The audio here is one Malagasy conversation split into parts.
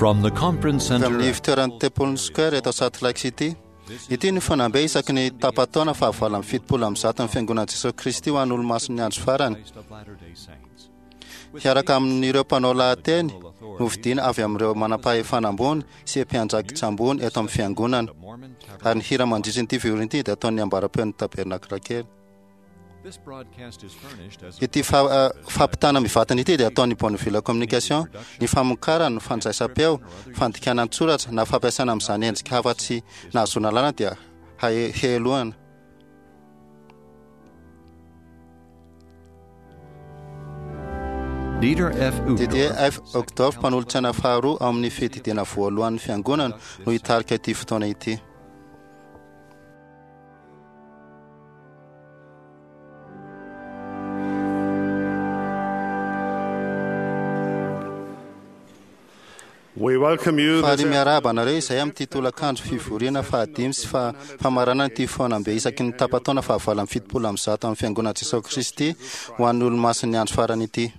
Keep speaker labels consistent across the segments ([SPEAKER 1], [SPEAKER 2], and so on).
[SPEAKER 1] From the conference
[SPEAKER 2] Avy
[SPEAKER 1] center
[SPEAKER 2] amin'ny
[SPEAKER 1] at
[SPEAKER 2] fitoeran'ny Temple Square eto Salt Lake City. Ity ny fanambe isaky ny tapa-taona fahavalo amby 170 ny Fiangonan'i Jesosy Kristy ho an'ny olomasin'ny andro farany.
[SPEAKER 1] Christ of Latter-day Saints.
[SPEAKER 2] Hiaraka amin'ireo mpanao lahateny novidiana avy amin'ireo manam-pahefana ambony sy mpiandraikitra ambony eto amin'ny fiangonana.
[SPEAKER 1] The Mormon
[SPEAKER 2] Ary ny hira
[SPEAKER 1] Tabernacle.
[SPEAKER 2] mandritra ity fivoriana ity dia ataon'ny ambaram-peon'ny tabernakla kely.
[SPEAKER 1] This broadcast is furnished as a
[SPEAKER 2] Ity fampitana mivantana ity dia ataon'ny Bonneville Communication, ny famokarana, ny fandraisam-peo, fandikana an-tsoratra na fampiasana amin'izany endrika hafa tsy nahazoana lalana dia helohana.
[SPEAKER 1] Dieter F.
[SPEAKER 2] Didier
[SPEAKER 1] Uchtdorf,
[SPEAKER 2] F. Uchtdorf, mpanolotsaina faharoa ao amin'ny fiadidiana voalohan'ny fiangonana no hitarika ity fotoana ity.
[SPEAKER 3] We welcome you
[SPEAKER 2] Faly
[SPEAKER 3] this
[SPEAKER 2] miarahaba anareo izay amin'ity tolakandro fivoriana fahadimy sy famaranana ity fihaonambe isaky ny tapa-taona fahavalo amby 170 amin'ny Fiangonan'i Jesosy Kristy ho an'ny olomasin'ny andro farany ity.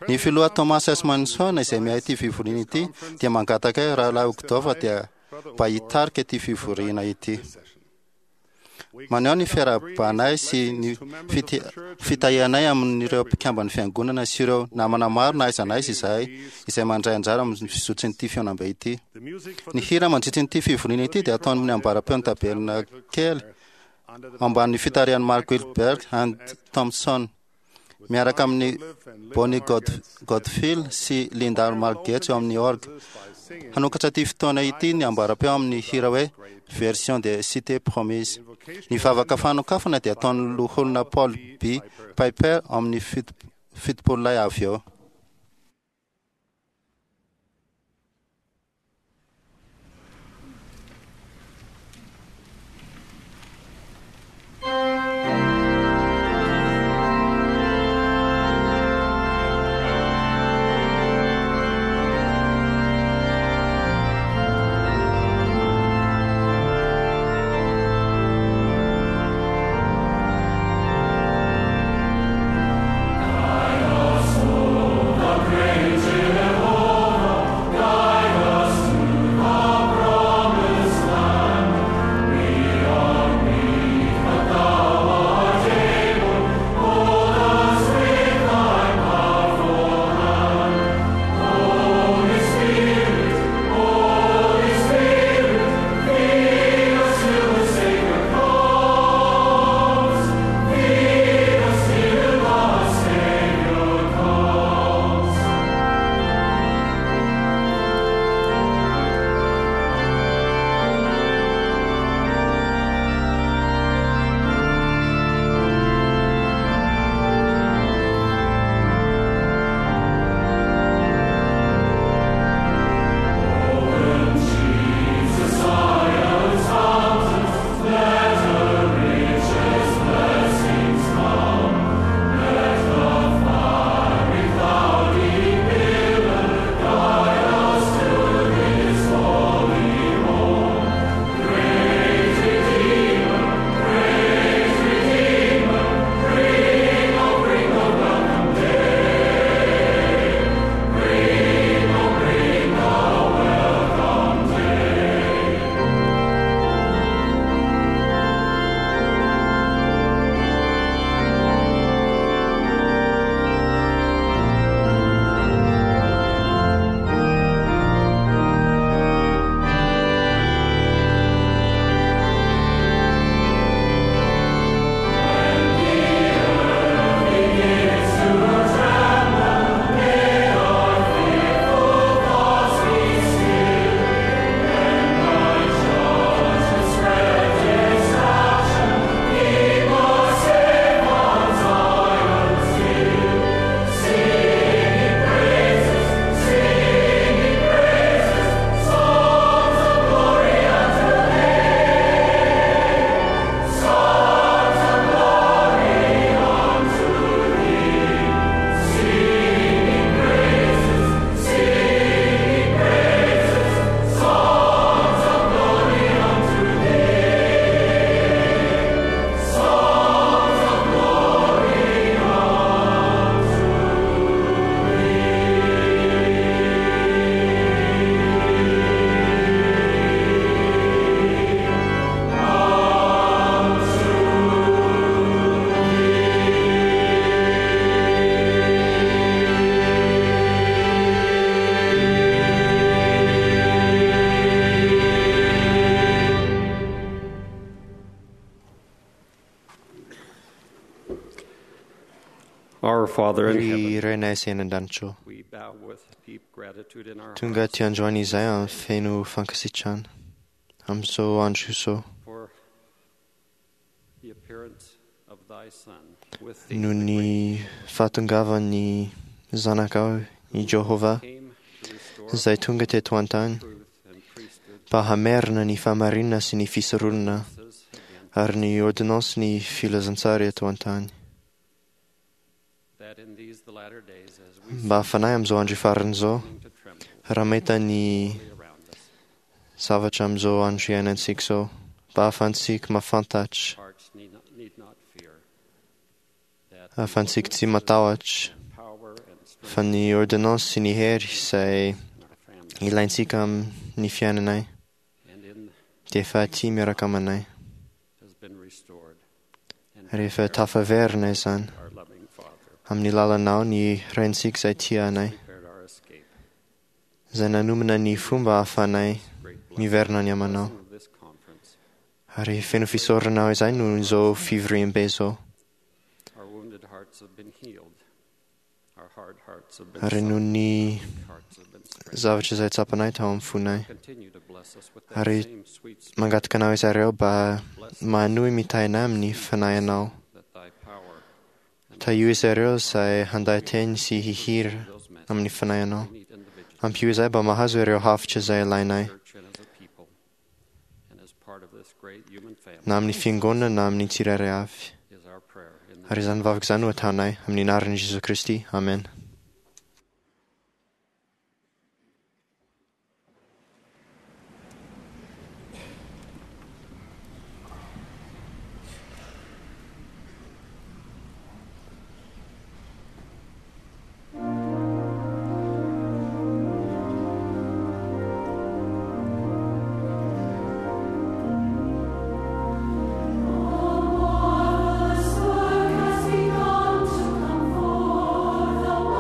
[SPEAKER 2] Ny filoha Thomas S. Monson izay miahy ity fivoriana ity dia mangataka ahy Rahalahy Uchtdorf dia mba hitarika ity fivoriana ity. Maneho ny fiarahabanay sy ny fitahianay amin'ireo mpikamban'ny fiangonana sy ireo namana maro na aiza na aiza izahay izay mandray anjara amin'ny fizotsin'ity fihaonambe ity. Ny hira mandritra ity fivoriana ity dia ataon'ny ambaram-peon'ny tabernakely ambanin'ny fitarihan'i Mark Wilberg and Thompson miaraka amin'ny Bonnie Godfield sy Linda Margetts eo amin'ny orgue. Hanokatra ity fotoana ity ny ambaram-peo amin'ny hira hoe Version de Cité Promise. Ny vavaka fanokafana dia ataon'ny loholona Paul B. Piper amin'ny 70 lahy avy eo.
[SPEAKER 4] I also Our Father in
[SPEAKER 5] Ry
[SPEAKER 4] heaven,
[SPEAKER 5] Rainay izay any an-danitra ô,
[SPEAKER 4] we bow with deep gratitude in our
[SPEAKER 5] tonga
[SPEAKER 4] hearts
[SPEAKER 5] aty androany izay amin'ny feno fankasitrahana amin'izao andro izao
[SPEAKER 4] for the appearance of thy Son with thee,
[SPEAKER 5] noho
[SPEAKER 4] the
[SPEAKER 5] ny
[SPEAKER 4] great
[SPEAKER 5] fahatongavan'ny zanakao i Jehovah
[SPEAKER 4] came to restore
[SPEAKER 5] izay tonga teto an-tany
[SPEAKER 4] truth and priesthood
[SPEAKER 5] mba hamerina ny fahamarinana sy ny fisoronana
[SPEAKER 4] against
[SPEAKER 5] ary ny ordonnance ny filazantsara eto an-tany
[SPEAKER 4] that in these the latter days as we
[SPEAKER 5] mba hafanay amin'izao andro farany izao
[SPEAKER 4] seem to tremble
[SPEAKER 5] raha mahita ny
[SPEAKER 4] around us,
[SPEAKER 5] zavatra amin'izao andro iainantsika izao mba hahafahantsika mahafantatra
[SPEAKER 4] hearts need not fear that
[SPEAKER 5] hahafahantsika tsy matahotra
[SPEAKER 4] power and strength
[SPEAKER 5] fa ny ordonnance sy ny hery izay
[SPEAKER 4] in our family
[SPEAKER 5] ilaintsika amin'ny fiainanay
[SPEAKER 4] and in
[SPEAKER 5] dia efa aty miaraka aminay
[SPEAKER 4] has been restored and
[SPEAKER 5] rehefa tafaverina izany
[SPEAKER 4] our loving Father
[SPEAKER 5] amin'ny lalanao ny raintsika izay tia anay
[SPEAKER 4] prepared our escape.
[SPEAKER 5] izay nanomana ny fomba ahafahanay
[SPEAKER 4] Great blessing
[SPEAKER 5] miverina any aminao
[SPEAKER 4] of this conference.
[SPEAKER 5] ary feno fisaoranao izay noho izao fivoriambe izao
[SPEAKER 4] Our wounded hearts have been healed. Our hard hearts have been
[SPEAKER 5] ary noho
[SPEAKER 4] softened.
[SPEAKER 5] ny
[SPEAKER 4] Hearts have been strengthened.
[SPEAKER 5] zavatra izay tsapanay tao amin'ny fonay
[SPEAKER 4] Continue to bless us with that
[SPEAKER 5] Ary
[SPEAKER 4] same sweet spirit.
[SPEAKER 5] mangataka anao izareo mba
[SPEAKER 4] Bless
[SPEAKER 5] manohy mitaina amin'ny fanahinao
[SPEAKER 4] that thy power and
[SPEAKER 5] tahio izareo izay handay teny sy hihira
[SPEAKER 4] those messages
[SPEAKER 5] amin'ny fanahinao
[SPEAKER 4] we need individually,
[SPEAKER 5] ampio izay mba mahazo ireo hafitra izay ilainay
[SPEAKER 4] church and as a people, and as part of this great human family
[SPEAKER 5] na amin'ny fiangonana na amin'ny tsirairay avy
[SPEAKER 4] is our prayer in the
[SPEAKER 5] ary izany vavaka izany no ataonay amin'ny anaran'i Jesosy Kristy amen.
[SPEAKER 6] Marvelous work has begun to come forth.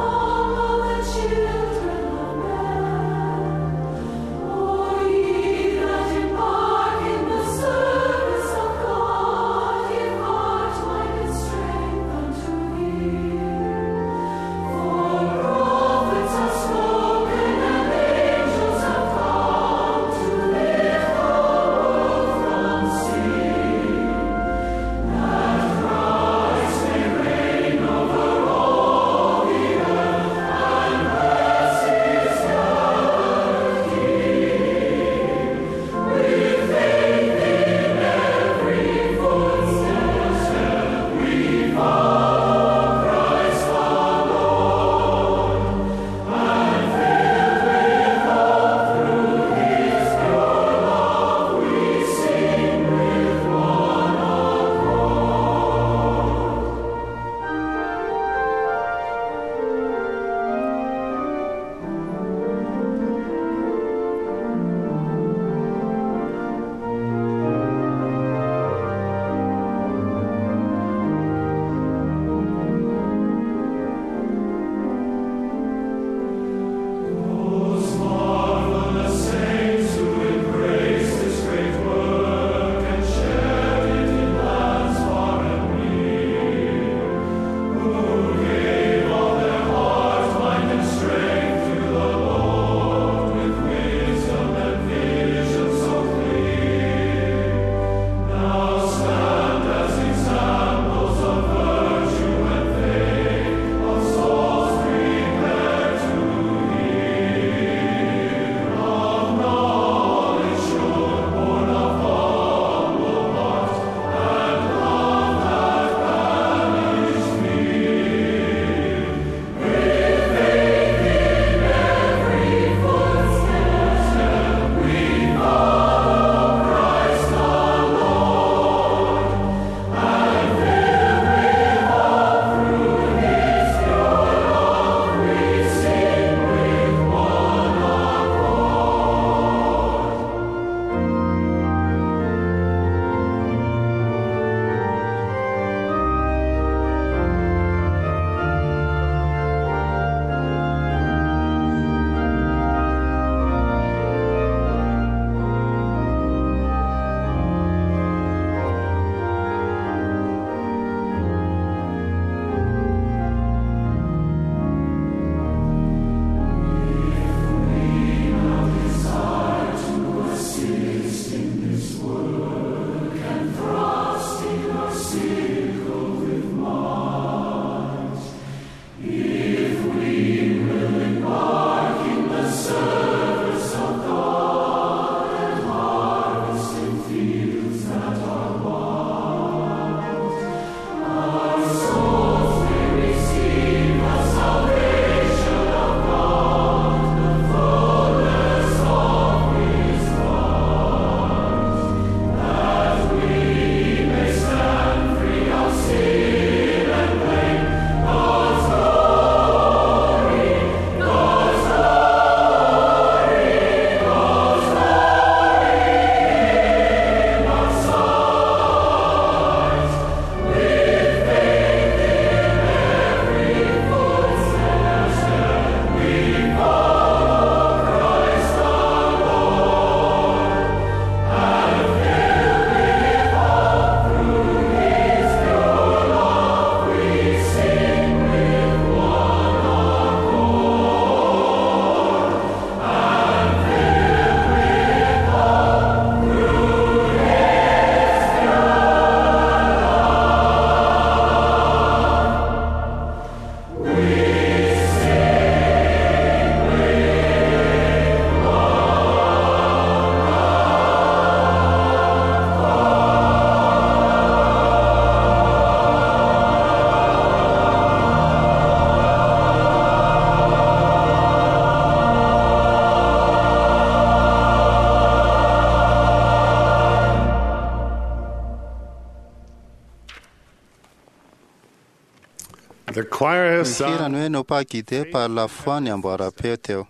[SPEAKER 3] The choir has
[SPEAKER 2] Ny
[SPEAKER 3] sung.
[SPEAKER 2] hirany hoe "Nos pas guidés par la foi" ny amboaram-peo teo.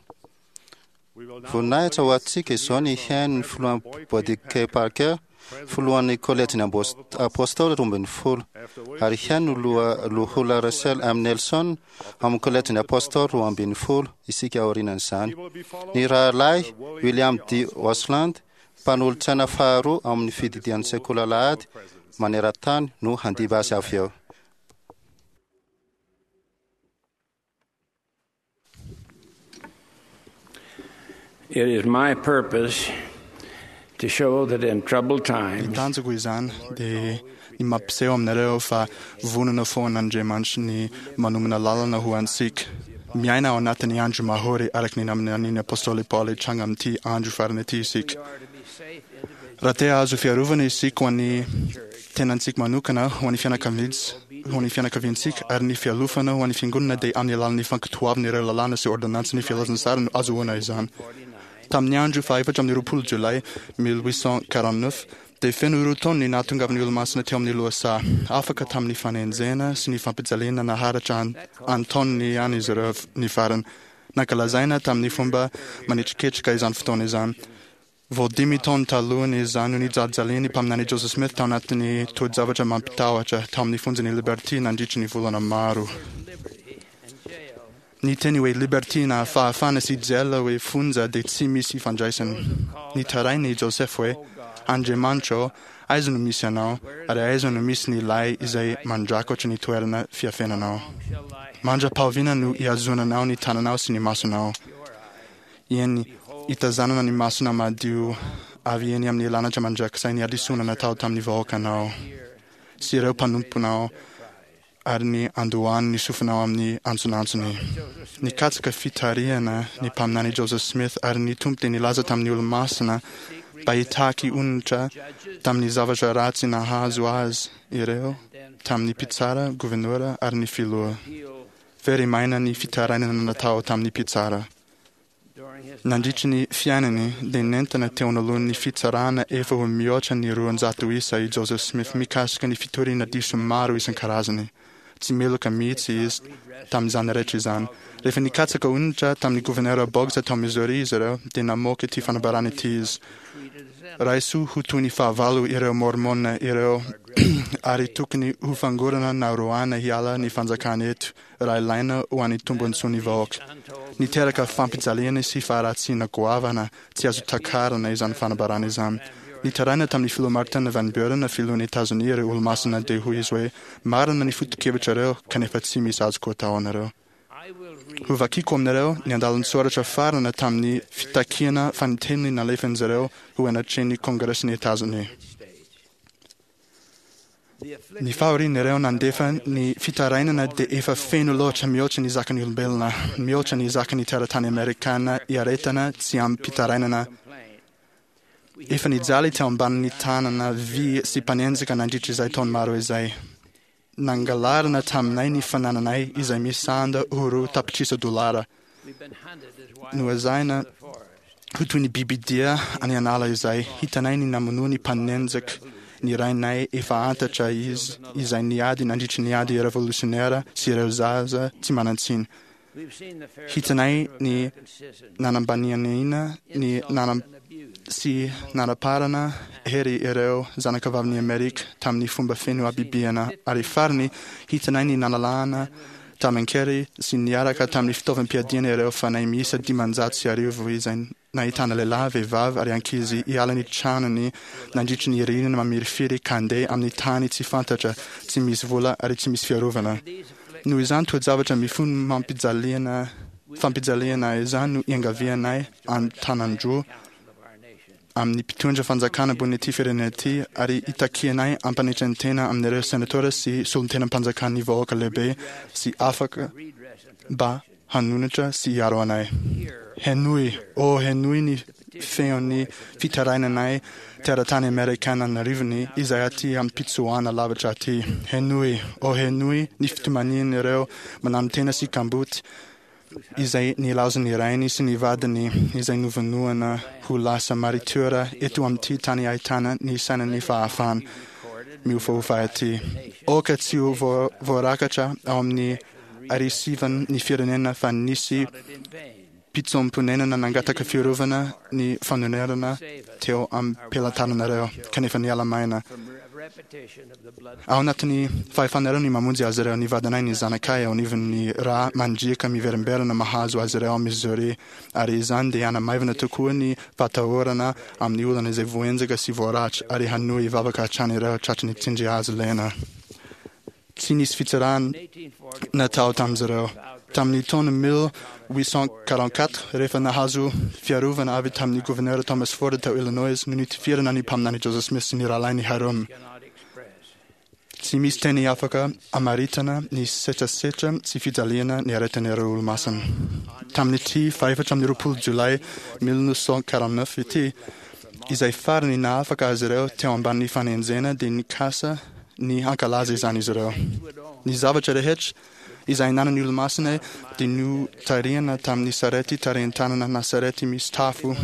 [SPEAKER 2] Voninahitra ho antsika izao ny hihaino ny filohan'ny Boyd K. Parker, filohan'ny kolejin'ny Apôstôly 12, ary hihaino ny loholona Russell M. Nelson amin'ny kolejin'ny Apôstôly 12 isika aorianan'izany. Ny rahalahy William D. Osland, mpanolotsaina faharoa amin'ny fididian'ny sekoly alahady maneran-tany no handimby azy avy eo.
[SPEAKER 6] It is my purpose to show that in troubled
[SPEAKER 7] Ny
[SPEAKER 6] times,
[SPEAKER 7] tanjoko izany dia ny mampiseho aminareo fa vonona foana Andriamanitra ny manomana lalana ho antsika. Miaina ao anatin'ny andro mahory araka ny naminanian'ny Apôstôly Paoly hitranga amin'ity andro farany ity isika. Raha te hahazo fiarovana isika ho an'ny tenantsika manokana, ho an'ny fianakaviantsika, ho an'ny fianakaviantsika ary ny fialofana ho an'ny fiangonana dia amin'ny alalan'ny fankatoavana ireo lalàna sy ôrdônansin'ny filazantsara no azahoana izany. Tamin'ny andro faha-24 jolay 1849 dia feno roa taona ny nahatongavan'ny Olomasina teo amin'ny lohasaha. Afaka tamin'ny fanenjehana sy ny fampijaliana naharitra an-taoniny ihany izy ireo ny farany. Nankalazaina tamin'ny fomba manetriketrika izany fotoana izany. Vao dimy taona talohany izany no nijalijalian'ny mpaminany Joseph Smith tao anatin'ny toe-javatra mampitahotra tao amin'ny fonjan'i Liberty nandritry ny volana maro. Ny teny hoe Liberty na fahafahana sy jail hoe fonja dia tsy misy ifandraisany. Nitaraina i Joseph hoe, Andriamanitra ô, aiza no misy Anao, ary aiza no misy ny lay izay mandrakotra ny toerana fiafenanao? Mandra-pahoviana no ihazonanao ny tananao sy ny masonao? Eny, hitazanana ny masonao madio avy eny amin'ny lanitra mandrakizay ny hadisoana natao tamin'ny vahoakanao sy ireo mpanomponao ary ny andohany ny sofinao amin'ny antsonantsony. Nikatsaka fitarihana ny mpaminany Joseph Smith ary ny Tompo dia nilaza tamin'ny Olomasina mba hitaky onitra tamin'ny zavatra ratsy nahazo azy ireo tamin'ny mpitsara, governora ary ny filoha. Very maina ny fitarainana natao tamin'ny mpitsara. Nandritry ny fiainany dia nentina teo anoloan'ny fitsarana efa ho mihoatra ny 200 isa i Joseph Smith mikasika ny fitoriana diso maro isan-karazany. Tsy meloka mihitsy izy tamin'izany rehetra izany. Rehefa nikatsaka onitra tamin'ny governora Boggs tao Missouri izy ireo dia namoaka ity fanambarana ity izy. Raiso ho toy ny fahavalo ireo Mormona ireo ary tokony ho fangorana na roahina hiala ny fanjakana eto raha ilaina ho an'ny tombontsoan'ny vahoaka. Niteraka fampijaliana sy faharatsiana goavana tsy azo takarina izany fanambarana izany. Nitaraina tamin'ny filoha Martin Van Buren, filohan'i Etazonia ireo Olomasina dia hoy izy hoe, Marina ny foto-kevitrareo kanefa tsy misy azoko atao anareo. Hovakiko aminareo ny andalan-tsoratra farany tamin'ny fitakiana fanintelony nalefan'izy ireo ho anatrehan'ny Kongresin'i Etazonia. Ny fahorian'ireo nandefa ny fitarainana dia efa feno loatra mihoatra ny zakan'ny olombelona, mihoatra ny zakan'ny teratany amerikana iaretana tsy amim-pitarainana. Efa nijaly teo ambanin'ny tanana vy sy mpanenjika nandritra izay taona maro izay. Nangalarina taminay ny fanananay izay misanda ho roa tapitrisa dolara. Noezahina ho toy ny bibidia any an'ala izay hitanay ny namonoan'ny mpanenjika ny rainay efa antatra izy izay niady nandritry ny ady revolutionnaire sy ireo zaza tsy manan-tsiny. Hitanay ny nanambanianiana ny nanam sy nanaparana hery ireo zanakavavin'i Amerika tamin'ny fomba feno habibiana ary farany hitanay ny nalalahana tamin-kery sy niaraka tamin'ny fitaovam-piadiana ireo fanahy miisa 1500 izay nahitana lehilahy, vehivavy ary ankizy hiala ny tranony nandritry ny ririnina mamirifiry ka handeha amin'ny tany tsy fantatra, tsy misy vola ary tsy misy fiarovana. Noho izany toe-javatra mifono mampijaliana fampijaliana izany no iangavianay an-tanan-droa amin'ny mpitondra fanjakana ambony ity firenena ity ary itakianay ampanetren-tena amin'ireo senatora sy solontenam-panjakan'ny vahoaka lehibe sy afaka mba hanonitra sy hiaro anay. Henoy, ô henoy ny feon'ny fitarainanay teratany amerikana an'arivony izay aty am-pitsoahana lavitra aty. Henoy, ô henoy ny fitomanian'ireo mananotena sy kamboty izay nilaozan'ny rainy sy ny vadiny izay novonoana ho lasa maritiora eto amin'ity tany ahitana ny sainan'ny fahafahana miofaofa ity. Aoka tsy ho voarakatra ao amin'ny ary sivan'ny firenena fa nisy mpitsoam-ponenana nangataka fiarovana ny fanonerana teo am-pelatananareo, kanefa niala maina. Ao anatin'ny fahefanareo ny mamonjy azy ireo, ny vadinay, ny zanakay, eo anivon'ny rà mandriaka miverimberina mahazo azy ireo ao Missouri, ary izany dia hanamaivana tokoa ny fahatahorana amin'ny olana izay voahenjaka sy voaratra, ary hanohy hivavaka hatrany ireo tratry ny tsindry hazo lena. Tsy nisy fitsarana natao tamin'izy ireo. Tamin'ny taona 1844, rehefa nahazo fiarovana avy tamin'ny governora Thomas Ford tao Illinois no nitifirana ny mpaminany Joseph Smith sy ny rahalahiny Hyrum. Tsy misy teny afaka amaritana ny setrasetra sy fijaliana niaretan'ireo Olomasina. Tamin'ity fahefatra amby 24 Jolay 1949 ity, izay farany nahafaka azy ireo teo ambanin'ny fanenjehana dia nikasa ny hankalaza izany izy ireo. Ny zavatra rehetra izay ananan'ny Olomasina dia notarihana tamin'ny sarety tarihin-tanana na sarety misy tafo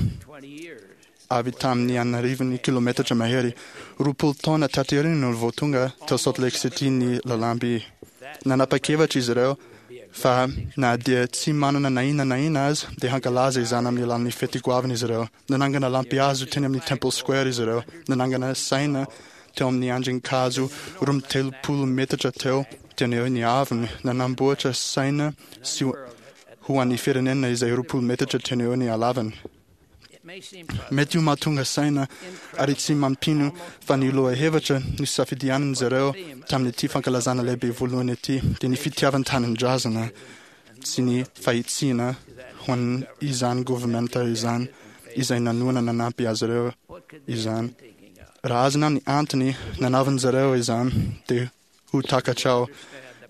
[SPEAKER 7] avy tamin'ny an'arivony kilometatra mahery. 20 taona taty aoriana no vao tonga tao Salt Lake City ny lalamby. Nanapa-kevitra izy ireo fa na dia tsy manana na inona na inona aza dia hankalaza izany amin'ny alalan'ny fety goavana izy ireo. Nanangana lampihazo teny amin'ny Temple Square izy ireo. Nanangana saina teo amin'ny andrin-kazo 32 metatra teo teny ny haavony. Nanamboatra saina sy ho an'ny firenena izay 20 metatra teny eo ny halavany. Mety ho mahatonga saina ary tsy mampino fa ny lohahevitra nosafidianin'izy ireo tamin'ity fankalazana lehibe voalohany ity dia ny fitiavan-tanindrazana sy ny fahitsiana ho an'izany governemanta izany izay nanohana nanampy azy ireo izany. Raha azonao ny antony nanaovan'izy ireo izany dia ho takatrao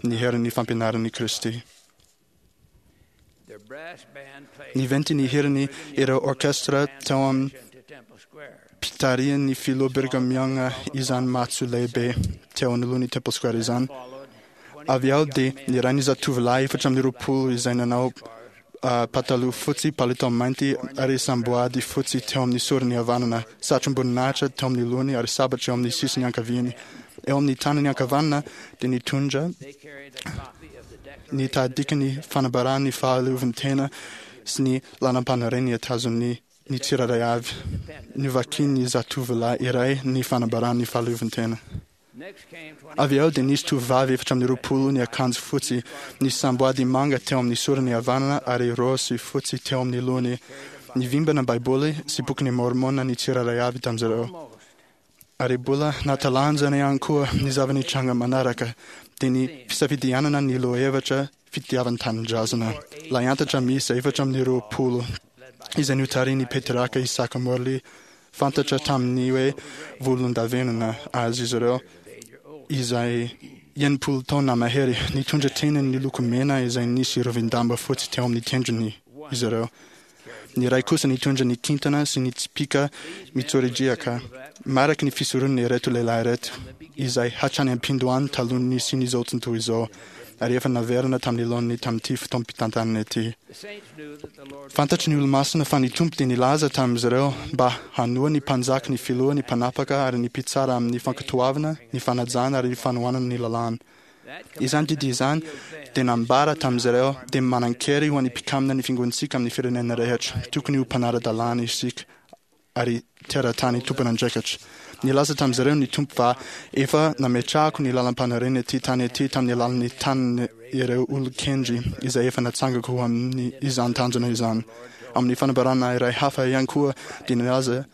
[SPEAKER 7] ny herin'ny fampianaran'i Kristy. Niventy ny hirany ireo orkestra teo amin'ny mpitarihan'ny filoha Brigham Young izany matso lehibe teo anoloan'ny Temple Square izany. Avy eo dia niray ny zatovolahy 24 izay nanao pataloha fotsy, palitao mainty ary samboady fotsy teo amin'ny sorony havanana, satrom-boninahitra teo amin'ny lohany ary sabatra eo amin'ny sisiny ankaviany. Eo amin'ny tanany ankavanana dia nitondra ny tahadikan'ny fanambaran'ny fahaleovantena sy ny lalam-panorenana tazon'ny ny tsirairay avy. Novakian'ny zatovolahy iray ny fanambaran'ny fahaleovantena. Avy eo dia nisy tovovavy 24 niakanjo fotsy, nisy samboady manga teo amin'ny sorony havanana ary raozy fotsy teo amin'ny lohany. Nivimbina Baiboly sy bokin'i Môrmôna ny tsirairay avy tamin'izy ireo. Ary mbola nahatalanjana ihany koa ny zava-nitranga manaraka, dia ny fisafidianana ny lohahevitra fitiavan-tanindrazana. Lahiantatra miisa 24 izay notarihin'i Petraka Isaka Morley, fantatra tamin'ny hoe volondavenona azy izy ireo, izay 60 taona mahery, nitondra teny niloko mena izay nisy rovin-damba fotsy teo amin'ny tendrony izy ireo. Ny iray kosa nitondra ny kintana sy ny tsipìka mitsoridriaka, mariky ny fisoronana ireto lehilahy ireto, izay hatrany am-pindohany talohan'ny nisian'izao tontolo izao, ary efa naverina tamin'ny laoniny tamin'ity fotoam-pitantanana ity. Fantatry ny Olomasina fa ny Tompo dia nilaza tamin'izy ireo mba hanoa ny mpanjaka, ny filoha, ny mpanapaka ary ny mpitsara amin'ny fankatoavana, ny fanajana ary ny fanohanana ny lalàna. Izany didy izany dia nambara tamin'izy ireo dia manan-kery ho an'ny mpikamina ny fiangonantsika amin'ny firenena rehetra. Tokony ho mpanara-dalàna isika ary teratany tompon'andraikitra. Nilaza tamin'izy ireo ny Tompo fa efa nametrahako ny lalam-panorenana ity tany ity tamin'ny alalan'ny tanin'ireo olon-kendry izay efa natsangako ho amin'ny izany tanjona izany. Amin'ny fanambarana iray hafa ihany koa dia nilaza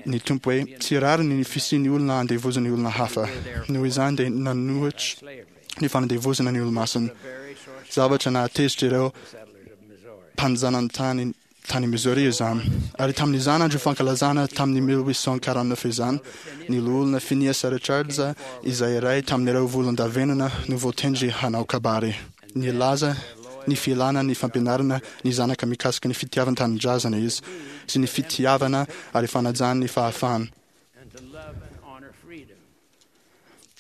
[SPEAKER 7] ny Tompo hoe tsy rariny ny fisian'ny olona andevozan'ny olona hafa. Noho izany dia nanohitra ny fanandevozana ny Olomasina. Zavatra nahatezitra ireo mpanjanantany tany Missouri izany. Ary tamin'izany andro fankalazana tamin'ny 1849 izany, ny loholona Phineas Richards izay iray tamin'ireo volondavenona no voatendry hanao kabary. Nilaza ny filana ny fampianarana ny zanaka mikasika ny fitiavan-tanindrazana izy, sy ny fitiavana ary fanajana ny fahafahana.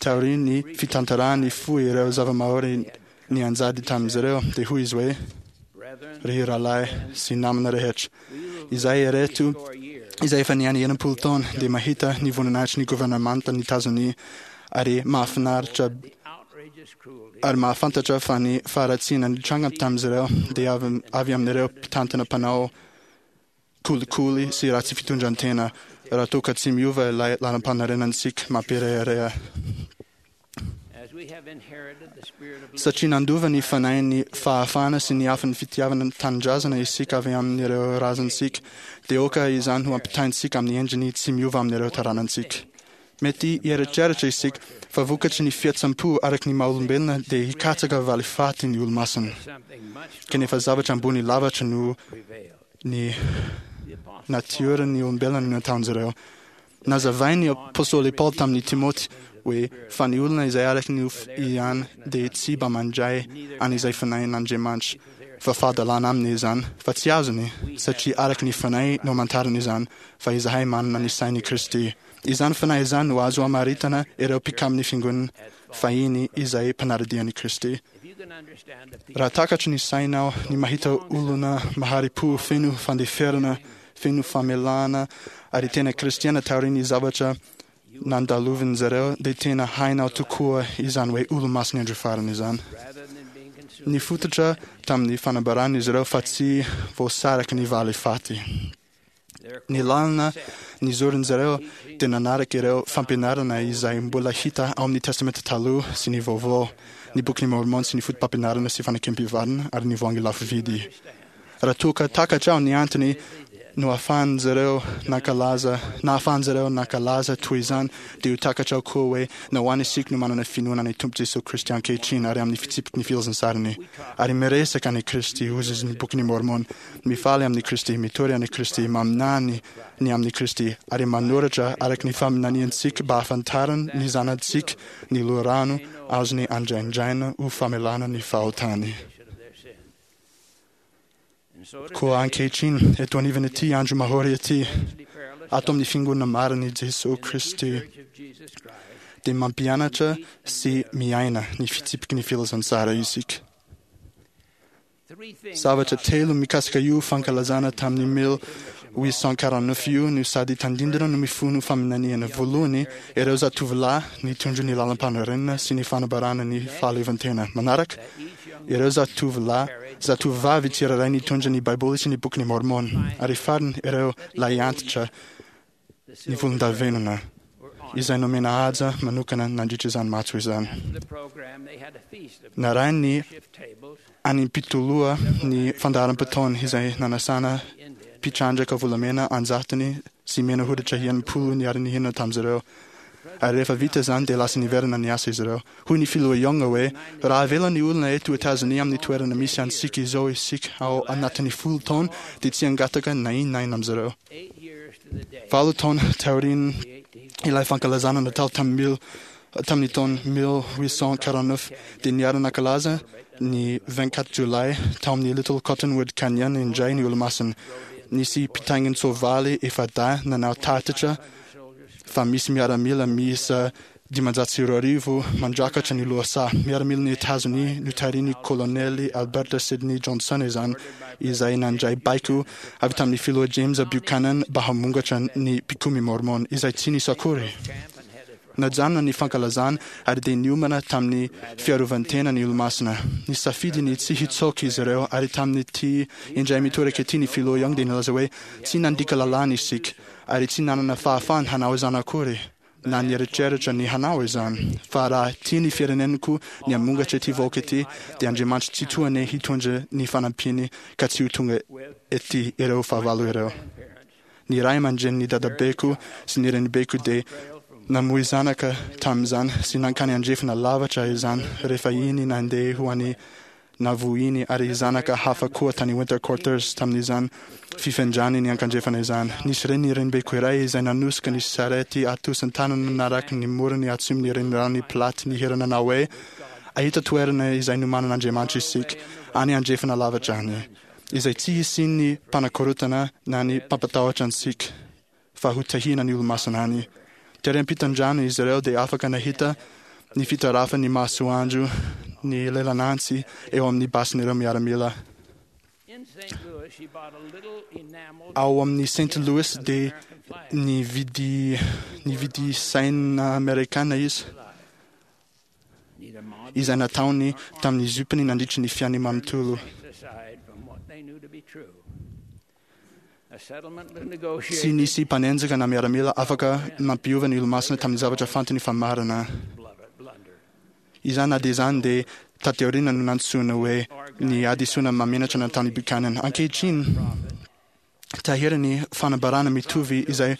[SPEAKER 7] Taorian'ny fitantarany fohy ireo zava-mahory nianjady tamin'izy ireo, dia hoy izy hoe, Ry rahalahy sy namana rehetra, izahay ireto izay efa niaina 60 taona dia mahita ny voninahitry ny governemanta nitazonia ary mahafinaritra. Ary mahafantatra fa ny faharatsiana nitranga tamin'izy ireo dia avy amin'ireo mpitantana mpanao kolikoly sy ratsy fitondran-tena, raha toa ka tsy miova ilay lalam-panorenantsika mampirehareha. Satria nandova ny fanahin'ny fahafahana sy ny afon'ny fitiavana ny tanindrazana isika avy amin'ireo razantsika, dia aoka izany ho ampitaintsika amin'ny endriny tsy miova amin'ireo taranantsika. Mety hieritreritra isika fa vokatry ny fihetseham-po araka ny maha-olombelona dia hikatsaka valifaty ny olo-masina. Kanefa zavatra ambony lavitra noho ny natioran'ny olombelona no nataon'izy ireo. Nazavain'ny apostoly Paoly tamin'i Timoty hoe fa ny olona izay araka ny nofo ihany dia tsy mba mandray an'izay fanahin'Andriamanitra, fa fahadalana aminy izany, fa tsy azony, satria araka ny fanahy no amantarany izany, fa izahay manana ny sain'i Kristy. Izany fanahy izany no azo amaritana ireo mpikamin'ny fiangonana fahiny izay mpanara-dia an'i Kristy. Raha takatry ny sainao ny mahita olona mahari-po feno fandeferana, feno famelana ary tena kristiana taorian'ny zavatra nandalovin'ny zareo dia tena hainao tokoa izany hoe olo-masin'ny andro farany izany. Nifototra tamin'ny fanambarana izy ireo fa tsy voasaraky ny valifaty. Ny lalana nizorin'ny zareo dia nanaraka ireo fampianarana izay mbola hita ao amin'ny Testamenta Taloha sy ny Vaovao, ny Bokin'i Môrmôna sy ny Fotopampianarana sy Fanekempihavanana ary ny Voahangy Lafo Vidy. Raha toa ka takatrao ny antony noafahan'izareo nankalaza nahafahan'izareo nankalaza toy izany, dia ho takatrao koa hoe nahoana isika no manana finoana an'i Tompo Jesoa Kristy ankehitriny ary amin'ny fitsipiky ny filazantsariny ary miresaka an'i Kristy, hozy izy ny Bokin'i Môrmôna. Mifaly amin'i Kristy, mitory an'i Kristy, maminany ny amin'i Kristy, ary manoratra araka ny faminaniantsika mba hahafantarany ny zanatsika ny loharano azony andraindraina ho famelana ny fahotany. Koa ankehitriny, eto anivon'ity andro mahory ity, ato amin'ny Fiangonana marin'i Jesoa Kristy, dia mampianatra sy miaina ny fitsipiky ny filazantsara isika. Zavatra telo mikasika io fankalazana tamin'ny 1849 io no sady tandindona no mifono faminaniana. Voalohany, ireo zatovolahy nitondra ny lalam-panorenana sy ny fanambarana ny fahaleovantena. Manaraka, ireo zatovolahy, zatovovavy tsirairay nitondra ny Baiboly sy ny Bokin'i Môrmôna. Ary farany, ireo lahiantitra ny volondavenona, izay nomena haja manokana nandritra izany matso izany. Narahin'ny any-mpitoloha ny fandaharam-potoana izay nanasana mpitrandraka volamena an-jatony sy mena hoditra 60 niara-nihinana tamin'izy ireo. Ary rehefa vita izany dia lasa niverina niasa izy ireo. Hoy ny Filoha Young hoe, Raha avela ny olona eto Etazonia amin'ny toerana misy antsika izao isika ao anatin'ny 10 taona dia tsy hangataka na inona na inona amin'izy ireo. Valo taona taorian' ilay fankalazana natao tamin'ny tamin'ny taona 1849 dia niara-nankalaza ny 24 Jolay tao amin'ny Little Cottonwood Canyon indray ny Olomasina. Nisy mpitaingin-tsoavaly efa-dahy nanao tatitra fa misy miaramila miisa 2500 mandrakatra ny lohasaha. Miaramilan'i Etazonia notarihin'ny Kolonely Albert Sidney Johnson izany, izay nandray baiko avy tamin'ny Filoha James Buchanan mba hamongatra ny mpikomy Mormon, izay tsy nisy akory. Najanona ny fankalazana ary dia niomana tamin'ny fiarovan-tena ny Olomasina. Nisafidy ny tsy hitsoaka izy ireo, ary tamin'ity indray mitoraka ity ny Filoha Young dia nilaza hoe, Tsy nandika lalàna isika, ary tsy nanana fahafahana hanao izany akory. na nieritreritra ny hanao izany, fa raha tia ny fireneniko ny hamongatra ity vahoaka ity, dia Andriamanitra Tsitoha anie hitondra ny fanampiany ka tsy ho tonga ety ireo fahavalo ireo. Ny ray aman-drenin'ny dadabeko sy ny renibeko dia namoy zanaka tamin'izany sy nankany andrefana lavatra izany rehefa iny nandeha ho any Navohiny ary zanaka hafa koa tany Winter Quarters tamin'izany fifindrany niankandrefana izany. Nisy reny renibeko iray izay nanosika ny sarety atosin-tanana naraky ny morony atsimon'ny reniranon'i Platte nihira nanao hoe, Ahita toerana izay nomanan'Andriamanitra isika, any andrefana lavitra any, izay tsy hisian'ny mpanakorontana na ny mpampatahotra antsika, fa ho tahiana ny olo-masina any. Tery ampitan-drano izy ireo dia afaka nahita ny fitarafan'ny masoandro ny lelan'antsy eo amin'ny basin'ireo miaramila. Ao amin'ny Saint Louis dia nividy nividy saina amerikana izy. izay nataony tamin'ny zopiny nandritry ny fiainany manontolo. Tsy nisy mpanenjika na miaramila afaka nampiova ny olomasina tamin'ny zavatra fantany fa marina. Izany na dia izany dia taty aoriana no nantsoina hoe ny hadisoana mahamenatra nataon'i Buchanan. Ankehitriny, tahiry ny fanambarana mitovy izay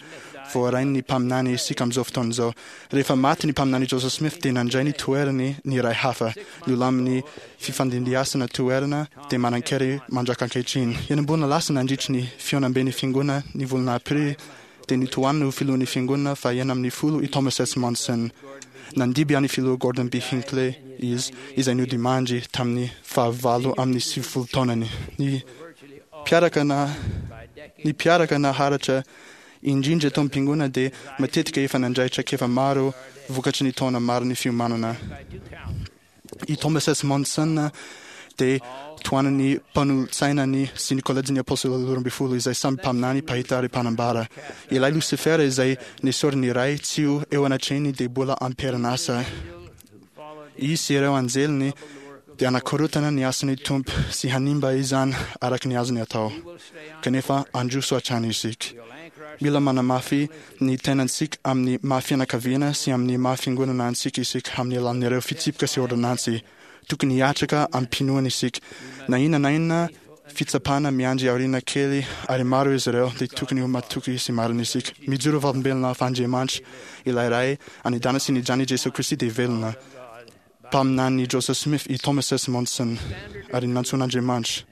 [SPEAKER 7] voarain'ny mpaminany isika amin'izao fotoana izao. Rehefa maty ny mpaminany Joseph Smith dia nandray ny toerany ny iray hafa. Nolamin'ny fifandimbiasana toerana dia manan-kery mandraka ankehitriny. Enim-bolana lasa nandritry ny fihaonamben'ny fiangonana ny volana aprily dia nitohanina ho filohan'ny fiangonana faha-16 i Thomas S. Monson. Nandimby an'i filoha Gordon B. Hinckley izy, izay nodimandry tamin'ny faha-98 taonany. Ny mpiaraka na ny mpiaraka naharitra indrindra eto am-piangonana dia matetika efa nandray traikefa maro vokatry ny taona maro ny fiomanana. I Thomas S. Monson dia tohanan'ny mpanolotsainany sy ny kolejin'ny Apôstôly 12 izay samy mpaminany, mpahita ary mpanambara. Ilay Losifera izay nesorin'ny Ray tsy ho eo anatrehiny dia mbola am-perinasa. Izy sy ireo anjeliny dia hanakorotana ny asan'ny Tompo sy hanimba izany araka ny azony atao. Kanefa handroso hatrany isika. Mila manamafy ny tenantsika amin'ny maha fianakaviana sy amin'ny maha fiangonana antsika isika amin'ny alalan'ireo fitsipika sy ôrdônansy. Tokony hiatraka amim-pinoana isika. Na inona na inona fitsapana miandry aoriana kely ary maro izy ireo dia tokony ho matoky sy marina isika. Mijoro vavolombelona fa Andriamanitra, ilay Ray any an-danitra sy ny Zanany Jesoa Kristy dia velona. Mpaminan'i Joseph Smith i Thomas S. Monson ary nantsoin'Andriamanitra.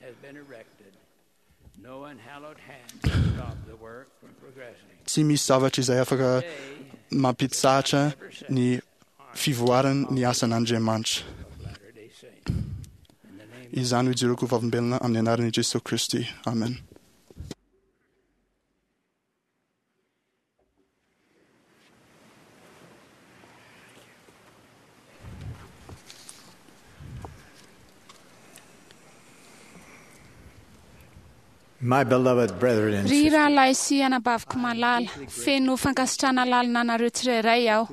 [SPEAKER 7] Tsy misy zavatra izay afaka mampitsahatra ny fivoarany ny asan'Andriamanitra. Izany no ijoroako ho vavolombelona amin'ny anaran'i Jesoa Kristy. Amen.
[SPEAKER 8] My beloved brethren and
[SPEAKER 9] Ry
[SPEAKER 8] sisters,
[SPEAKER 9] rahalahy sy anabaviko malala, feno fankasitrahana lalina anareo tsirairay aho.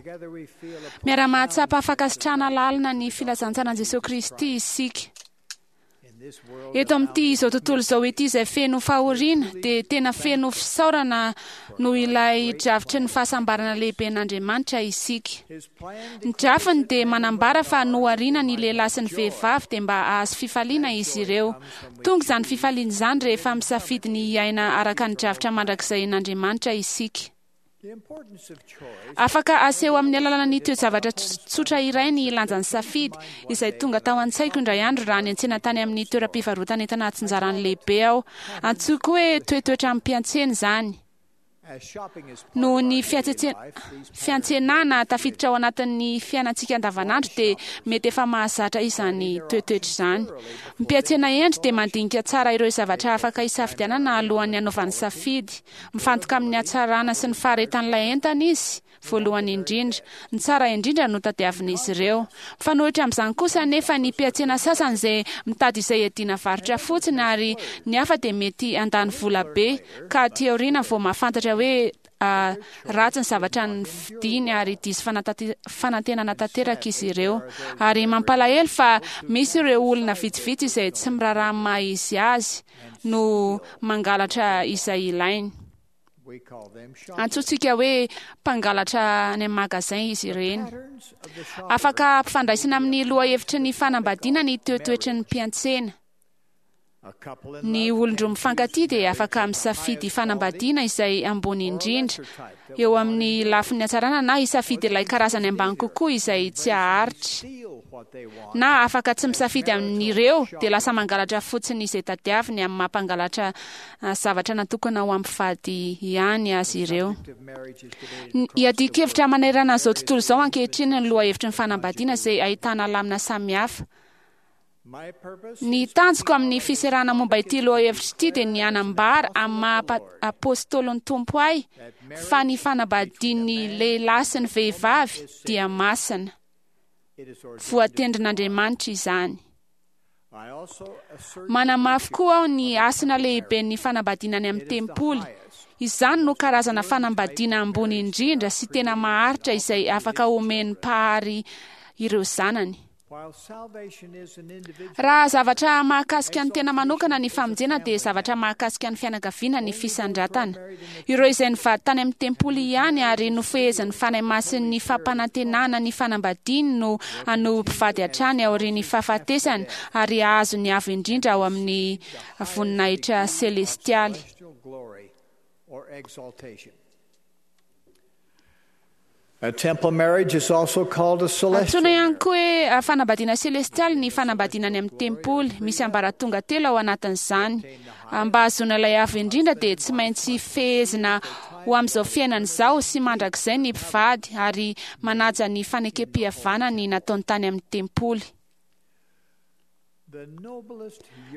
[SPEAKER 9] Miara-mahatsapa fankasitrahana lalina ny filazantsaran'i Jesoa Kristy isika. Eto amin'ity izao tontolo izao ity izay feno fahoriana dia tena feno fisaorana noho ilay drafitry ny fahasambarana lehiben'Andriamanitra isika. Ny drafiny dia manambara fa nohariana ny lehilahy sy ny vehivavy dia mba hahazo fifaliana izy ireo. Tonga izany fifaliana izany rehefa misafidy ny hiaina araka ny drafitra mandrakizain'Andriamanitra isika. Afaka aseho amin'ny alalan'ny toe-javatra tsotra iray ny lanjan'ny safidy, izay tonga tao an-tsaiko indray andro raha niantsena tany amin'ny toeram-pivarotan'entana atsinjarany lehibe aho. Antsoiko hoe toetoetra amim-piantsena izany. Noho ny fiantsenana tafiditra ao anatin'ny fiainantsika andavanandro dia mety efa mahazatra izany toetoetra izany. Mpiantsena hendry dia mandinika tsara ireo zavatra afaka hisafidianana alohan'ny hanaovany safidy. Mifantoka amin'ny hatsarana sy ny faharetan'ilay entana izy, voalohany indrindra. Ny tsara indrindra no tadiavin'izy ireo. Mifanohitra amin'izany kosa anefa ny mpiantsena sasany izay mitady izay hiadiana varotra fotsiny ary ny hafa dia mety handany vola be ka aty aoriana vao mahafantatra hoe ratsy ny zavatra novidiany ary diso fanantenana tanteraka izy ireo. Ary mampalahelo fa misy ireo olona vitsivitsy izay tsy miraharaha ny maha izy azy no mangalatra izay ilainy. Antsointsika hoe mpangalatra any amin'ny magazin izy ireny. Afaka ampifandraisina amin'ny lohahevitry ny fanambadiana ny toetoetry ny mpiantsena. Ny olon-droa mifankatia dia afaka misafidy fanambadiana izay ambony indrindra eo amin'ny lafiny hatsarana na hisafidy ilay karazany ambany kokoa izay tsy haharitra. Na afaka tsy misafidy amin'ireo dia lasa mangalatra fotsiny izay tadiaviny amin'ny maha mpangalatra zavatra natokana ho amin'ny mpivady ihany azy ireo. Iadian-kevitra manerana an'izao tontolo izao ankehitriny ny lohahevitry ny fanambadiana izay ahitana lamina samihafa. Ny tanjoko amin'ny fiserana momba ity lohahevitra ity dia ny hanambara amin'ny maha apôstôlin'ny Tompo ahy fa ny fanambadian'ny lehilahy sy ny vehivavy dia masina. Voatendrin'Andriamanitra izany. Manamafy koa aho ny hasina lehiben'ny fanambadiana any amin'ny tempoly. Izany no karazana fanambadiana ambony indrindra sy tena maharitra izay afaka omen'ny Mpahary ireo zanany. Raha zavatra mahakasika ny tena manokana ny famonjena dia zavatra mahakasika ny fianakaviana ny fisandratana. Ireo izay nivady tany amin'ny tempoly ihany ary nofehezin'ny Fanahy Masin'ny fampanantenana ny fanambadiany no hanohy mpivady hatrany aorian'ny fahafatesana ary hahazo ny avo indrindra ao amin'ny voninahitra selestialy. Antsoina ihany koa hoe fanambadiana selestialy ny fanambadiana any amin'ny tempoly. Misy ambaratonga telo ao anatin'izany. Mba hahazoana ilay avo indrindra dia tsy maintsy fehezina ho amin'izao fiainana izao sy mandrakizay ny mpivady ary manaja ny fanekem-pihavanany nataony tany amin'ny tempoly.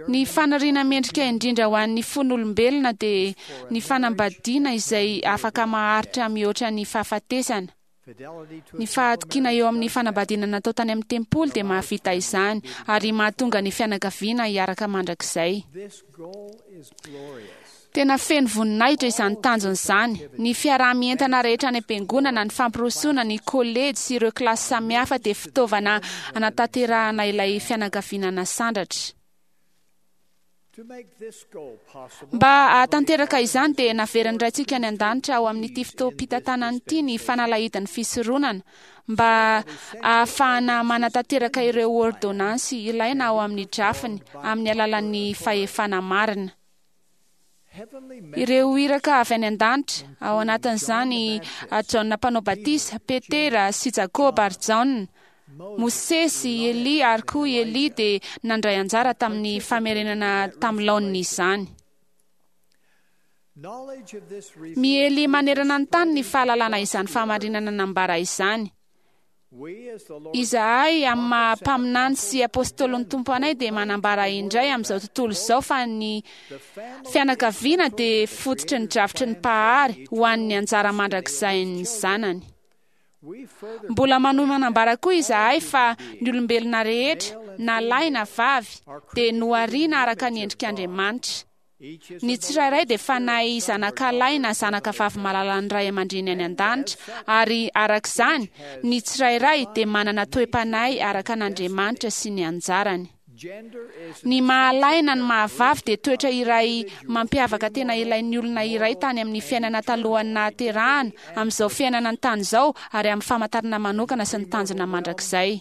[SPEAKER 9] Ny faniriana mendrika indrindra ho an'ny fon'olombelona dia ny fanambadiana izay afaka maharitra mihoatra ny fahafatesana. Ny fahatokiana eo amin'ny fanambadiana natao tany amin'ny tempoly dia mahavita izany ary mahatonga ny fianakaviana hiaraka mandrakizay. Tena feno voninahitra izany tanjona izany. Ny fiaraha-mientana rehetra any am-piangonana, ny fampirosoana, ny kolejy sy ireo kilasy samihafa dia fitaovana hanatanterahana ilay fianakaviana nasandratra. Mba hahatanteraka izany dia naverin'ny Raintsika any an-danitra ao amin'ity fotoam-pitantanana ity ny fanalahidin'ny fisoronana mba hahafahana manatanteraka ireo ôrdônansy ilaina ao amin'ny drafiny amin'ny alalan'ny fahefana marina. Ireo iraka avy any an-danitra, ao anatin'izany Jaona Mpanao Batisa, Petera sy Jakoba ary Jaona, Mosesy, Elia ary koa i Elia dia nandray anjara tamin'ny famerenana tamin'ny laoniny izany. Miely manerana ny tany ny fahalalana izany fahamarinana nambara izany. Izahay amin'ny maha mpaminany sy apôstôlin'ny Tompo anay dia manambara indray amin'izao tontolo izao fa ny fianakaviana dia fototry ny drafitry ny Mpahary ho an'ny anjara mandrakizain'ny zanany. Mbola manohy manambara koa izahay fa ny olombelona rehetra, na lahy na vavy, dia nohariana araka ny endrik'Andriamanitra. Ny tsirairay dia fanahy zanakalahy na zanakavavy malalan'ny ray aman-dreny any an-danitra, ary araka izany, ny tsirairay dia manana toe-panahy araka an'Andriamanitra sy ny anjarany. Ny maha-lahy na ny maha-vavy dia toetra iray mampiavaka tena ilain'ny olona iray tany amin'ny fiainana talohan'ny nahaterahana, amin'izao fiainana an-tany izao, ary amin'ny famantarana manokana sy ny tanjona mandrakizay.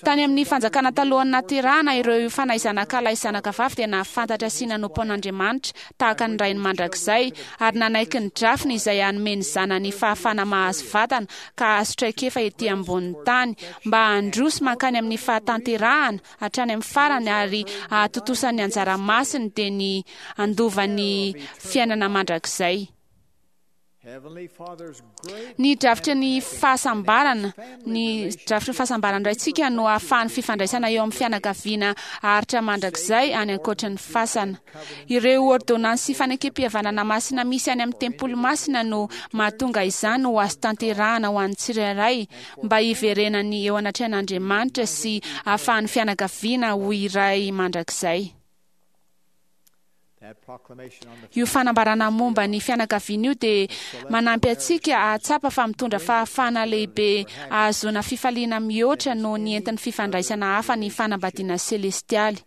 [SPEAKER 9] Tany amin'ny fanjakana talohan'ny nahaterahana, ireo fanahy zanakalahy sy zanakavavy dia nahafantatra sy nanompo an'Andriamanitra tahaka ny Rainy mandrakizay, ary nanaiky ny drafiny izay hanome ny zanany fahafahana mahazo vatana ka hahazo traikefa ety ambonin'ny tany, mba handroso mankany amin'ny fahatanterahana hatrany amin'ny farany ary hahatontosa ny anjara masiny dia ny handova ny fiainana mandrakizay. Ny drafitry ny fahasambarana, ny drafitry ny fahasambaran'ny Raintsika no ahafahan'ny fifandraisana eo amin'ny fianakaviana haharitra mandrakizay any ankoatry ny fasana. Ireo ôrdônansy sy fanekem-pihavanana masina misy any amin'ny tempoly masina no mahatonga izany ho azo tanterahana ho an'ny tsirairay mba hiverenany eo anatrehan'Andriamanitra sy ahafahan'ny fianakaviana ho iray mandrakizay. Io fanambarana momba ny fianakaviana io dia manampy antsika hahatsapa fa mitondra fahafahana lehibe ahazoana fifaliana mihoatra noho ny entin'ny fifandraisana hafa ny fanambadiana selestialy.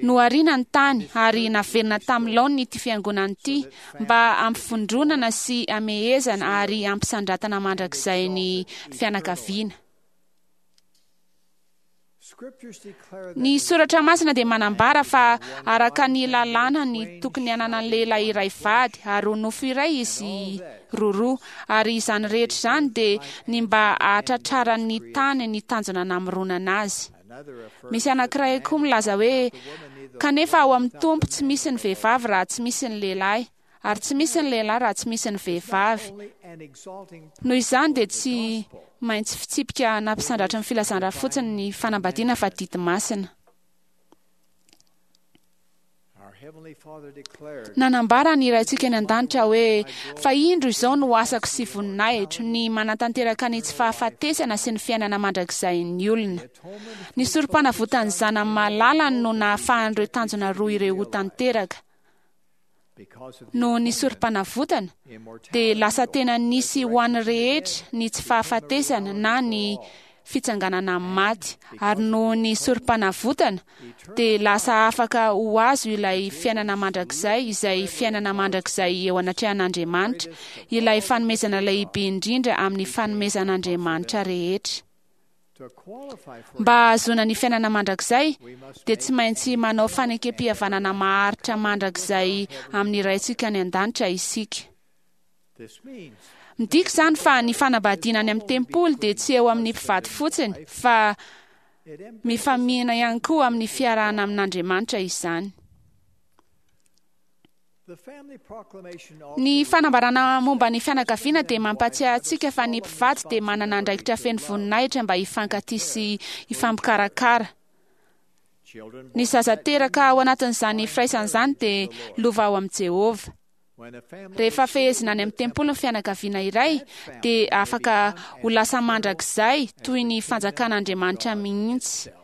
[SPEAKER 9] Nohariana ny tany ary naverina tamin'ny laoniny ity fiangonana ity mba hampivondronana sy hamehezana ary hampisandratana mandrakizay ny fianakaviana. Ny Soratra Masina dia manambara fa araka ny lalàna ny tokony hananan'ny lehilahy iray vady ary ho nofo iray izy roroa, ary izany rehetra izany dia ny mba hahatratraran'ny tany ny tanjona namoronana azy. Misy anankiray koa milaza hoe, Kanefa ao amin'ny Tompo tsy misy ny vehivavy raha tsy misy ny lehilahy, ary tsy misy ny lehilahy raha tsy misy ny vehivavy. Noho izany dia tsy maintsy fitsipika nampisandratry ny filazan-draha fotsiny ny fanambadiana fa didy masina. Nanambara ny Raintsika any An-danitra hoe, Fa indro izao no asako sy voninahitro, ny manatanteraka ny tsy fahafatesana sy ny fiainana mandrakizain'ny olona. Ny sorompanavotan'ny Zanany malalany no nahafahan'ireo tanjona roa ireo ho tanteraka. Noho ny sorompanavotana, dia lasa tena nisy ho an'ny rehetra ny tsy fahafatesana na ny. fitsanganana amin'ny maty, ary noho ny sorom-panavotana dia lasa afaka ho azo ilay fiainana mandrakizay, izay fiainana mandrakizay eo anatrehan'Andriamanitra, ilay fanomezana lehibe indrindra amin'ny fanomezan'Andriamanitra rehetra. Mba hahazoana ny fiainana mandrakizay dia tsy maintsy manao fanekem-pihavanana maharitra mandrakizay amin'ny Raintsika any an-danitra isika. Midika izany fa ny fanambadiana any amin'ny tempoly dia tsy eo amin'ny mpivady fotsiny fa mifamihina ihany koa amin'ny fiarahana amin'Andriamanitra izany. Ny fanambarana momba ny fianakaviana dia mampatsiahy antsika fa ny mpivady dia manana andraikitra feno voninahitra mba hifankatia sy hifampikarakara. Ny zaza teraka ao anatin'izany firaisana izany dia lova ao amin'i Jehovah. Rehefa fehezina any amin'ny tempoly ny fianakaviana iray dia afaka ho lasa mandrakizay toy ny fanjakan'Andriamanitra mihitsy.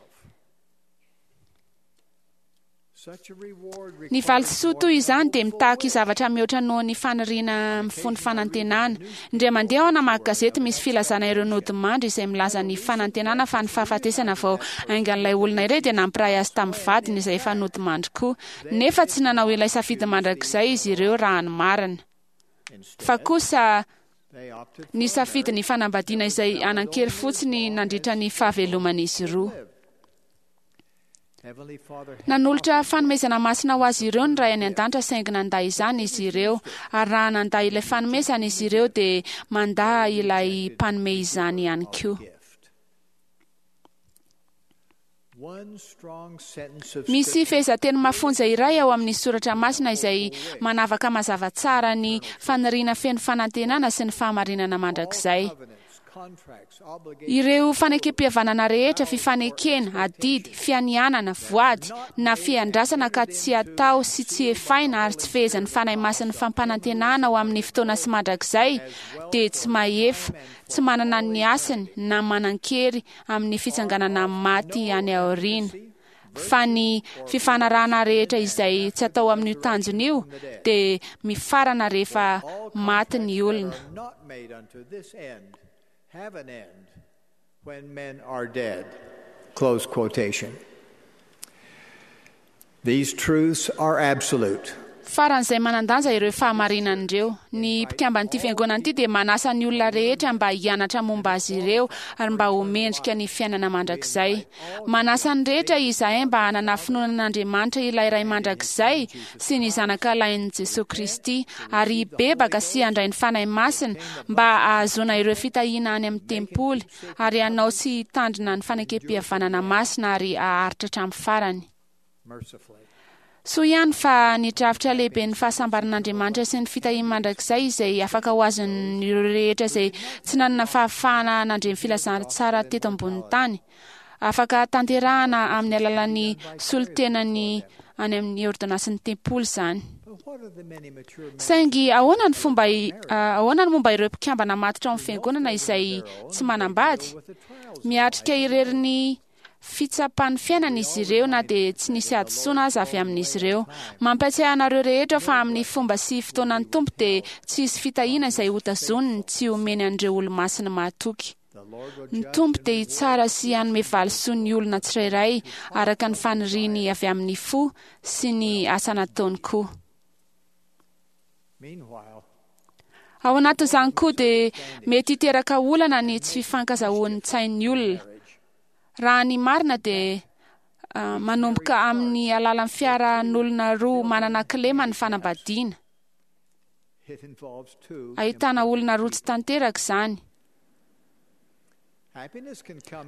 [SPEAKER 9] Ny valisoa toy izany dia mitaky zavatra mihoatra noho ny faniriana mifono fanantenana. Indray mandeha aho namaky gazety misy filazana ireo nodimandry izay milaza ny fanantenana fa ny fahafatesana vao haingan'ilay olona iray dia nampiray azy tamin'ny vadiny izay efa nodimandry koa. Nefa tsy nanao ilay safidy mandrakizay izy ireo raha ny marina. Fa kosa nisafidy ny fanambadiana izay hanan-kery fotsiny nandritra ny fahaveloman'izy roa. Nanolotra fanomezana masina ho azy ireo ny Ray any an-danitra saingy nandà izany izy ireo, ary raha nandà ilay fanomezana izy ireo dia mandà ilay mpanome izany ihany koa. Misy fehezanteny mafonja iray ao amin'ny soratra masina izay manavaka mazava tsara ny faniriana feno fanantenana sy ny fahamarinana mandrakizay. Ireo fanekem-pihavanana rehetra, fifanekena, adidy, fianianana, voady, na fiandrasana ka tsy atao sy tsy efaina ary tsy fehezan'ny Fanahy Masin'ny fampanantenana ho amin'ny fotoana sy mandrakizay dia tsy mahefa, tsy manana ny hasiny na manan-kery amin'ny fitsanganana amin'ny maty any aoriana. Fa ny fifanarahana rehetra izay tsy atao amin'io tanjona io dia mifarana rehefa maty ny olona.
[SPEAKER 8] When men are dead. Close quotation. These truths are absolute.
[SPEAKER 9] Faran'izay manan-danja ireo fahamarinana ireo. Ny mpikamban'ity fiangonana ity dia manasa ny olona rehetra mba hianatra momba azy ireo ary mba ho mendrika ny fiainana mandrakizay. Manasa ny rehetra izahay mba hanana finoana an'Andriamanitra ilay Ray mandrakizay sy ny Zanaka lahin'i Jesoa Kristy ary hibebaka sy handray ny Fanahy Masina mba hahazoana ireo fitahiana any amin'ny tempoly ary hanao sy hitandrina ny fanekem-pihavanana masina ary haharitra hatramin'ny farany. Soa ihany fa ny drafitra lehiben'ny fahasambaran'Andriamanitra sy ny fitahiany mandrakizay izay afaka ho azon'ireo rehetra izay tsy nanana fahafahana nandre ny filazantsara teto ambonin'ny tany. Afaka tanterahana amin'ny alalan'ny solontenany any amin'ny ôrdônansin'ny tempoly izany. Saingy ahoana ny fomba ahoana ny momba ireo mpikambana matotra ao amin'ny fiangonana izay tsy manambady? Miatrika irery ny fitsapan'ny fiainana izy ireo na dia tsy nisy hadisoana aza avy amin'izy ireo. Mampiatsiahy anareo rehetra fa amin'ny fomba sy fotoanan'ny Tompo dia tsy hisy fitahiana izay hotazoniny tsy homeny an'ireo olomasiny mahatoky. Ny Tompo dia hitsara sy hanome valisoa ny olona tsirairay araka ny faniriany avy amin'ny fo sy ny asa nataony koa. Ao anatin'izany koa dia mety hiteraka olana ny tsy fifankazahoan'ny tsain'ny olona. Raha ny marina dia manomboka amin'ny alalan'ny fiarahan'olona roa manana kilema ny fanambadiana. Ahitana olona roa tsy tanteraka izany.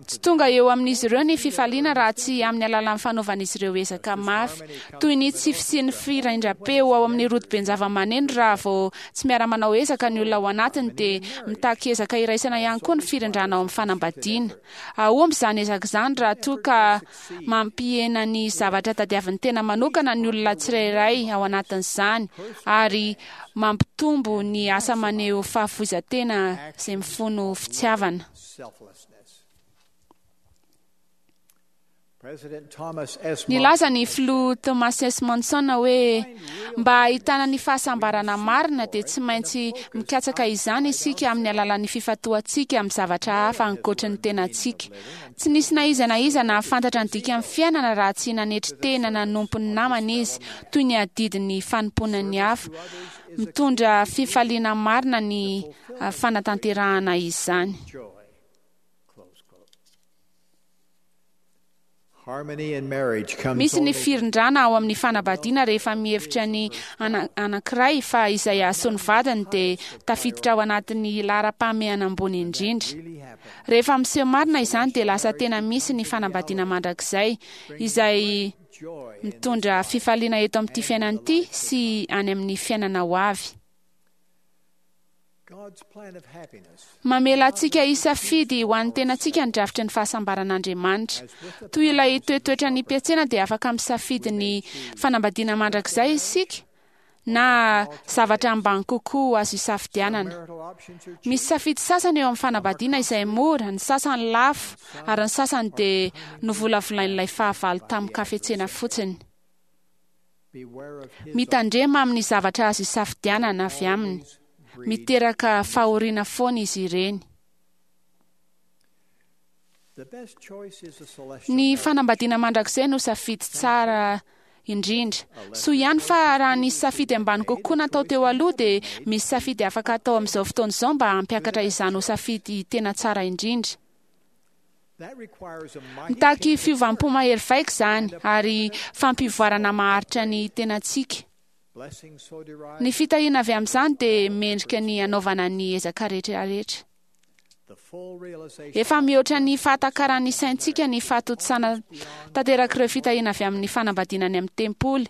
[SPEAKER 9] Tsy tonga eo amin'izy ireo ny fifaliana raha tsy amin'ny alalan'ny fanaovan'izy ireo ezaka mafy, toy ny tsy fisian'ny firindram-peo ao amin'ny rodoben-javamaneno raha vao tsy miara-manao ezaka ny olona ao anatiny dia mitaky ezaka iraisana ihany koa ny firindrana ao amin'ny fanambadiana. Hahomby izany ezaka izany raha toa ka mampihena ny zavatra tadiavin'ny tena manokana ny olona tsirairay ao anatin'izany ary mampitombo ny asa maneho fahafoizan-tena izay mifono fitiavana. Nilaza ny filoha Thomas S. Monson hoe mba hahitana ny fahasambarana marina dia tsy maintsy mikatsaka izany isika amin'ny alalan'ny fifantohantsika amin'ny zavatra hafa ankoatry ny tenantsika. Tsy nisy na iza na iza nahafantatra ny dikan'ny fiainana raha tsy nanetry tena nanompo ny namany izy, toy ny adidin'ny fanompoana ny hafa. Mitondra fifaliana marina ny fanatanterahana izany. Misy ny firindrana ao amin'ny fanambadiana rehefa mihevitra ny anankiray fa izay hahasoa ny vadiny dia tafiditra ao anatin'ny laharam-pahamehana ambony indrindra. Rehefa miseho marina izany dia lasa tena misy ny fanambadiana mandrakizay, izay mitondra fifaliana eto amin'ity fiainana ity sy any amin'ny fiainana ho avy. Mamela antsika hisafidy ho an'ny tenantsika ny drafitry ny fahasambaran'Andriamanitra. Toy ilay toetoetra ny mpiantsena dia afaka misafidy ny fanambadiana mandrakizay isika na zavatra ambany kokoa azo isafidianana. Misy safidy sasany eo amin'ny fanambadiana izay mora, ny sasany lafo, ary ny sasany dia novolavolain'ilay fahavalo tamin-kafetsena fotsiny. Mitandrema amin'ny zavatra azo isafidianana avy aminy. Miteraka fahoriana foana izy ireny. Ny fanambadiana mandrakizay no safidy tsara indrindra. Soa ihany fa raha nisy safidy ambany kokoa natao teo aloha dia misy safidy afaka atao amin'izao fotoana izao mba hampiakatra izany ho safidy tena tsara indrindra. Mitaky fiovam-po mahery vaika izany ary fampivoarana maharitra ny tenantsika. Ny fitahiana avy amin'izany dia mendrika ny hanaovana ny ezaka rehetra rehetra. Efa mihoatra ny fahatakaran'ny saintsika ny fahatontosana tanterak'ireo fitahiana avy amin'ny fanambadiana any amin'ny tempoly.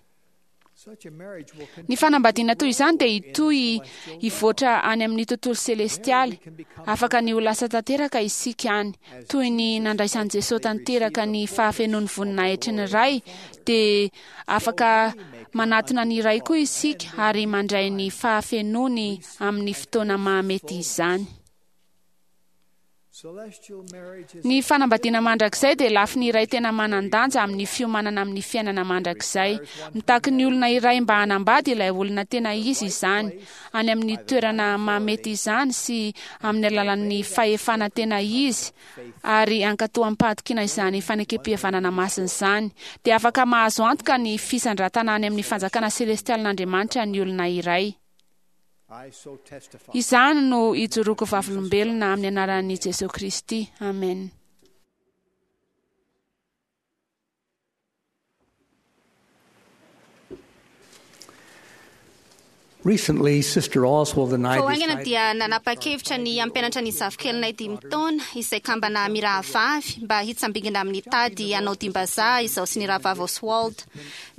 [SPEAKER 9] Ny fanambadiana toy izany dia hitohy hivoatra any amin'ny tontolo selestialy. Afaka ny ho lasa tanteraka isika any. Toy ny nandraisan'i Jesosy tanteraka ny fahafenoan'ny voninahitry ny Ray, dia afaka manatona ny Ray koa isika ary mandray ny fahafenoany amin'ny fotoana mahamety izany. Ny fanambadiana mandrakizay dia lafiny iray tena manan-danja amin'ny fiomanana amin'ny fiainana mandrakizay. Mitaky ny olona iray mba hanambady ilay olona tena izy izany, any amin'ny toerana mahamety izany sy amin'ny alalan'ny fahefana tena izy, ary hankatò amim-pahatokiana izany fanekem-pihavanana masina izany, dia afaka mahazo antoka ny fisandratana any amin'ny fanjakana selestialin'Andriamanitra ny olona iray. Izany no ijoroako vavolombelona amin'ny anaran'i Jesoa Kristy. Amen.
[SPEAKER 8] Recently, Sister Oswald and I
[SPEAKER 10] Vao haingana
[SPEAKER 8] decided
[SPEAKER 10] dia nanapa-kevitra ny hampianatra ny zafikelinay dimy taona, izay kambana mirahavavy, mba hitsambingina amin'ny tady hanao dimbazaha izaho sy ny rahavavy Oswald.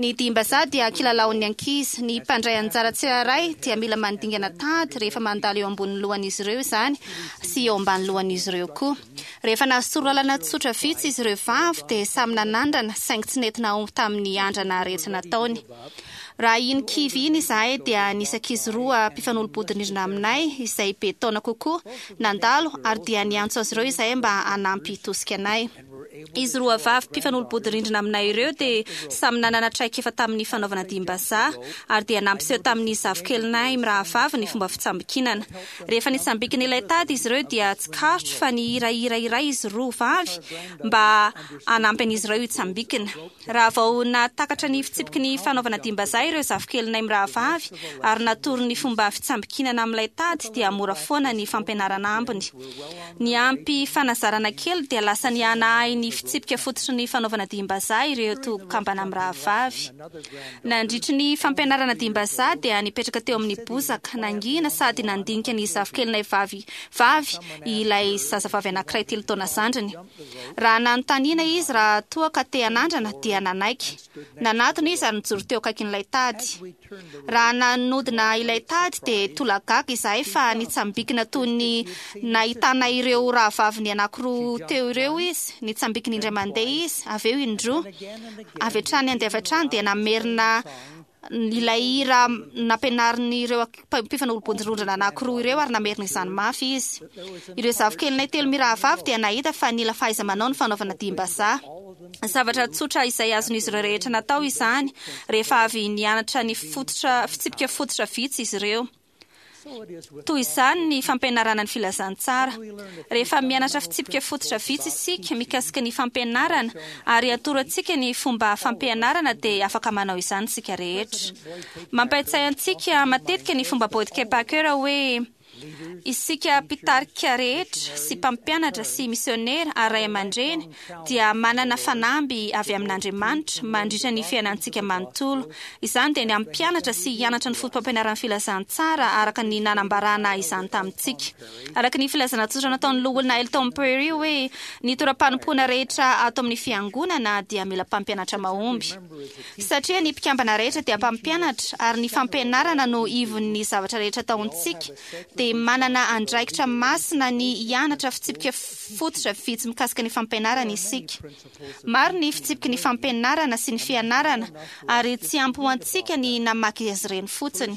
[SPEAKER 10] Ny dimbazaha dia kilalaon'ny ankizy. Ny mpandray anjara tsirairay dia mila mandingana tady rehefa mandalo eo ambonin'ny lohan'izy ireo izany sy eo ambany lohan'izy ireo koa. Rehefa nahazo torolalana tsotra vitsy izy ireo vavy dia samy nanandrana saingy tsy nety nahomby tamin'ny andrana rehetra nataony. Raha iny kivy iny izahay dia nisy ankizy roa mpifanolo-bodirindrina aminay izay be taona kokoa nandalo ary dia niantso azy ireo izahay mba hanampy hitosika anay. Izy roa vavy mpifanolo-bodirindrina aminay ireo dia samy nanana traikefa tamin'ny fanaovana dihim-bazaha ary dia nampiseho tamin'ny zafikelinay mirahavavy ny fomba fitsambikinana. Rehefa nitsambikina ilay tady izy ireo dia tsikaritro fa nihira hira iray izy roa vavy mba hanampy an'izy ireo hitsambikina. Raha vao nahatakatra ny fitsipiky ny fanaovana dihim-bazaha ireo zafikelinay mirahavavy ary natoro ny fomba fitsambikinana amin'ilay tady dia mora foana ny fampianarana ambiny. Niampy fanazarana kely dia lasa nihanahay ny fitsipika fototry ny fanaovana dihim-bazaha ireto kambana mirahavavy. Nandritry ny fampianarana dihim-bazaha dia nipetraka teo amin'ny bozaka nangina sady nandinika ny zafikelinay vavy vavy ilay zazavavy anankiray telo taona zandriny. Raha nanontaniana izy raha toa ka te hanandrana dia nanaiky. Nanatona izy ary nijoro teo akaikin'ilay tady. Raha nanodina ilay tady dia tolagaga izahay fa nitsambikina toy ny nahitana ireo rahavaviny anankiroa teo ireo izy. Nitsambikina indray mandeha izy, avy eo indroa. Avy hatrany andeha avy hatrany dia namerina. Ilay hira nampianarin'ireo mpifanolo-bodirindrina anankiroa ireo ary namerina izany mafy izy. Ireo zafikelinay telo mirahavavy dia nahita fa nila fahaiza-manao ny fanaovana dihim-bazaha. Zavatra tsotra izay azon'izy ireo rehetra natao izany rehefa avy nianatra ny fototra fitsipika fototra vitsy izy ireo. Toy izany ny fampianarana ny filazantsara. Rehefa mianatra fitsipika fototra vitsy isika mikasika ny fampianarana ary atoro antsika ny fomba fampianarana dia afaka manao izany isika rehetra. Mampahatsiahy antsika matetika ny fomba Boyd K. Packer hoe, Isika mpitarika rehetra sy mpampianatra sy misionera ary ray aman-dreny dia manana fanamby avy amin'Andriamanitra mandritra ny fiainantsika manontolo. Izany dia ny hampianatra sy hianatra ny fotopampianaran'ny filazantsara araka ny nanambarana izany tamintsika. Araka ny filazana tsotra nataon'ny Loholona Elton Perry hoe, Ny toeram-panompoana rehetra ato amin'ny Fiangonana dia mila mpampianatra mahomby. Satria ny mpikambana rehetra dia mpampianatra ary ny fampianarana no ivon'ny zavatra rehetra ataontsika, dia manana andraikitra masina ny hianatra fitsipika fototra vitsy mikasika ny fampianarana isika. Maro ny fitsipiky ny fampianarana sy ny fianarana, ary tsy ampy ho antsika ny namaky azy ireny fotsiny.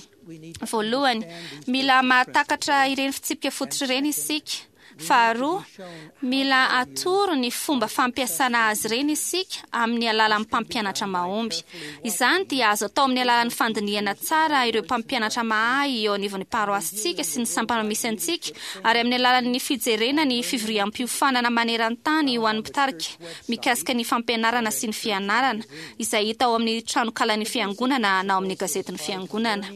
[SPEAKER 10] Voalohany, mila mahatakatra ireny fitsipika fototra ireny isika. Faharoa, mila atoro ny fomba fampiasana azy ireny isika amin'ny alalan'ny mpampianatra mahomby. Izany dia azo atao amin'ny alalan'ny fandinihana tsara ireo mpampianatra mahay eo anivon'ny paroasintsika sy ny sampana misy antsika ary amin'ny alalan'ny fijerena ny fivoriam-piofanana maneran-tany ho an'ny mpitarika mikasika ny fampianarana sy ny fianarana, izay hita ao amin'ny tranokalan'ny Fiangonana na ao amin'ny gazetin'ny Fiangonana.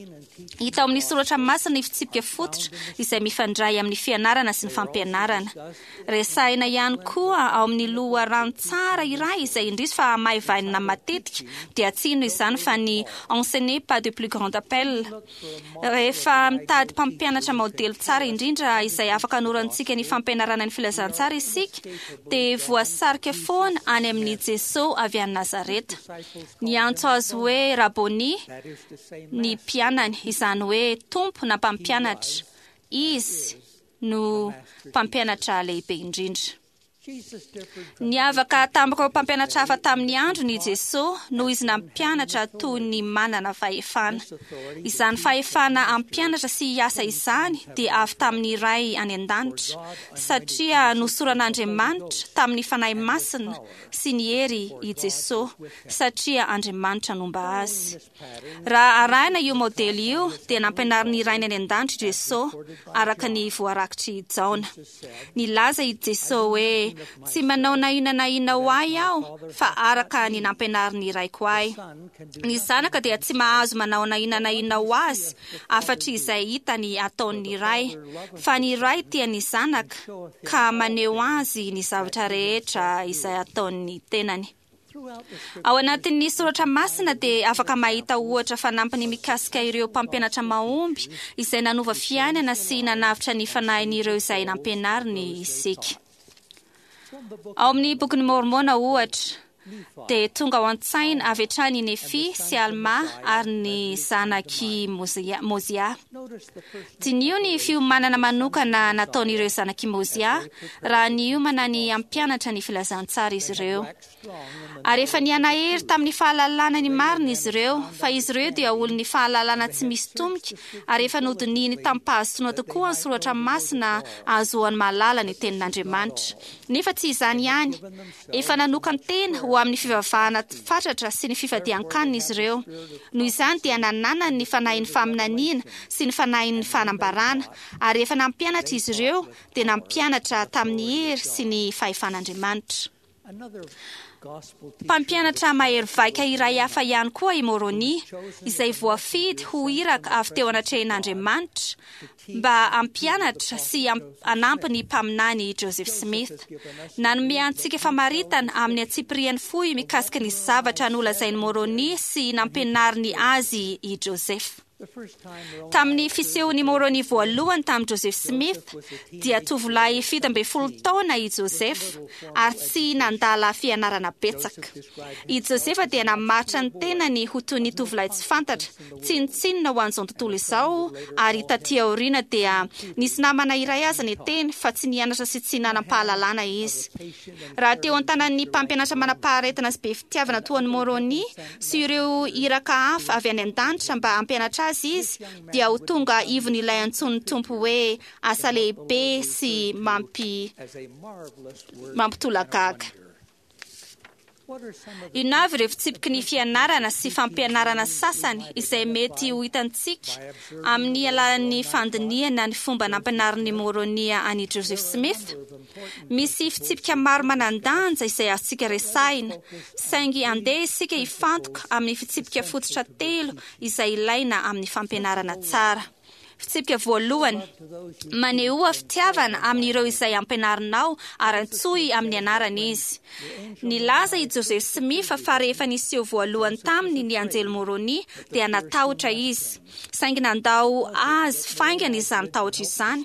[SPEAKER 10] Hita ao amin'ny soratra masina ny fitsipika fototra izay mifandray amin'ny fianarana sy ny fampianarana. Resahina ihany koa ao amin'ny loharano tsara iray izay indrisy fa hamaivainina matetika, dia tsy inona izany fa ny Enseigner pas de plus grand appel. Rehefa mitady mpampianatra maodely tsara indrindra izay afaka hanorantsika ny fampianarana ny filazantsara isika, dia voasarika foana any amin'i Jesoa avy any Nazareta. Niantso azy hoe Raboni ny mpianany, izany hoe Tompo na Mpampianatra. Izy no Mpampianatra lehibe indrindra. Niavaka tamin'ireo mpampianatra hafa tamin'ny androny i Jesoa noho izy nampianatra toy ny manana fahefana. Izany fahefana hampianatra sy hiasa izany dia avy tamin'ny Ray any An-danitra, satria nosoran'Andriamanitra tamin'ny Fanahy Masina sy ny hery i Jesoa, satria Andriamanitra nomba Azy. Raha arahina io maodely io, dia nampianarin'ny Rainy any An-danitra i Jesoa, araka ny voarakitr'i Jaona. Nilaza i Jesoa hoe, Tsy manao na inona na inona ho ahy aho, fa araka ny nampianarin'ny Raiko ahy. Ny Zanaka dia tsy mahazo manao na inona na inona ho azy, afa-tsy izay hitany ataon'ny Ray. Fa ny Ray tia ny Zanaka, ka maneho azy ny zavatra rehetra izay ataon'ny tenany. Ao anatin'ny soratra masina dia afaka mahita ohatra fanampiny mikasika ireo mpampianatra mahomby izay nanova fiainana sy nanavotra ny fanahin'ireo izay nampianariny isika. Ao amin'ny Bokin'i Môrmôna ohatra, dia tonga ao an-tsaina avy hatrany i Nefia sy Almà ary ny zanak'i Môzià. Diniho ny fiomanana manokana nataon'ireo zanak'i Môzià raha niomana ny hampianatra ny filazantsara izy ireo. Ary efa nihanahery tamin'ny fahalalana ny marina izy ireo, fa izy ireo dia olon'ny fahalalana tsy misy tomika, ary efa nodinihiny tamim-pahazotoana tokoa ny soratra masina ahazoany mahalala ny tenin'Andriamanitra. Nefa tsy izany ihany, efa nanokan-tena ho amin'ny fivavahana fatratra sy ny fifadian-kanina izy ireo. Noho izany dia nananany ny fanahin'ny faminaniana sy ny fanahin'ny fanambarana, ary rehefa nampianatra izy ireo dia nampianatra tamin'ny hery sy ny fahefan'Andriamanitra. Mpampianatra mahery vaika iray hafa ihany koa i Môrônia, izay voafidy ho iraka avy teo anatrehin'Andriamanitra mba hampianatra sy hanampy ny Mpaminany Joseph Smith. Nanome antsika famaritana amin'ny antsipiriany fohy mikasika ny zavatra nolazain'i Môrônia sy nampianariny azy i Joseph. Tamin'ny fisehon'i Moroni voalohany tamin'i Joseph Smith, dia tovolahy 17 taona i Joseph ary tsy nandala fianarana betsaka. I Joseph dia namaritra ny tenany ho toy ny tovolahy tsy fantatra, tsinontsinona ho an'izao tontolo izao, ary taty aoriana dia nisy namana iray aza niteny fa tsy nianatra sy tsy nanam-pahalalana izy. Raha teo an-tanan'ny mpampianatra manam-paharetana sy be fitiavana toa an'i Moroni sy ireo iraka hafa avy any an-danitra mba hampianatra azy izy, dia ho tonga ivon'ilay antsoin'ny Tompo hoe asa lehibe sy mampi mampitolagaga. Inona avy ireo fitsipiky ny fianarana sy fampianarana sasany izay mety ho hitantsika amin'ny alalan'ny fandinihana ny fomba nampianarin'i Môrônia an'i Joseph Smith? Misy fitsipika maro manan-danja izay azontsika resahina, saingy andeha isika hifantoka amin'ny fitsipika fototra telo izay ilaina amin'ny fampianarana tsara. Fitsipika voalohany, Manehoa fitiavana amin'ireo izay ampianarinao ary antsoy amin'ny anarany izy. Nilaza i Joseph Smith fa rehefa niseho voalohany taminy ny anjely Môrônia dia natahotra izy. Saingy nandao azy faingana izany tahotra izany.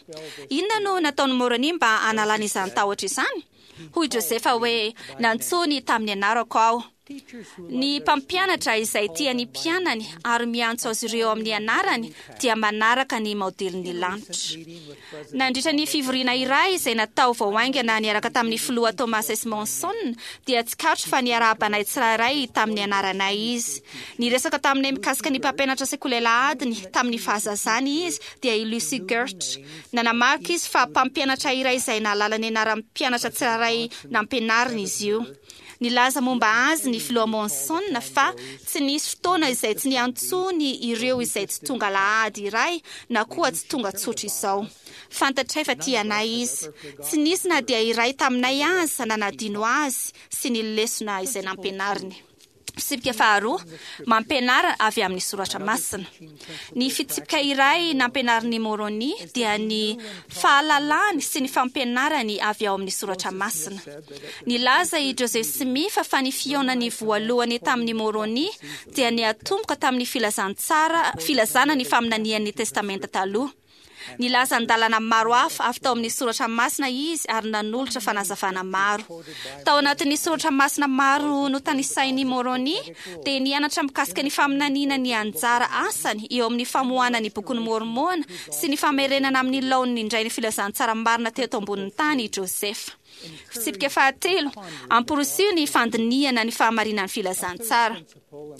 [SPEAKER 10] Inona no nataon'i Môrônia mba hanalana izany tahotra izany? Hoy Josefa hoe, Nantsoiny tamin'ny anarako aho. Ny mpampianatra izay tia ny mpianany ary miantso azy ireo amin'ny anarany dia manaraka ny maodelin'ny lanitra. Nandritra ny fivoriana iray izay natao vao haingana niaraka tamin'ny Filoha Thomas S. Monson dia tsikaritro fa niarahaba anay tsirairay tamin'ny anaranay izy. Niresaka taminay mikasika ny mpampianatra sekoly alahadiny tamin'ny fahazazany izy dia i Lucy Gertsch. Nanamarika izy fa mpampianatra iray izay nahalala ny anaran'ny mpianatra tsirairay nampianariny izy io. Nilaza momba azy ny Filoha Monson fa tsy nisy fotoana izay tsy niantsoany ireo izay tsy tonga alahady iray na koa tsy tonga tsotra izao. Fantatray fa tia anay izy. Tsy nisy na dia iray taminay aza nanadino azy sy ny lesona izay nampianariny. Fitsipika faharoa, mampianara avy amin'ny soratra masina. Ny fitsipika iray nampianarin'i Môrônia dia ny fahalalany sy ny fampianarany avy ao amin'ny soratra masina. Nilaza i Joseph Smith fa ny fihaonany voalohany tamin'i Môrônia dia niatomboka tamin'ny filazantsara, filazana ny faminanian'ny Testamenta Taloha. Nilaza andalana maro hafa avy tao amin'ny soratra masina izy ary nanolotra fanazavana maro. Tao anatin'ny soratra masina maro notanisain'i Môrônia dia nianatra mikasika ny faminaniana ny anjara asany eo amin'ny famoahana ny Bokin'i Môrmôna sy ny famerenana amin'ny laoniny indray ny filazantsara marina teto ambonin'ny tany i Joseph. Fitsipika fahatelo, Amporisiho ny fandinihana ny fahamarinan'ny filazantsara.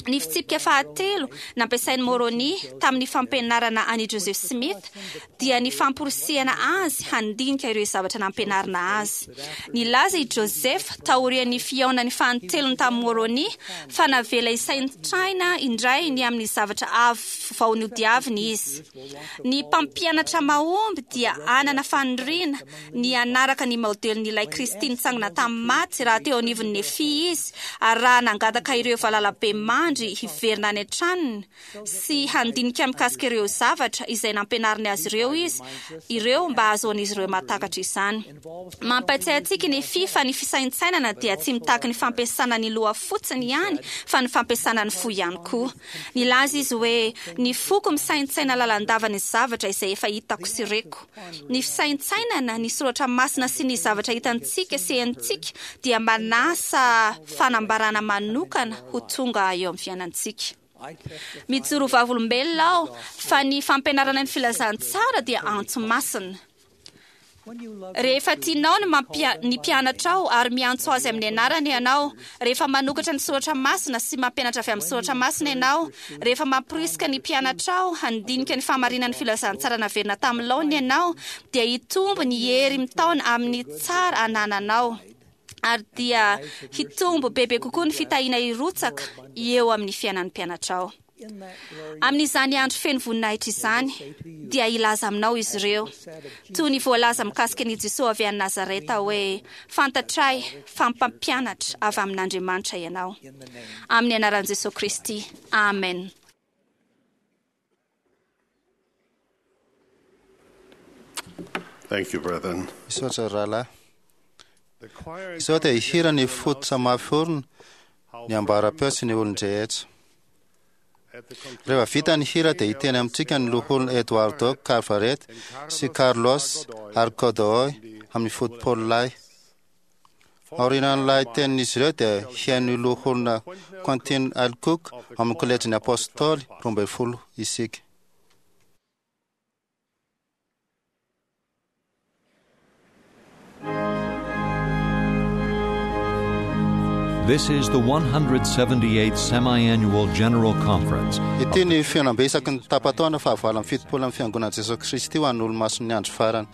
[SPEAKER 10] Ny fitsipika fahatelo nampiasain'i Môrônia tamin'ny fampianarana an'i Joseph Smith dia ny famporisihana azy handinika ireo zavatra nampianarina azy. Nilaza i Joseph taorian'ny fihaonany fanintelony tamin'i Môrônia fa navela hisaintsaina indray ny amin'ny zavatra avy vao nodiaviny izy. Ny mpampianatra mahomby dia hanana faniriana ny hanaraka ny maodelin'ilay Kristy nitsangana tamin'ny maty raha teo anivon'i Nefia izy, ary raha nangataka ireo valalabemandry hiverina any an-tranony sy handinika mikasika ireo zavatra izay nampianariny azy ireo izy ireo mba hahazoan'izy ireo mahatakatra izany. Mampahatsiahy antsika i Nefia fa ny fisaintsainana dia tsy mitaky ny fampiasana ny loha fotsiny ihany fa ny fampiasana ny fo ihany koa. Nilaza izy hoe, Ny foko misaintsaina lalandava ny zavatra izay efa hitako sy reko. Ny fisaintsainana ny soratra masina sy ny zavatra hitantsika sy henontsika dia manasa fanambarana manokana ho tonga eo amin'ny fiainantsika. Mijoro ho vavolombelona aho fa ny fampianarana ny filazantsara dia antso masina. Rehefa tianao ny mampia, ny mpianatrao ary miantso azy amin'ny anarany ianao, rehefa manokatra ny soratra masina sy mampianatra avy amin'ny soratra masina ianao, rehefa mamporisika ny mpianatrao handinika ny fahamarinan'ny filazantsara naverina tamin'ny laoniny ianao, dia hitombo ny hery mitaona amin'ny tsara anananao, ary dia hitombo bebe kokoa ny fitahiana hirotsaka eo amin'ny fiainan'ny mpianatrao. Amin'izany andro feno voninahitra izany, dia hilaza aminao izy ireo, toy ny voalaza mikasika an'i Jesoa avy any Nazareta hoe, Fantatray fa mpampianatra avy amin'Andriamanitra ianao. Amin'ny anaran'i Jesoa Kristy, amen.
[SPEAKER 3] Thank you, brethren.
[SPEAKER 2] Misaotra rahalahy. Izao dia hihira ny fototra mafy orina, ny ambara-peo sy ny olon-drehetra. Rehefa vita ny hira dia hiteny amintsika ny loholona Eduardo Carvaret sy Carlos Arcodoy amin'ny fotopololay. Aorianan'ilay tenin'izy ireo dia hihaino loholona Quentin Alcook amin'ny kolejin'ny Apôstôly 12 isika.
[SPEAKER 1] This is the 178th Semi-Annual General Conference.
[SPEAKER 2] Ity ny fihaonambe isaky ny tapa-taona fahavalo amby fitopolo amin'ny Fiangonan'i Jesoa Kristy ho an'ny Olomasin'ny Andro Farany.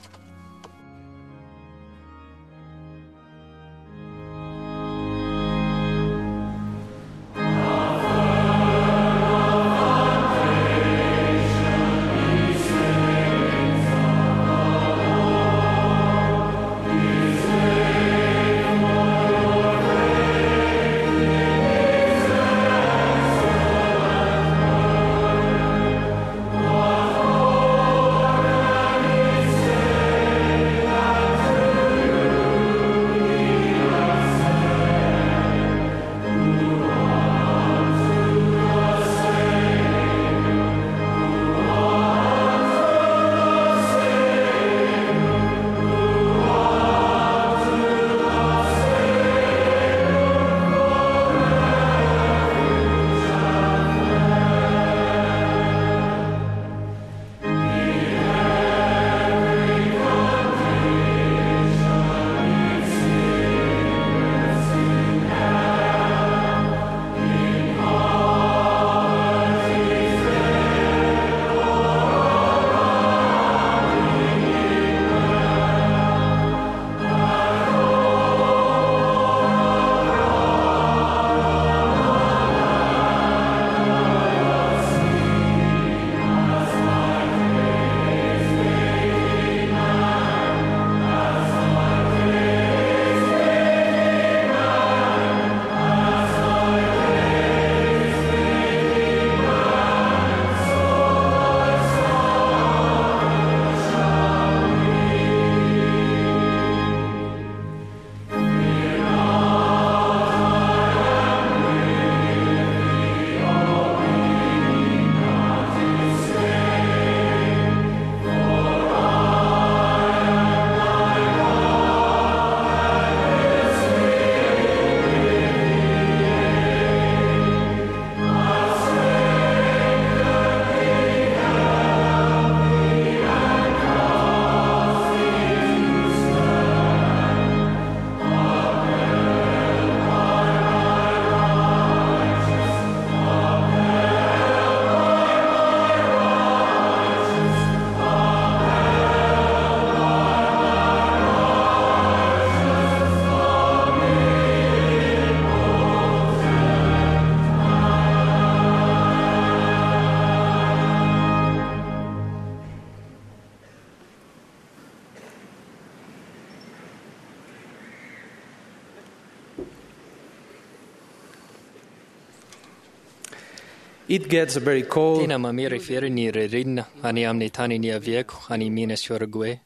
[SPEAKER 11] It gets very cold.
[SPEAKER 12] Tena mamirifiry ny ririnina any amin'ny tany niaviako any Minas Uruguay.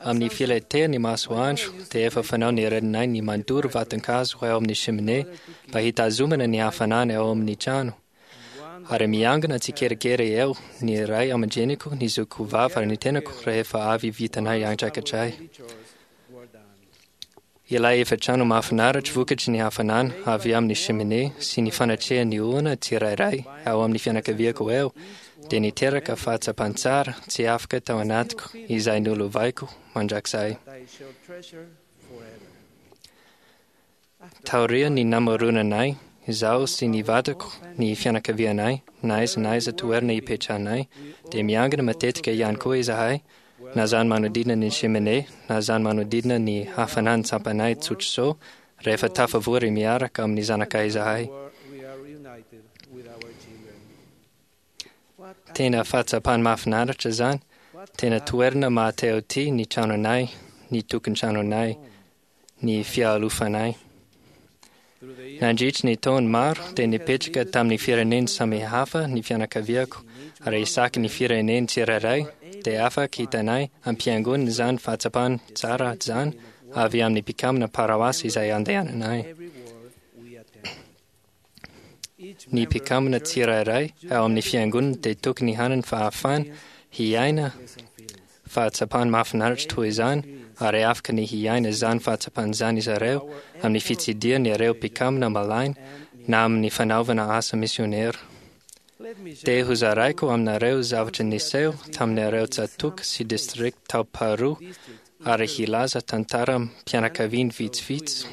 [SPEAKER 12] Amin'ny filetehan'ny masoandro dia efa fanao ny reninay ny mandoro vaton-kazo ao amin'ny cheminée mba hitazomana ny hafanana ao amin'ny trano. Ary miangona tsikelikely eo ny ray aman-dreniko, ny zokiko vavy ary ny tenako rehefa avy vitanay andraikitray. Ilay efitrano mahafinaritra vokatry ny hafanana avy amin'ny cheminée sy ny fanatrehan'ny olona tsirairay ao amin'ny fianakaviako eo dia niteraka fahatsapan-tsara tsy afaka tao anatiko izay nolovaiko mandrakizay. Taorian'ny namoronanay, izaho sy ny vadiko, ny fianakavianay, na aiza na aiza toerana ipetrahanay, dia miangona matetika ihany koa izahay, na izany manodidina ny cheminée, na izany manodidina ny hafanan'ny tsampanay tsotr'izao, rehefa tafavory miaraka amin'ny zanakay izahay. Tena fahatsapany mahafinaritra izany, tena toerana mahatehoty ny tranonay, ny tokantranonay, ny fialofanay. Nandritry ny taona maro dia nipetraka tamin'ny firenena samihafa ny fianakaviako, ary isaky ny firenena tsirairay dia afaka hitanay am-piangonana izany fahatsapana tsara izany avy amin'ny mpikambana paroasy izay andehananay. Ny mpikambana tsirairay ao amin'ny fiangonana dia tokony hanana fahafahana hiaina fahatsapana mahafinaritra toy izany, ary afaka ny hiaina izany fahatsapana izany izy ireo amin'ny fitsidihana ireo mpikambana malaina na amin'ny fanaovana asa misionera. Dia hozaraiko aminareo zavatra niseho tamin'ireo tsatòka sy distrikta tao Peru ary hilaza tantaram-pianakaviana vitsivitsy.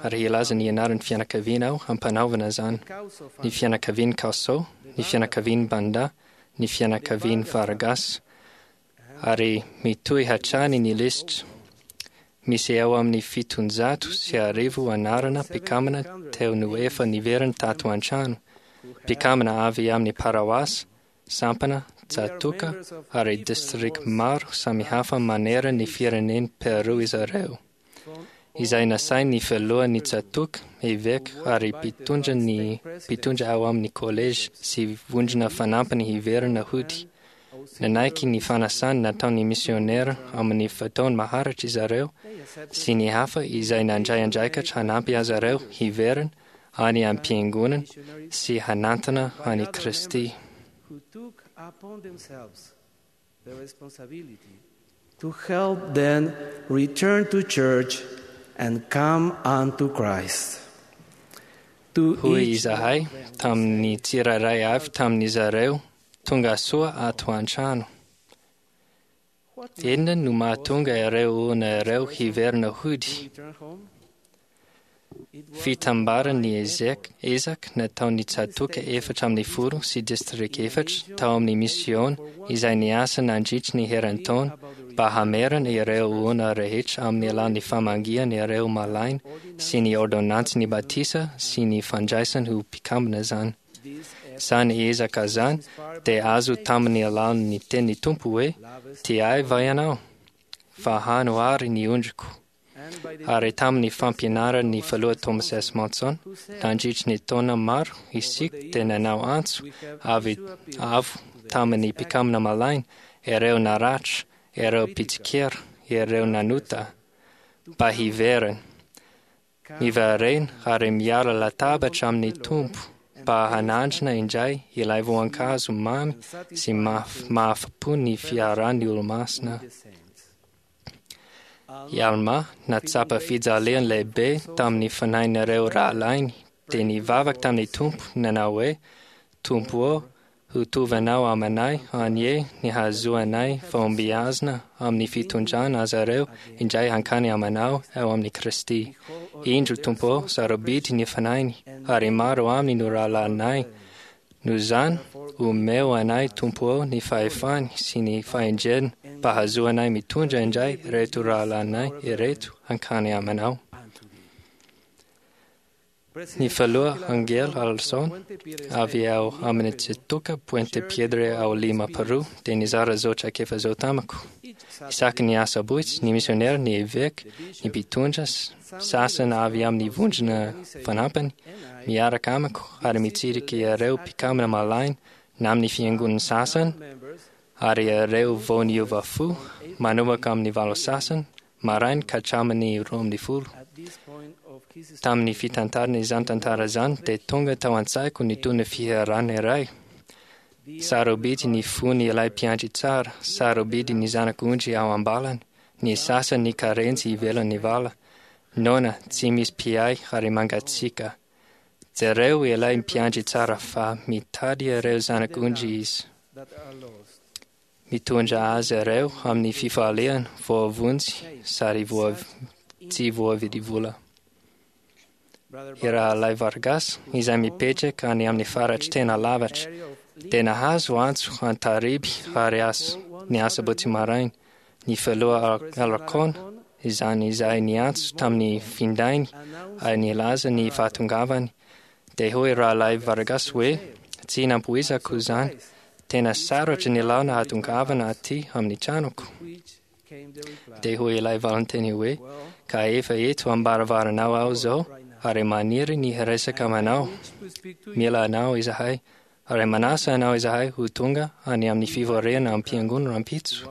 [SPEAKER 12] Ary hilaza ny anaran'ny fianakaviana aho hampanaovana izany: ny fianakavian'i Causso, ny fianakavian'i Banda, ny fianakavian'i Vargas. Ary mitohy hatrany ny lisitra. Misy eo amin'ny 1700 anarana mpikambana teo no efa niverina tato an-trano, mpikambana avy amin'ny paroasy, sampana, tsatòka ary distrika maro samihafa manerana ny firenen'i Peru izy ireo, izay nasain'ny filohan'ny tsatòka, eveka ary mpitondra ny mpitondra ao amin'ny kolejy sy vondrona fanampiny hiverina hody. Nanaiky ny fanasana nataon'ny misionera amin'ny fotoana maharitra izy ireo sy ny hafa izay nandray andraikitra hanampy azy ireo hiverina any am-piangonana sy hanantona an'i Kristy.
[SPEAKER 11] To help them return to church and come unto Christ. To
[SPEAKER 12] Hoy
[SPEAKER 11] each
[SPEAKER 12] izahay tamin'ny tsirairay avy tamin'izy ireo, tonga soa ato an-trano. Inona no mahatonga ireo olona ireo hiverina hody? Fitambaran'ny ezaka ezaka nataon'ny tsatòka 14 sy distrika efatra tao amin'ny misiôna izay niasa nandritry ny herintaona mba hamerana ireo olona rehetra amin'ny alalan'ny famangiana ireo malaina sy ny ôrdônansin'ny batisa sy ny fandraisany ho mpikambana izany. Izany ezaka izany dia azo tamin'ny alalan'ny tenin'ny Tompo hoe, Tia ahy va ianao? Fahano àry ny ondriko. Ary tamin'ny fampianaran'ny filoha Thomas S. Monson, nandritry ny taona maro isika dia nanao antso avy avo tamin'ny mpikambana malaina, ireo naratra, ireo mpitsikera, ireo nanota, mba hiverina. Miverena ary miala latabatra amin'ny Tompo mba hanandrana indray ilay voankazo mamy sy mahafa-po ny fiarahan'ny olomasina. I Almà nahatsapa fijaliana lehibe tamin'ny fanahin'ireo rahalahiny dia nivavaka tamin'ny Tompo nanao hoe, Tompo ô, ho tovanao amanay anie ny hahazoanay fahombiazana amin'ny fitondrana azy ireo indray hankany amanao ao amin'i Kristy. Indro, Tompo ô, sarobidy ny fanahiny, ary maro aminy no rahalahinay. Noho izany, omeo anay, Tompo ô, ny fahefany sy ny fahendreny mba hahazoanay mitondra indray ireto rahalahinay ireto hankany amanao. Ny filoha Angel Alson, avy ao amin'ny Tsatòka Puente Piedra ao Lima, Peru, dia nizara izao traikefa izao tamiko. Isaky ny asabotsy, ny misionera, ny eveka, ny mpitondra sasany avy amin'ny vondrona fanampiny, miaraka amiko ary mitsirika ireo mpikambana malaina na amin'ny fiangonana sasany, ary ireo vao niova fo, manomboka amin'ny valo sasany maraina ka hatramin'ny 12. Tamin'ny fitantarana izany tantara izany dia tonga tao an-tsaiko ny tony fihirana iray. Sarobidy ny fony ilay mpiandry tsara, sarobidy ny zanak'ondry ao am-balany, ny sasany ny karenjy ivelan'ny vala. Noana, tsy misy mpiahy ary mangatsiaka. Jereo ilay mpiandry tsara fa mitady ireo zanak'ondry izy. Mitondra azy ireo amin'ny fifaliana, voavonjy sady tsy voavidy vola. I Rahalahy Vargas, izay mipetraka any amin'ny faritry tena lavitra, dia nahazo antso an-tariby ary ny asabotsy maraina. Ny filoha Alarcón, izany izay niantso tamin'ny findainy ary nilaza ny fahatongavany, dia hoy Rahalahy Vargas hoe, Tsy nampoizako izany. Tena sarotra ny lalana hahatongavana aty amin'ny tranoko. Dia hoy ilay valinteny hoe, Ka efa eto am-baravaranao aho izao ary maniry ny hiresaka aminao. Mila anao izahay ary manasa anao izahay ho tonga any amin'ny fivoriana am-piangonana rahampitso.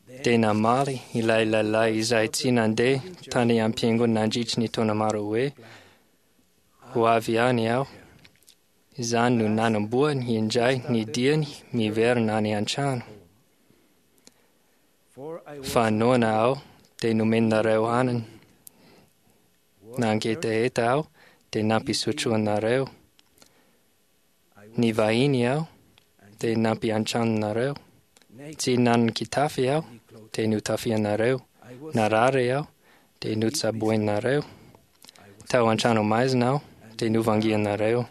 [SPEAKER 12] Dia namaly ilay lehilahy izay tsy nandeha tany am-piangonana nandritry ny taona maro hoe, Ho avy ihany aho. Izany no nanombohany indray ny diany miverina any an-trano. Fa noana aho dia nomenareo hanina. Nangetaheta aho dia nampisotroanareo. Nivahiny aho dia nampiantranonareo. Tsy nanan-kitafy aho dia notafianareo. Narary aho dia notsaboinareo. Tao an-trano maizina aho dia novangianareo.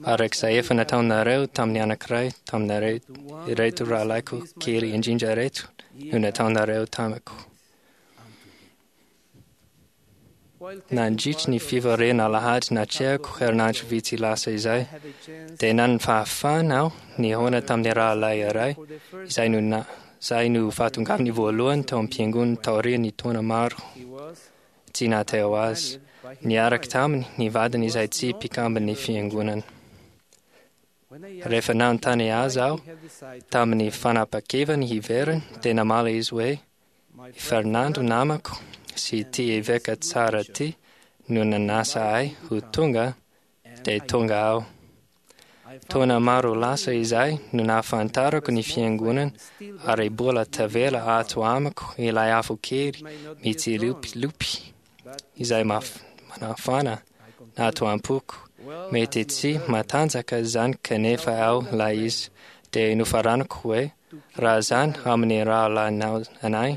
[SPEAKER 12] Araka izay efa nataonareo tamin'ny anankiray taminareo ireto rahalahiko kely indrindra ireto no nataonareo tamiko. Nandritry ny fivoriana alahady natrehako herinandro vitsy lasa izay, dia nanana fahafahana aho nihaona tamin'ny rahalahy iray izay no na, izay no fahatongavany voalohany tao am-piangonana taorian'ny taona maro tsy nahateo azy. Niaraka taminy ny vadiny izay tsy mpikamban'ny fiangonana. Rehefa nanontany azy aho tamin'ny fanapa-keviny hiverina, dia namaly izy hoe, I Fernando namako sy ity eveka tsara ity no nanasa ahy ho tonga, dia tonga aho. Taona maro lasa izay no nahafantarako ny fiangonana ary mbola tavela ato amiko ilay afo kely mitsilopilopy izay manafana ato am-poko. Mety tsy matanjaka izany kanefa ao ilay izy. Dia nofaranako hoe, Raha izany amin'ny rahalahinao anay,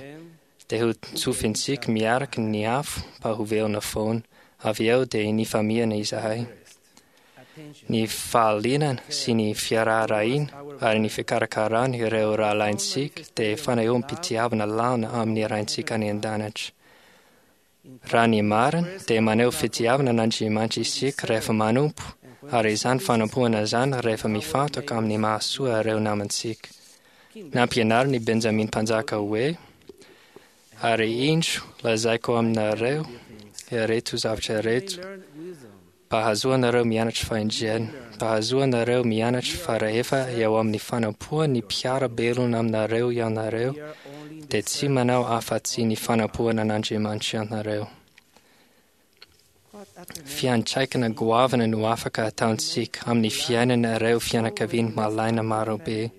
[SPEAKER 12] dia ho tsofintsika miaraka ny afo mba ho velona foana. Avy eo dia nifamihana izahay. Ny fahalianana sy ny fiaraharahina ary ny fikarakarana ireo rahalahintsika dia fanehoam-pitiavana lalina amin'ny Raintsika any An-danitra. Raha ny marina, dia maneho fitiavana an'Andriamanitra isika rehefa manompo, ary izany fanompoana izany rehefa mifantoka amin'ny mahasoa ireo namantsika. Nampianarin'i Benjamina Mpanjaka hoe, Ary indro, lazaiko aminareo ireto zavatra ireto, mba hahazoanareo mianatra fahendrena, mba hahazoanareo mianatra fa rehefa eo amin'ny fanompoan'ny mpiara-belona aminareo ianareo, dia tsy manao afa-tsy ny fanompoana an'Andriamanitra ianareo. Fiantraikana goavana no afaka ataontsika amin'ny fiainana ireo fianakaviana malaina marobe.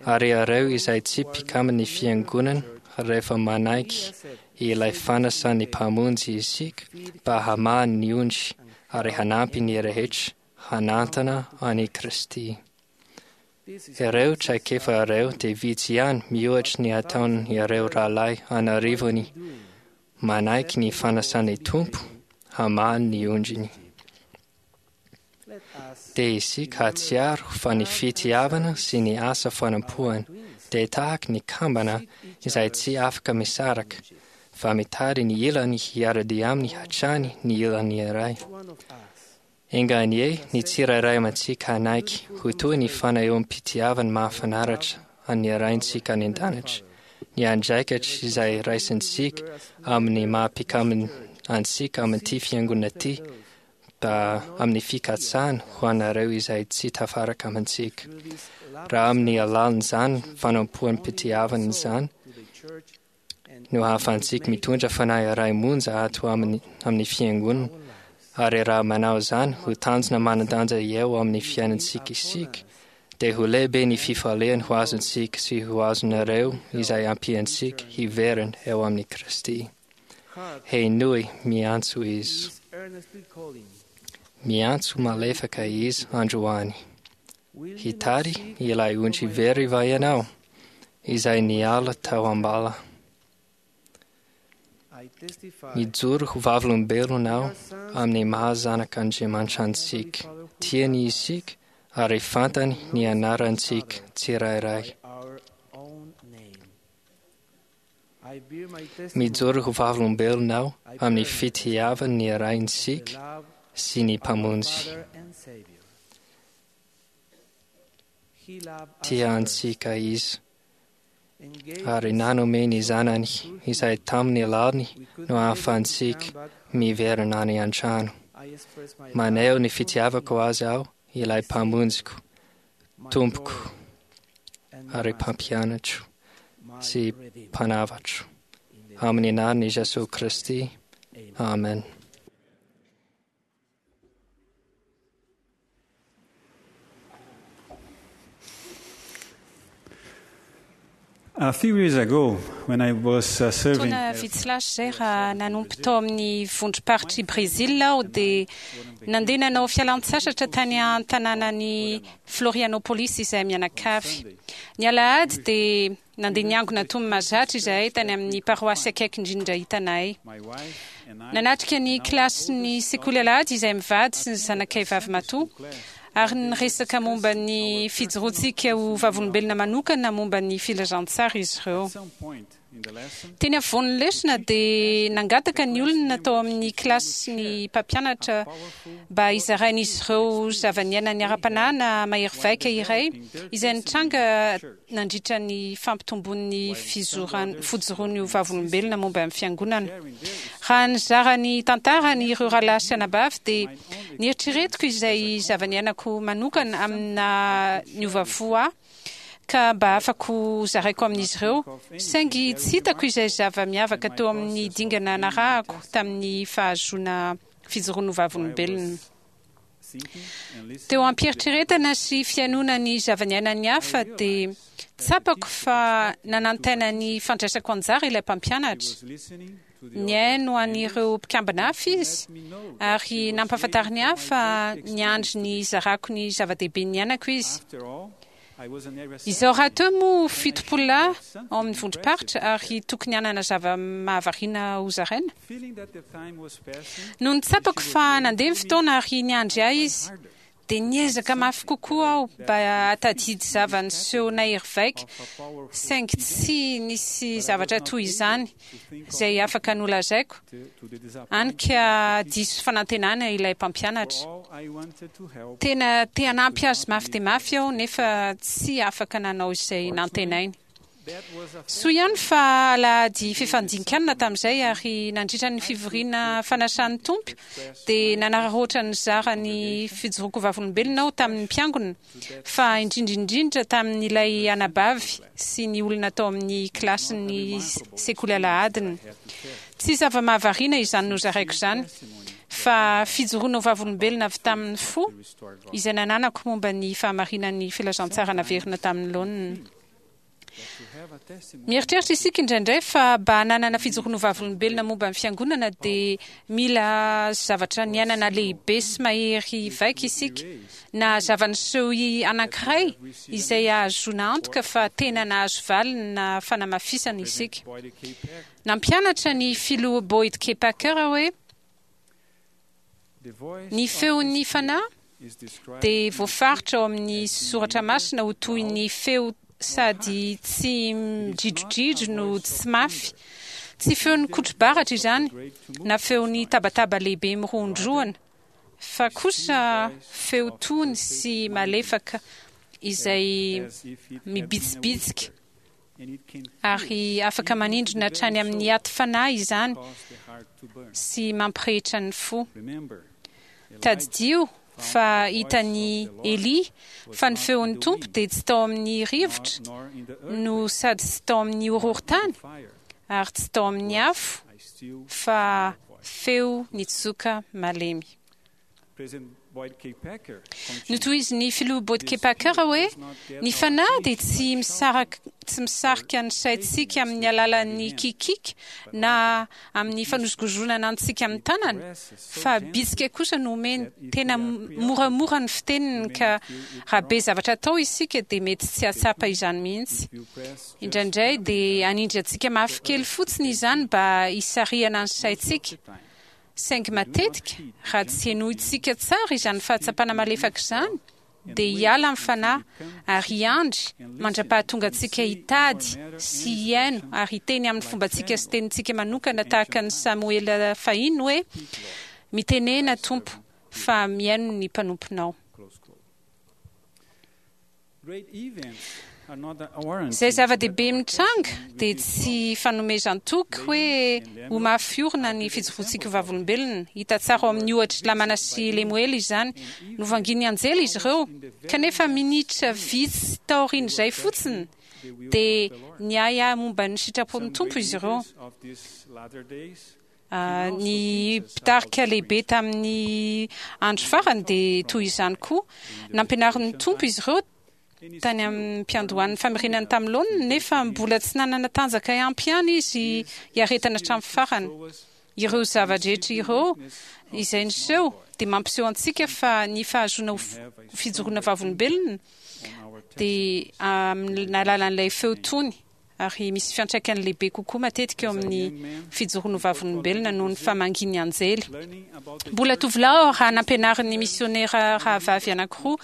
[SPEAKER 12] Ary ireo izay tsy mpikaman'ny Fiangonana, rehefa manaiky ilay fanasan'ny Mpamonjy isika mba hamaha ny ondry ary hanampy ny rehetra hanantona an'i Kristy. Ireo traikefa ireo dia vitsy ihany mihoatra ny ataon'ireo rahalahy an'arivony manaiky ny fanasan'ny Tompo hamaha ny ondriny. Dia isika hahatsiaro fa ny fitiavana sy ny asa fanompoana dia tahaky ny kambana izay tsy afaka misaraka, fa mitady ny ilany hiara-dia aminy hatrany ny ilany iray. Enga anie ny tsirairay amintsika hanaiky ho toy ny fanehoam-pitiavana mahafinaritra an'ny Raintsika any An-danitra, ny andraikitra izay raisintsika amin'ny maha-mpikamina antsika amin'ity Fiangonana ity, mba amin'ny fikatsahana ho anareo izay tsy tafaraka amintsika. Raha amin'ny alalan'izany fanompoam-pitiavana izany no ahafahantsika mitondra fanahy iray monja ato amin'ny amin'ny fiangonana, ary raha manao izany ho tanjona manan-danja eo amin'ny fiainantsika isika, dia ho lehibe ny fifaliana ho azontsika sy ho azonareo izay ampiantsika hiverina eo amin'i Kristy. Henoy, miantso izy. Miantso malefaka izy androany. Hitady ilay ondry very va ianao, izay niala tao am-bala? Mijoro ho vavolombelona aho amin'ny maha zanak'Andriamanitra antsika. Tiany isika ary fantany ny anarantsika tsirairay. Mijoro ho vavolombelona aho amin'ny fitiavan'ny Raintsika sy ny Mpamonjy. Tia antsika Izy ary nanome ny Zanany izay tamin'ny alalany no ahafahantsika miverina any an-trano. Maneho ny fitiavako Azy aho, ilay Mpamonjiko, Tompoko. ary Mpampianatro sy Mpanavatro. Amin'ny anaran'i Jesoa Kristy. Amen.
[SPEAKER 13] A few years ago, when I was serving
[SPEAKER 14] Taona vitsy lasa izay raha nanompo tao amin'ny vondrom-paritr'i Brezila aho dia nandeha nanao fialan-tsasatra tany an-tanànan'i Florianopolis izahay mianakavy. Ny alahady dia nandeha niangona toy ny mahazatra izahay tany amin'ny paroasy akaiky indrindra hitanay. Nanatrika ny kilasin'ny sekoly alahady izahay mivady sy ny zanakay vavimatoa ary niresaka momba ny fijoroantsika ho vavolombelona manokana momba ny filazantsara izy ireo. Teny afovoan'ny lesona dia nangataka ny olona tao amin'ny kilasy ny mpampianatra mba hizarain'izy ireo zava-niainany ara-panahy na mahery vaika iray izay nitranga nandritra ny fampitomboan'ny fijoroany ho vavolombelona momba ny Fiangonana. Raha nizara ny tantarany ireo rahalahy sy anabavy dia nieritreretiko izay zava-niainako manokana amin'ny naha niova fo ahy ka mba afako zaraiko amin'izy ireo, saingy tsy hitako izay zava-miavaka teo amin'ny dingana narahako tamin'ny fahazoana fijoroana ho vavolombelona. Teo am-pieritreretana sy fihainoana ny zava-niainan'ny hafa dia tsapako fa nanantaina ny fandraisako anjara ilay mpampianatra. Nihaino an'ireo mpikambana hafa izy ary nampahafantariny ahy fa niandry ny hizarako ny zava-dehibe niainako izy. Izao rahateo moa 70 lahy ao amin'ny vondrom-paritra ary tokony hanana zava-mahavariana hozaraina. Nony tsapako fa nandeha ny fotoana ary niandry ahy izy, dia niezaka mafy kokoa aho mba hahatadidy zava-niseho nahery vaika, saingy tsy nisy zavatra toy izany izay afaka nolazaiko, hany ka diso fanantenana ilay mpampianatra. Tena te hanampy azy mafy dia mafy aho, nefa tsy afaka nanao izay nantenainy. Soa ihany fa alahady fifandian-kanina tamin'izay, ary nandritra ny fivoriana fanasan'ny Tompo dia nanararaotra nizara ny fijoroako vavolombelona aho tamin'ny mpiangona, fa indrindra indrindra tamin'ilay anabavy sy ny olona tao amin'ny kilasin'ny sekoly alahadiny. Tsy zava-mahavariana izany nozaraiko izany, fa fijoroana ho vavolombelona avy tamin'ny fo izay nananako momba ny fahamarinan'ny filazantsara naverina tamin'ny laoniny. Mieritreritra isika indraindray fa mba hananana fijoroana ho vavolombelona momba ny Fiangonana dia mila zavatra niainana lehibe sy mahery vaika isika, na zava-niseho anankiray izay ahazoana antoka fa tena nahazo valiny na fanamafisana isika. Nampianatra ny Filoha Boyd K. Packer hoe, Ny feon'ny Fanahy dia voafaritra ao amin'ny soratra masina ho toy ny feo sady tsy midridrodridro no tsy mafy. Tsy feon'ny kotro-baratra izany, na feon'ny tabataba lehibe mirohondrohona, fa kosa feo tony sy malefaka izay mibitsibitsika ary afaka manindrona hatrany amin'ny aty fanahy izany sy mampirehitra ny fo. Tadidio fa hitan'i Elia fa ny feon'ny Tompo dia tsy tao amin'ny rivotra no sady tsy tao amin'ny horohorontany ary tsy tao amin'ny afo fa feo nitsoka malemy. Notohizin'ny Filoha Boyd K. Packer hoe, Ny Fanahy dia tsy misaraka tsy misarika ny saintsika amin'ny alalan'ny kikiky na amin'ny fanozongozonana antsika amin'ny tanana, fa bitsika kosa no omeny. Tena moramora ny fiteniny ka raha be zavatra atao isika dia mety tsy hahatsapa izany mihitsy. Indraindray dia hanindry antsika mafy kely fotsiny izany mba hisarihana ny saintsika. Saingy matetika, raha tsy henointsika tsara izany fahatsapana malefaka izany, dia hiala amin'ny fanahy ary hiandry mandra-pahatonga antsika hitady sy hihaino ary hiteny amin'ny fombantsika sy tenintsika manokana tahaka an'i Samoela fahiny hoe, Mitenena, Tompo, fa mihaino ny mpanomponao. Izay zava-dehibe mitranga dia tsy fanomezan-toky hoe ho mafy orina ny fijoroantsika ho vavolombelona. Hita tsara ao amin'ny ohatr'i Lamana sy Lemoela izany. Novangian'ny anjely izy ireo, kanefa minitra vitsy taorian'izay fotsiny dia niahiahy momba ny sitrapon'ny Tompo izy ireo. Ny mpitarika lehibe tamin'ny andro farany dia toy izany koa. Nampianarin'ny Tompo izy ireo tany am-piandohan'ny famerenany tamin'ny laoniny, nefa mbola tsy nanana tanjaka ampy ihany izy hiaretana hatramin'ny farany. Ireo zava-drehetra ireo izay niseho dia mampiseho antsika fa ny fahazoana ho fijoroana vavolombelona dia amin'ny alalan'ilay feo tony ary misy fiantraikany lehibe kokoa matetika eo amin'ny fijoroana ho vavolombelona noho ny famangian'ny anjely. Mbola tovolahy aho raha nampianarin'ny misionera rahavavy anankiroa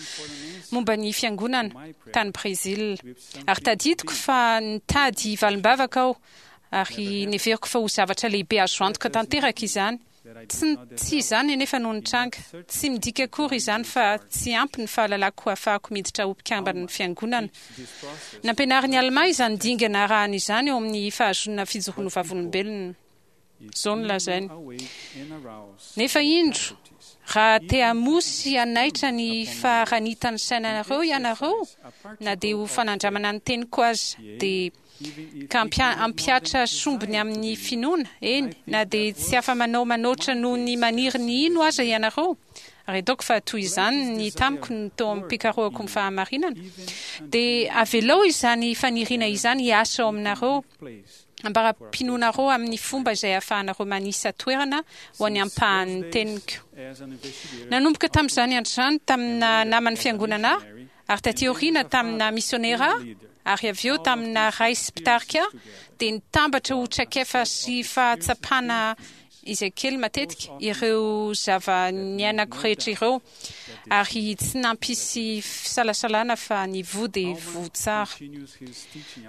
[SPEAKER 14] momba ny fiangonana tany Brezila. Ary tadidiko fa nitady valim-bavaka aho ary neveriko fa ho zavatra lehibe azo antoka tanteraka izany. Tsy tsy izany anefa no nitranga. Tsy midika akory izany fa tsy ampy ny fahalalako hahafahako miditra ho mpikamban'ny Fiangonana. Nampianarin'i Almà izany dingana arahana izany eo amin'ny fahazoana fijoroana ho vavolombelona. Izao no lazainy, Nefa indro, raha te hamoha sy hanaitra ny faharanitan'ny sainareo ianareo, na dia ho fanandramana ny teniko aza, dia ka hampihatra sombiny amin'ny finoana, eny, na dia tsy afa-manao manoatra noho ny maniry ny hino aza ianareo, ary ataoko fa toy izany ny tamiko ny teo am-pikarohako ny fahamarinana, dia avelao izany faniriana izany hiasa ao aminareo, ambara-pinoanareo amin'ny fomba izay ahafahanareo manisa toerana ho an'ny ampahan'ny teniko. Nanomboka tamin'izany andro izany, tamina naman'ny fiangonana ahy, Ary taty aoriana tamina misionera ary avy eo tamina ray sy mpitarika dia nitambatra ho traikefa sy fahatsapana izay kely matetika ireo zava-niainako rehetra ireo ary tsy nampisy fisalasalana fa ny voa dia voa tsara.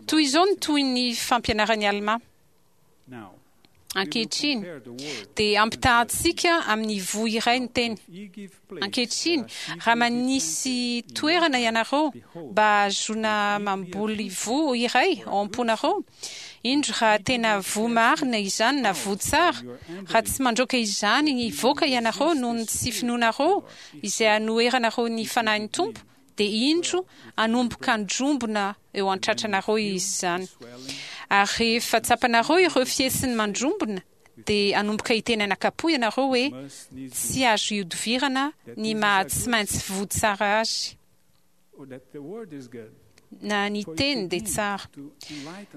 [SPEAKER 14] Toy izao ny tohin'ny fampianaran'i Almà. Ankehitriny, dia ampitahantsika amin'ny voa iray ny teny. Ankehitriny, raha manisy toerana ianareo mba hahazoana mamboly voa iray ao am-ponareo, indro raha tena voa marina izany na voa tsara, raha tsy mandroaka izany hivoaka ianareo noho ny tsy finoanareo izay anoheranareo ny Fanahin'ny Tompo, dia indro hanomboka handrombona eo an-tratranareo izy izany. Ary rehefa tsapanareo ireo fihetsiny mandrombona, dia hanomboka hiteny anakapo ianareo hoe, Tsy azo ihodivirana ny maha tsy maintsy voa tsara azy. Na ny teny dia tsara.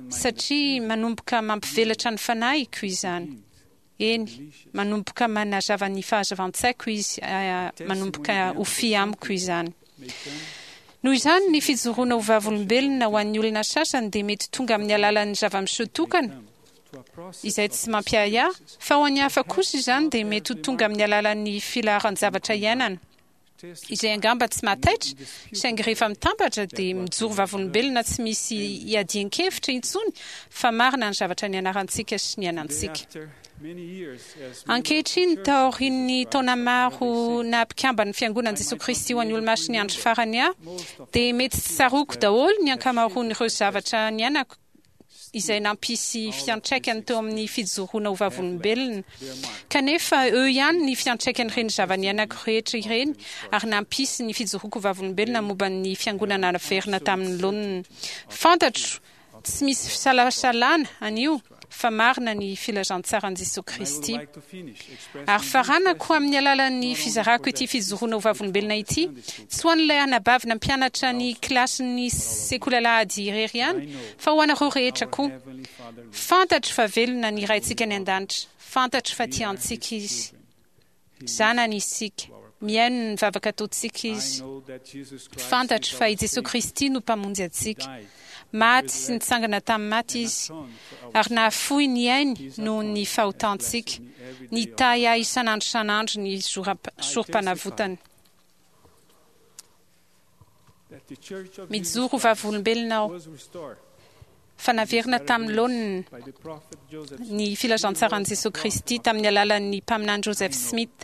[SPEAKER 14] Satria manomboka mampivelatra ny fanahiko izany. Eny, manomboka manazava ny fahazavan-tsaiko izy, manomboka ho fy amiko izany. Noho izany, ny fijoroana ho vavolombelona ho an'ny olona sasany dia mety tonga amin'ny alalan'ny zava-miseho tokana, izay tsy mampiahiahy, fa ho an'ny hafa kosa izany dia mety ho tonga amin'ny alalan'ny filaharan-javatra iainana. izay angamba tsy mahataitra, saingy rehefa mitambatra dia mijoro vavolombelona tsy misy iadian-kevitra intsony fa marina ny zavatra nianarantsika sy niainantsika. Ankehitriny, taorian'ny taona maro naha mpikamban'ny Fiangonan'i Jesoa Kristy ho an'ny Olomasin'ny Andro Farany ahy, dia mety tsy tsaroako daholo ny ankamaroan'ireo zavatra niainako izay nampisy fiantraikany teo amin'ny fijoroana ho vavolombelona. Kanefa eo ihany ny fiantraikan'ireny zava-niainako rehetra ireny ary nampisy ny fijoroako ho vavolombelona momba ny Fiangonana naverina tamin'ny laoniny. Fantatro tsy misy fisalasalana anio fa marina ny filazantsaran'i Jesoa Kristy. Ary faranako amin'ny alalan'ny fizarako ity fijoroana ho vavolombelona ity, tsy ho an'ilay anabavy nampianatra ny kilasin'ny sekoly alahady irery ihany, fa ho anareo rehetra koa. Fantatro fa velona ny Raintsika any An-danitra. Fantatro fa tia antsika Izy. Zanany isika. Mihaino ny vavaka ataontsika Izy. Fantatro fa i Jesoa Kristy no Mpamonjy antsika. Maty sy nitsangana tamin'ny maty Izy, ary nahafoy ny ainy noho ny fahotantsika. Nitahy ahy isan'andro isan'andro ny sorom-panavotany. Mijoro ho vavolombelona aho. fa naverina tamin'ny laoniny ny filazantsaran'i Jesosy Kristy tamin'ny alalan'ny mpaminany Joseph Smith.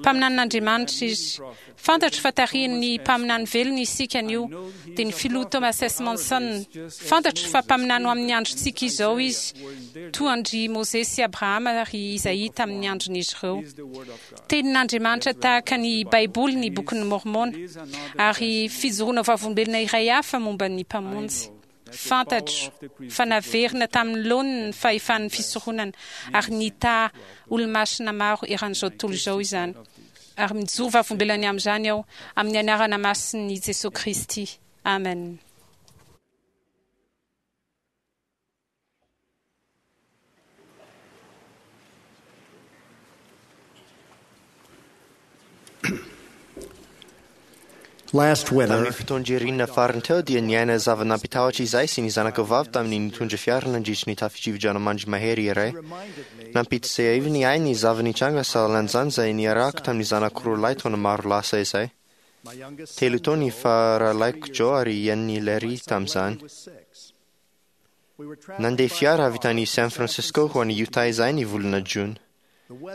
[SPEAKER 14] Mpaminanin'Andriamanitra izy. Fantatro fa tarihin'ny mpaminany velona isika anio, dia ny filoha Thomas S. Monson. Fantatro fa mpaminany ho amin'ny androntsika izao izy, toa an-dry Mosesy sy Abrahama ary Isaia tamin'ny andron'izy ireo. Tenin'Andriamanitra tahaka ny Baiboly ny Bokin'i Môrmôna, ary fijoroana vavolombelona iray hafa momba ny Mpamonjy. Fantatro fa naverina tamin'ny laoniny ny fahefan'ny fisoronana ary nitaha olomasina maro eran'izao tontolo izao izany. Ary mijoro vavolombelona ny amin'izany aho, amin'ny anarana masin'i Jesoa Kristy. Amen.
[SPEAKER 8] Last winter,
[SPEAKER 5] Tamin'ny fotoan-dririnina farany teo dia niaina zava-nampitahotra izahay sy ny zanako vavy tamin'ny nitondra fiara nandritry ny tafio-drivodranomandry mahery iray. Nampidi-tsehaiviny ahy ny zava-nitranga sahalan'izany izay niarahako tamin'ny zanako roalahy taona maro lasa izay. 3 taona ny faharalahiko Joe ary eniny Larry tamin'izany. Nandeha fiara avy tany San Francisco ho any Utah izahay ny volana jona.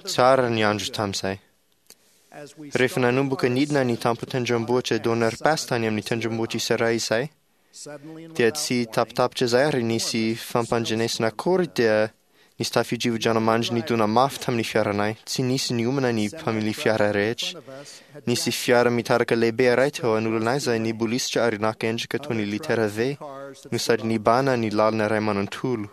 [SPEAKER 5] Tsara ny andro tamin'izay. Rehefa nanomboka nidina ny tampon-tendrombohitra Donner Pass tany amin'ny tendrombohitra Isaraha izahay, dia tsy tapitapitra izay ary nisy fampandrenesana akory dia nisy tafio-drivodranomandry nidona mafy tamin'ny fiaranay. Tsy nisy niomana ny mpamily fiara rehetra. Nisy fiara mitarika lehibe iray teo anoloanay izay nibolisitra ary naka endrika toy ny litera V no sady nibahana ny lalana iray manontolo.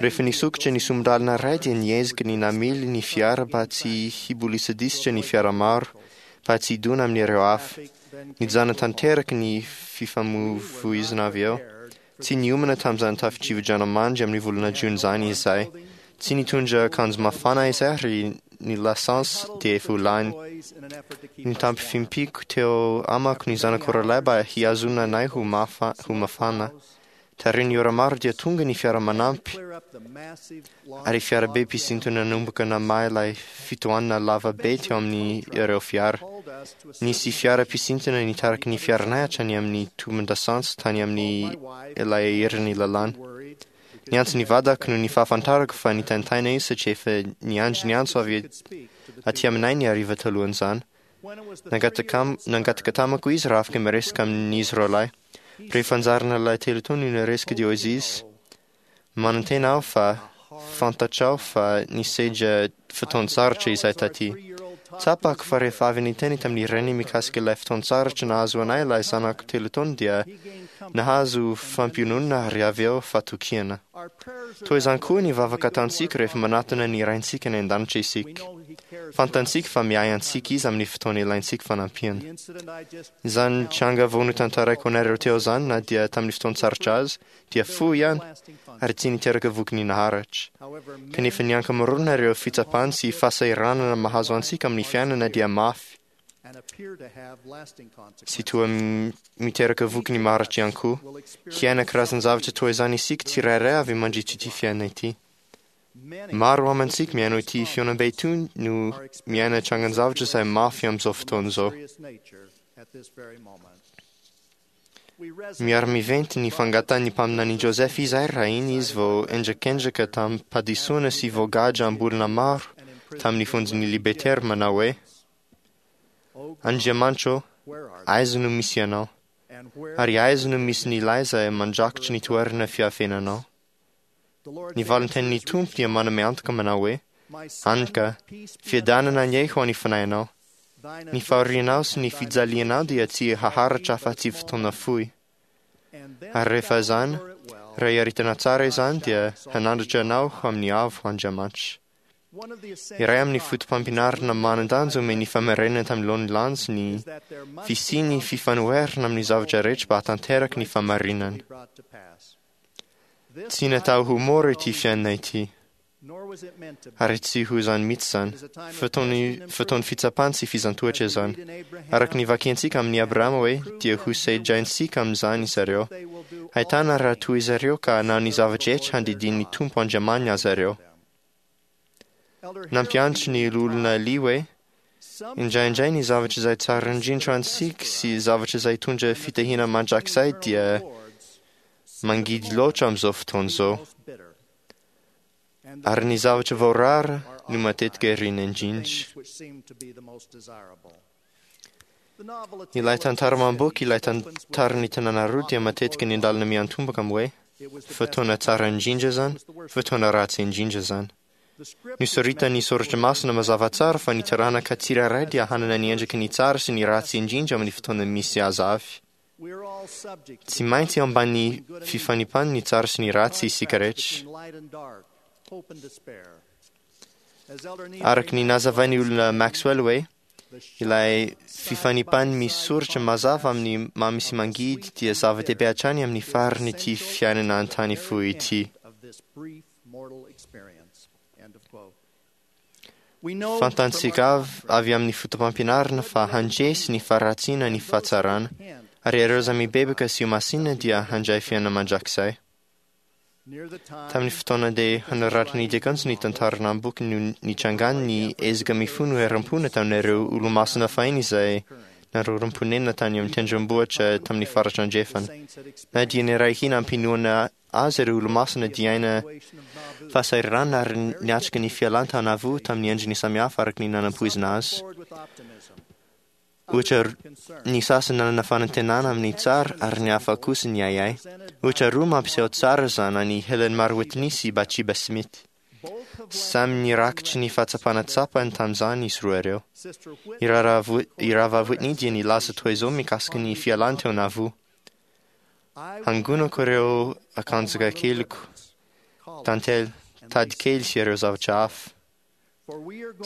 [SPEAKER 5] Rehefa nisokatra ny sombin-dalana iray dia niezaka ny namily ny fiara mba tsy hibolisidisitra ny fiara maro mba tsy hidona amin'ireo hafa. Nijanona tanteraka ny fifamoivoizana avy eo. Tsy niomana tamin'izany tafio-drivodranomandry amin'ny volana jona izany izahay. Tsy nitondra akanjo mafana izahay ary ny lasantsy dia efa ho lany. Nitampifimpiko teo amako ny zanako roalahy mba hihazonana anay ho mafana. Taorian'ny ora maro dia tonga ny fiara manampy ary fiarabe mpisintona nanomboka namaha ilay fitohanana lava be teo amin'ny ireo fiara. Nisy fiara mpisintona nitariky ny fiaranay hatrany amin'ny tobin-dasantsy tany amin'ny ilay herin'ny lalàna. Niantso ny vadako noho ny fahafantarako fa nitaintaina izy satria efa niandry ny antso avy aty aminay ny hariva talohan'izany. Nangataka tamako izy raha afaka miresaka amin'izy roalahy. Rehefa anjarana ilay 3 taona no niresaka dia hoy izy, manantena aho fa fantatrao fa nisedra fotoan-tsarotra izahay taty. Tsapako fa rehefa avy niteny tamin'ny reniny mikasika ilay fotoan-tsarotra nahazo anay ilay zanako 3 taona dia nahazo fampiononana ary avy eo fatokiana. Toy izany koa ny vavaka ataontsika rehefa manatona ny Raintsika any an-danitra isika. Fantantsika fa miahy antsika izy amin'ny fotoana ilaintsika fanampiana. Izany tranga vao notantaraiko anareo teo izany na dia tamin'ny fotoan-tsarotra azy dia fohy ihany ary tsy niteraka vokany naharitra. Kanefa ny ankamaroana ireo fitsapana sy fahasahiranana mahazo antsika amin'ny fiainana dia mafy sy toa miteraka vokany maharitra ihany koa. Hiaina karazan-javatra toa izany isika tsirairay avy mandritra ity fiainana ity. Maro amintsika mihaino ity fihaonambe ity no miaina trangan-javatra izay mafy amin'izao fotoana izao. Miara-miventy ny fangatan'ny mpaminany Joseph izahay raha iny izy vao endrikendrika tamin'ny-pahadisoana sy voagadra am-bolona maro tamin'ny fonjon'ny Liberté manao hoe: Andriamanitra ô, aiza no misy ianao? Ary aiza no misy ny ilay izay mandrakitra ny toerana fiafenanao? Ny valintenin'ny Tompo dia manome antoka manao hoe: Anka, fiadanana anie ho an'ny fanahinao. Ny fahorianao sy ny fijalianao dia tsy haharitra afa-tsy fotoana fohy. Ary rehefa izany, raha iaritana tsara izany dia hanandratra anao ho amin'ny avo Andriamanitra. Iray amin'ny foto-pampianarana manan-danja omen'ny famerenana tamin'ny laoniny lanja ny fisian'ny fifanoherana amin'ny zavatra rehetra mba hahatanteraka ny fahamarinana. Tsy natao ho mora ity fiainana ity. Ary tsy ho izany mihitsy izany. Fotoan'ny fitsapana sy fizantohatra izany. Araka ny vakiantsika amin'i Abrahama hoe dia ho sedraintsika amin'izany zareo. Ahitana raha toa izareo ka hanao ny zavatra rehetra handidian'ny Tompo Andriamaniny azy ireo. Nampiantso ny olona Ely hoe indraindray ny zavatra izay tsara indrindra ho antsika sy zavatra izay hitondra fitahiana mandrakizay dia mangidy loatra amin'izao fotoana izao, ary ny zavatra voarara no matetika irina indrindra. Ilay tantara mamboky ilay tantaran'ny tanàna roa dia matetika ny andalana miantomboka amin'ny hoe fotoana tsara indrindra izany, fotoana ratsy indrindra izany. Nosoritan'ny soratra masina mazava tsara fa ny taranaka tsirairay dia hanana ny endriky ny tsara sy ny ratsy indrindra amin'ny fotoana misy azy avy. Tsy maintsy eo ambany fifanipany ny tsara sy ny ratsy isika rehetra. Araka ny nazavain'ny olona Maxwell hoe ilay fifanipany misy soratra mazava amin'ny mamy sy mangidy dia zava-dehibe hatrany amin'ny faran'ity fiainana an-tany fohy ity. Fantatsika avy amin'ny foto-pampianarana fa handresy ny faharatsiana ny fahatsarana, ary ireo izay mibebaka sy homasinina dia handray fiainana mandrakizay. Tamin'ny fotoana dia hanoratana ny diakanjo ny tantarana am-boky no nitrangany ny ezaka mifono herim-po nataon'ireo olomasina fahiny izay narorom-ponenana tany amin'ny tendrombohitra tamin'ny faritra andrefana. Na dia niray hina am-pinoana azy ireo olomasina dia aina fahasahiranana ary niatrika ny fialana tao Nauvoo tamin'ny endriny samihafa araka ny nanampoizina azy. Ohatra ny sasany nanana fanantenana amin'ny tsara ary ny hafa kosa ny ahiahy. Ohatra roa mampiseho tsara izany an'i Helen Mar Whitney sy Bathsheba Smith. Samy nirakitry ny fahatsapana tsapany tamin'izany izy roa ireo. I Rahavavy Whitney dia nilaza toy izao mikasika ny fialany teo Nauvoo. Hangonako ireo akanjoka keliko, tantely, tady kely sy ireo zavatra hafa.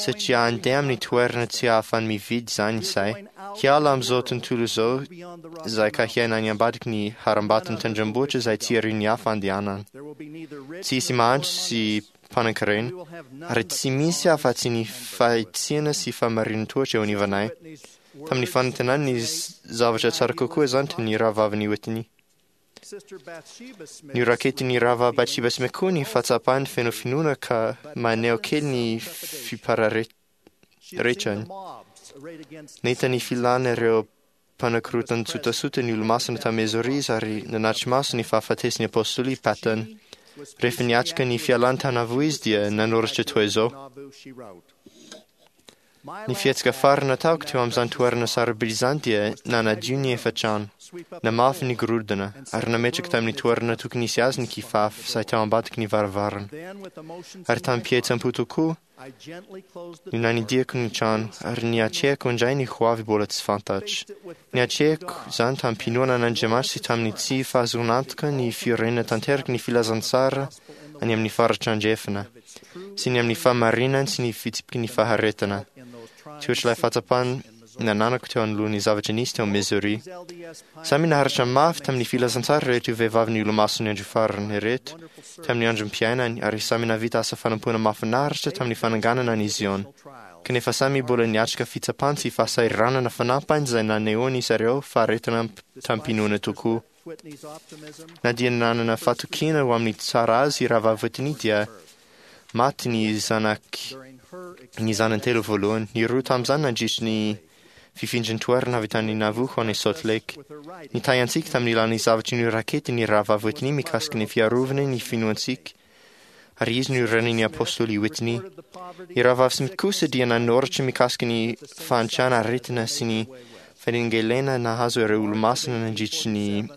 [SPEAKER 5] Satria handeha amin'ny toerana tsy ahafahany mividy izany izahay. Hiala amin'izao tontolo izao izay ka hiaina any ambadiky ny harambaton'ny tendrombohitra izay tsy irin'ny hafa andehanana. Tsy hisy mahantra sy mpanankarena, ary tsy misy afa-tsy ny fahitsiana sy fahamarinan-toetra eo anivanay. Tamin'ny fanantenany ny zavatra tsara kokoa izany toy ny rahavavin'i Whitney. Noraketin'ny rahavavy Bathsheba Smith koa ny fahatsapany feno finoana ka maneho kely ny fipararetrany. Nahita ny filana ireo mpanakorontan-tsotasota ny olomasina tamin'i Missouri izy ary nanatri-maso ny fahafatesan'ny apôstôly Patton. Rehefa niatrika ny fialany tao Nauvoo izy dia nanoratra toy izao. Ny fihetsika farany nataoko teo amin'izany toerana sarobidy izany dia nanadio ny efitrano, namafy ny gorodona, ary nametraka tamin'ny toerana tokony hisy azy ny kifafa izay tao ambadiky ny varavarana. Ary tamim-pihetseham-po tokoa no nanidiako ny trano, ary niatrehako indray ny hoavy mbola tsy fantatra. Niatrehako izany tamim-pinoana an'Andriamanitra sy tamin'ny tsy fahazoan'antoka ny fiorenana tanteraky ny filazantsara any amin'ny faritra andrefana, sy ny amin'ny fahamarinany sy ny fitsipiky ny faharetana. Tsy ohatr'ilay fahatsapana nananako teo anoloan'ny zavatra nisy teo Missouri. Samy naharitra mafy tamin'ny filazantsara ireto vehivavy ny olomason'ny andro farany ireto tamin'ny androm-piainany ary samy nahavita asa fanompoana mahafinaritra tamin'ny fananganana an'i Ziona. Kanefa samy mbola niatrika fitsapana sy fahasahiranana fanampiny izay nanehoan'izy ireo faharetana tamim-pinoana tokoa. Na dia nanana fatokiana ho amin'ny tsara azy i Rahavavy Whitney dia maty ny zanak ny zanany telo voalohany. Ny roa tamin'izany nandritry ny fifindran-toerana avy tany Nauvoo ho any Salt Lake. Nitahy antsika tamin'ny alalan'ny zavatra noraketiny ny Rahavavy Whitney mikasika ny fiarovana ny finoantsika, ary izy no renin'ny apôstôly Whitney. I Rahavavy Smith kosa dia nanoratra mikasika ny fahantrana aretina sy ny fanelingelena nahazo ireo olomasina nandritry ny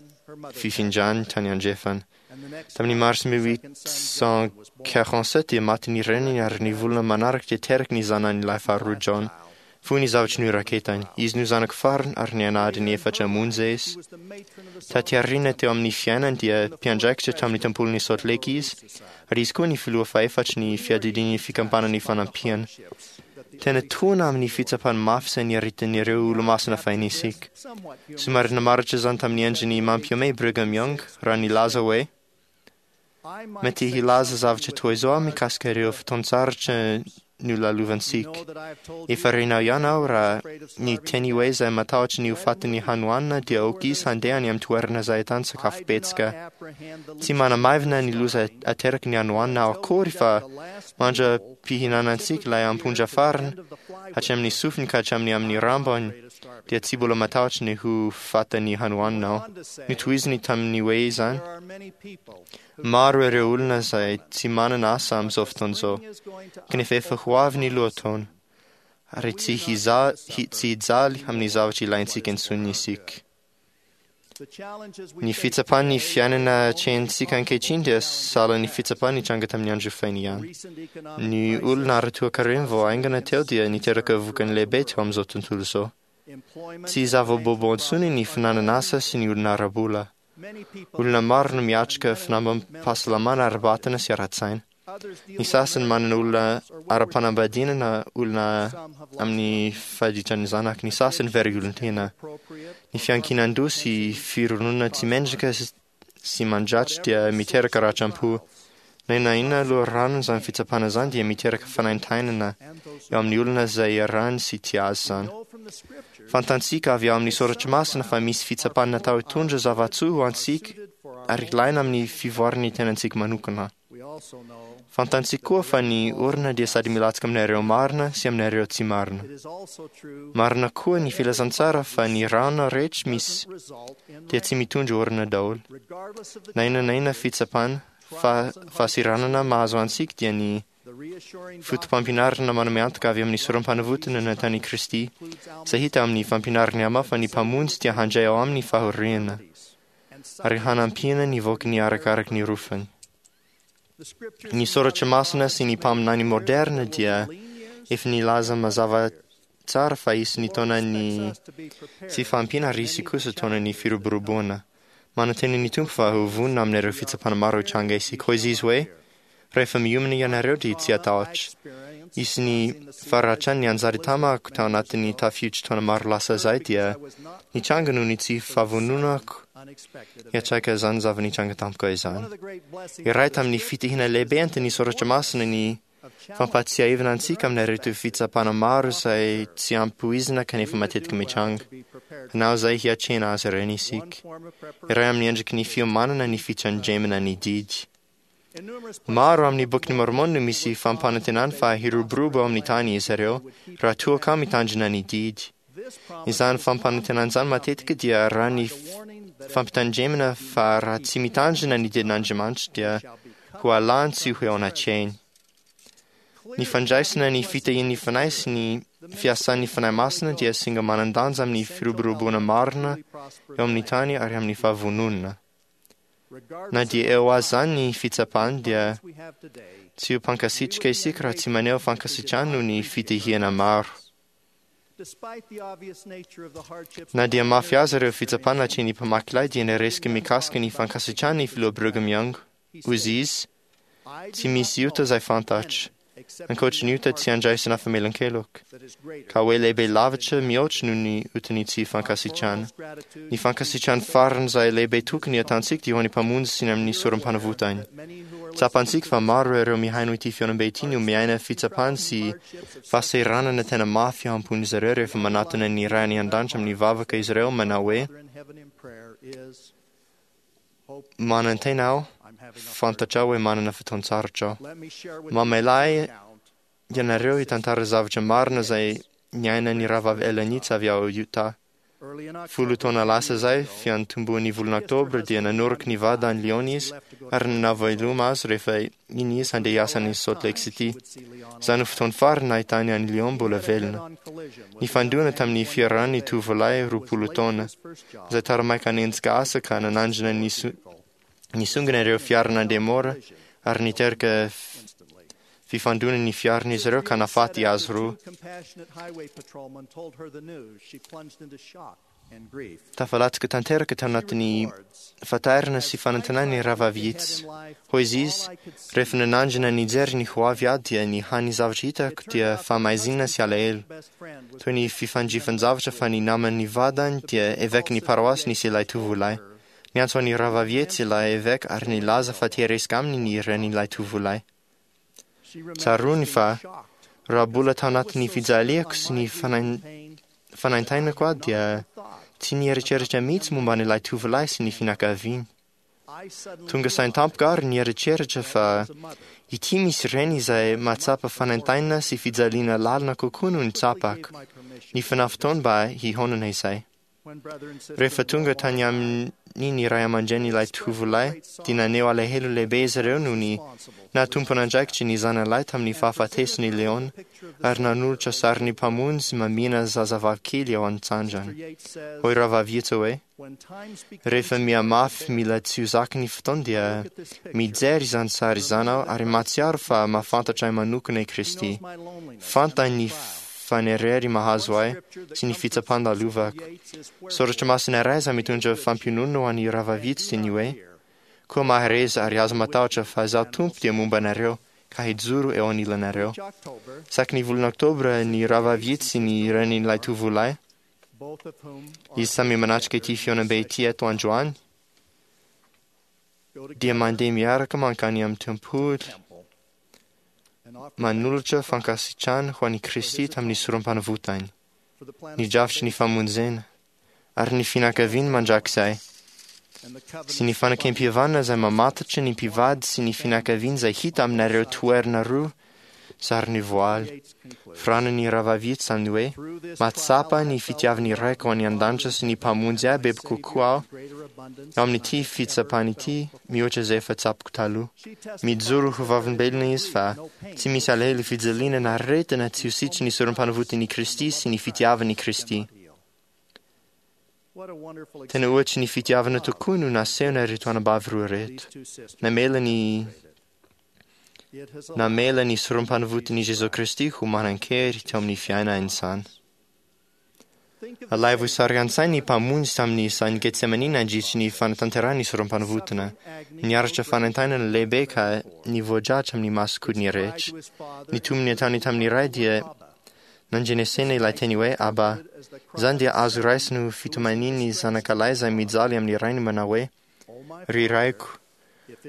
[SPEAKER 5] fifindrany tany andrefana. Tamin'ny mars 1847 dia maty ny reniny ary ny volana manaraka dia teraka ny zanany lahy faharoa John. Fony ny zavatra noraketany. Izy no zanako farany ary niaina adiny efatra monja izy. Taty aoriana teo amin'ny fiainany dia mpiandraikitra tamin'ny tempolin'i Salt Lake izy, ary izy koa ny filoha fahefatry ny fiadidian'ny fikambanan'ny fanampiana. Tena tohina amin'ny fitsapany mafy izay niaretan'ireo olomasina fahiny isika. Somary namaritra izany tamin'ny endriny mampihomehy Brigham Young raha nilaza hoe mety hilaza zavatra toy izao aho mikasika ireo fotoan-tsarotra nolalovantsika. Efa renao ihany aho raha ny teny hoe izay matahotra ny ho fatin'ny hanoanana dia aoka izy handeha any amin'ny toerana izay ahitany sakafo betsaka. Tsy manamaivana ny loza ateraky ny hanoanana aho akory fa mandra-pihinanantsika ilay ampondra farany hatramin'ny sofiny ka hatramin'ny amin'ny rambony dia tsy mbola matahotra ny ho fatin'ny hanoanana aho. Notohiziny tamin'ny hoe izany. Maro ireo olona izay tsy manana asa amin'izao fotoana izao, kanefa efa ho avy ny lohataona, ary tsy tsy hijaly amin'ny zavatra ilaintsika intsony isika. Ny fitsapan'ny fiainana atrehintsika ankehitriny dia sahala ny fitsapana nitranga tamin'ny andro fahiny ihany. Ny olona ara-toekarena vao haingana teo dia niteraka vokany lehibe teo amin'izao tontolo izao. Tsy zava-baovao intsony ny finanana asa sy ny olona ara-bola. Olona maro no miatrika finambam-pahasalamana ara-batana sy ara-tsaina. Ny sasany manana olona ara-panambadiana na olona amin'ny faditran'ny zanaky, ny sasany very olon-tena. Ny fiankinan-doha sy fironona tsy mendrika sy mandratra dia miteraka ratram-po. Na inona na inona loharanony izany fitsapana izany dia miteraka fanaintainana eo amin'ny olona izay iarahany sy tia azy izany. Fantantsika avy ao amin'ny Soratra Masina fa misy fitsapana natao hitondra zava-tsoa ho antsika ary ilaina amin'ny fivoaran'ny tenantsika manokana. Fantantsika koa fa ny orana dia sady milatsaka aminareo marina sy aminareo tsy marina. Marina koa ny filazantsara fa ny rano rehetra misy dia tsy mitondra orana daholo. Na inona na inona fitsapana, fahasiranana mahazo antsika dia ny foto-pampianarana manome antoka avy amin'ny sorom-panavotana nataon'i Kristy, izay hita amin'ny fampianarany ama fa ny Mpamonjy dia handray ao aminy fahoriana ary hanampiana ny vokany arakaraky ny rofany. Ny soratra masina sy ny mpaminany moderna dia efa nilaza mazava tsara fa hisy ny taonan'ny tsy fahampiana ary hisy kosa taonan'ny firoboroboana. Manantena ny Tompo fa ho vonona amin'ireo fitsapana maro hitranga isika. Hoy izy hoe, rehefa miomana ianareo dia tsy hatahotra. Hisy ny faharatran'ny anjara tamako tao anatin'ny tafiotra taona maro lasa izay dia nitranga noho ny tsy fahavononako hiatraka izany zava-nitranga tampoka izany. Iray tamin'ny fitahiana lehibe entin'ny soratra masina ny fampahatsiahivana antsika amin'ireto fitsapana maro izay tsy ampoizina kanefa matetika mitranga. Hanao izay hiatrehana azy ireny isika. Iray amin'ny endriky ny fiomanana ny fitandremana ny didy. Maro amin'ny bokin'i Mormon no misy fampanantenana fa hiroborobo ao amin'ny tany izy ireo raha toa ka mitandrina ny didy. Izany fampanantenana izany matetika dia raha ny fampitandremana fa raha tsy mitandrina ny didin'Andriamanitra dia ho alany tsy ho eo anatrehiny. Ny fandraisana ny fitahian'ny Fanahy sy ny fiasan'ny Fanahy Masina dia singa manan-danja amin'ny firoboroboana marina eo amin'ny tany ary amin'ny fahavononana. Na dia eo aza ny fitsapana dia tsy ho mpankasitraka isika raha tsy maneho fankasitrahana noho ny fitahiana maro. Na dia mafy aza ireo fitsapana atrehin'ny mpamaky lay dia niresaka mikasika ny fankasitrahana ny filoha Brigham Young. Hoy izy, tsy misy ota izay fantatra, ankoatry ny ota tsy andraisana famelan-keloka, ka hoe lehibe lavitra mihoatra noho ny otan'ny tsy fankasitrahana. Ny fankasitrahana farany izay lehibe tokony ataontsika dia ho an'ny Mpamonjy sy ny amin'ny sorom-panavotany. Tsapantsika fa maro ireo mihaino ity fihaonambe ity no miaina fitsapana sy fahasahiranana tena mafy ao am-pon'izy ireo rehefa manatona ny Ray any an-danitra amin'ny vavaka izy ireo manao hoe, Manantena aho, fantatrao hoe manana fotoan-tsarotra aho. Mamela ahy ianareo hitantara zavatra marina izay niainan'ny rahavavy Ellen Yates avy ao Utah. 10 taona lasa izay, fiantombohan'ny volana Oktobra, dia nanoroka ny vadiny Leon izy ary nanao veloma azy rehefa iny izy handeha hiasa any Salt Lake City. Izany no fotoana farany nahitany an'i Leon mbola velona. Nifandona tamin'ny fiarany ny tovolahy 20 taona, izay taramaika hanenjika asa ka nanandrana nisongona ireo fiara nandeha mora ary niteraka fifandonana ny fiaran'izy ireo ka nahafaty azy roa. Tafalatsaka tanteraka tao anatin'ny fatairana sy fanantenana ny rahavavy Yates. Hoy izy, rehefa nanandrana nijery ny ho avy aho dia ny hany zavatra hitako dia fahamaizinana sy alahelo. Toy ny fifandrifan-javatra fa ny naman'ny vadiny dia evekin'ny paroasy nisy ilay tovolahy. Niantso an'ny rahavavy Yates ilay eveka ary nilaza fa te hiresaka aminy ny renin'ilay tovolahy. Tsaroany fa Raha mbola tao anatin'ny fijaliako sy ny fanaintainako aho dia tsy nieritreritra mihitsy momba an'ilay tovolahy sy ny fianakaviany. Tonga saina tampoka aho ary nieritreritra fa ity misy reny izay mahatsapa fanaintainana sy fijaliana lalina kokoa noho ny tsapako. Nifanao fotoana mba hihaonana izay. Rehefa tonga tany aminy ny ray aman-drenin'ilay tovolahy dia naneho alahelo lehibe izy ireo noho ny naha-tompon'andraikitry ny zanany tamin'ny fahafatesan'i Leon ary nanolotra sarin'ny Mpamonjy mamihina zazavavy kely eo an-tsandrany. Hoy Rahavavy Yates hoe, Rehefa mihamafy mila tsy ho zaka ny fotoana dia mijery izany sary izany aho ary mahatsiaro fa mahafantatra ahy manokana i Kristy. Fantany ny fanerery mahazo ahy sy ny fitsapan-dalovako. Soratra masina iray izay mitondra fampiononana ho an'i Rahavavy Yates dia ny hoe, Koa mahereza ary aza matahotra fa Izaho Tompo dia momba anareo ka hijoro eo anilanareo. Isaky ny volana Oktobra ny Rahavavy Yates sy ny renin'ilay tovolahy, izy samy manatrika ity fihaonambe ity eto androany, dia mandeha miaraka mankany amin'ny tempoly, manolotra fankasitrahana ho an'i Kristy tamin'ny sorom-panavotany, ny drafitry ny famonjena, ary ny fianakaviany mandrakizay, sy ny fanekempihavanana izay mamatotra ny mpivady sy ny fianakaviany izay hita aminareo toerana roa sarin'ny voaly. Firanan'ny Rahavavy Yates amin'ny hoe, Mahatsapa ny fitiavan'ny Raiko any an-danitra sy ny Mpamonjy ahy bebe kokoa aho eo amin'ity fitsapana ity mihoatra izay efa tsapako taloha. Mijoro ho vavolombelona izy fa tsy misy alahelo fijaliana na aretina tsy ho sitry ny sorom-panavotan'i Kristy sy ny fitiavan'i Kristy. Tena ohatry ny fitiavana tokoa no nasehona ireto anabavy roa ireto. Namela ny namela ny sorom-panavotan'i Jesoa Kristy ho manan-kery teo amin'ny fiainany izany. Alaivo sary an-tsaina ny Mpamonjy tamin'ny sahan'i Getsemane nandritry ny fanatanterahany ny sorom-panavotana. Niaritra fanaintainana lehibe ka nivoadratra amin'ny masonkodiny rehetra. Ny tombony ataony tamin'ny Ray dia nandrenesena ilay teny hoe Abba. Izany dia azo raisina ho fitomanian'ny zanakalahy izay mijaly amin'ny rainy manao hoe, Ry raiko,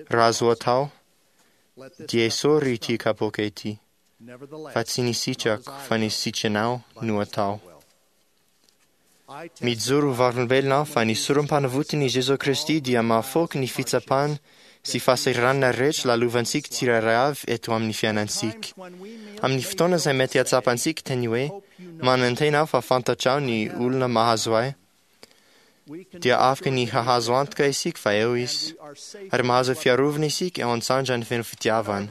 [SPEAKER 5] raha azo atao, dia esory ity kapoaka ity, fa tsy ny sitrako fa ny sitranao no atao. Mijoro ho vavolombelona aho fa ny sorom-panavotan'i Jesoa Kristy dia mahafoky ny fitsapana sy fahasahiranana rehetra lalovantsika tsirairay avy eto amin'ny fiainantsika. Amin'ny fotoana izay mety hatsapantsika teny hoe, Manantena aho fa fantatrao ny olona mahazo ahy, dia afaka ny hahazo antoka isika fa eo Izy, ary mahazo fiarovana isika eo an-tsandrany feno fitiavana.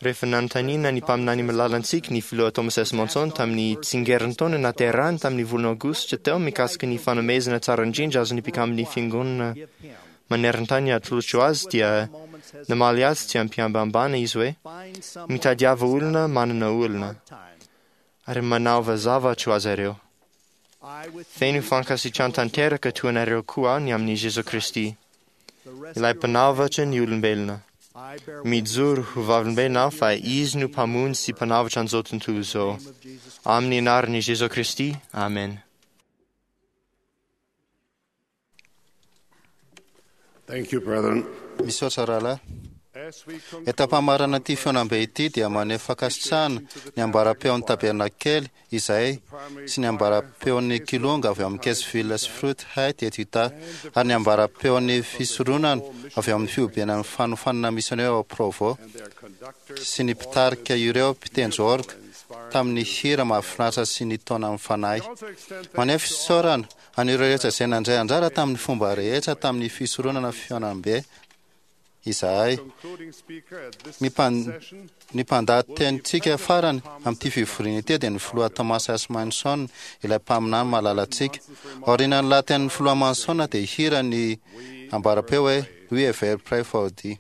[SPEAKER 5] Rehefa nanontaniana ny mpaminany malalantsika ny filoha Thomas S. Monson tamin'ny tsingerintaona naterahany tamin'ny volana aogositra teo mikasika ny fanomezana tsara indrindra azon'ny mpikamban'ny fiangonana maneran-tany atolotro azy dia namaly azy tsy am-pihambahambana izy hoe, Mitadiava olona manana olona, ary manaova zavatra ho azy ireo. Feno fankasitrahana tanteraka toa anareo koa aho ny amin'i Jesoa Kristy, ilay Mpanavotra ny olombelona. Mijoro ho vavolombelona aho fa Izy no Mpamonjy sy Mpanavotra an'izao tontolo izao. Amin'ny anaran'i Jesoa Kristy, amen.
[SPEAKER 3] Thank you, brethren.
[SPEAKER 2] Misaotra rahalahy. Eto am-pamarana ity fihaonambe ity dia maneho fankasitrahana ny ambaram-peon'ny tabernakely izay sy ny ambaram-peon'ny kilonga avy amin'ny Kessville sy Fruit Height eto Utah ary ny ambaram-peon'ny fisoronana avy amin'ny fihobenan'ny fanofanana misionera ao Provo sy ny mpitarika ireo mpitendry orga tamin'ny hira mahafinaritra sy ny taonan'ny fanahy. Maneho fisaorana an'ireo rehetra izay nandray anjara tamin'ny fomba rehetra tamin'ny fisoronana fihaonambe izahay. Ny mpandahatenintsika farany amin'ity fivoriana ity dia ny filoha Thomas S. Manson, ilay mpaminany malalantsika. Aorianan'ny lahatenin'ny filoha Manson dia hihira ny ambaram-peo hoe We Ever Pray for Thee.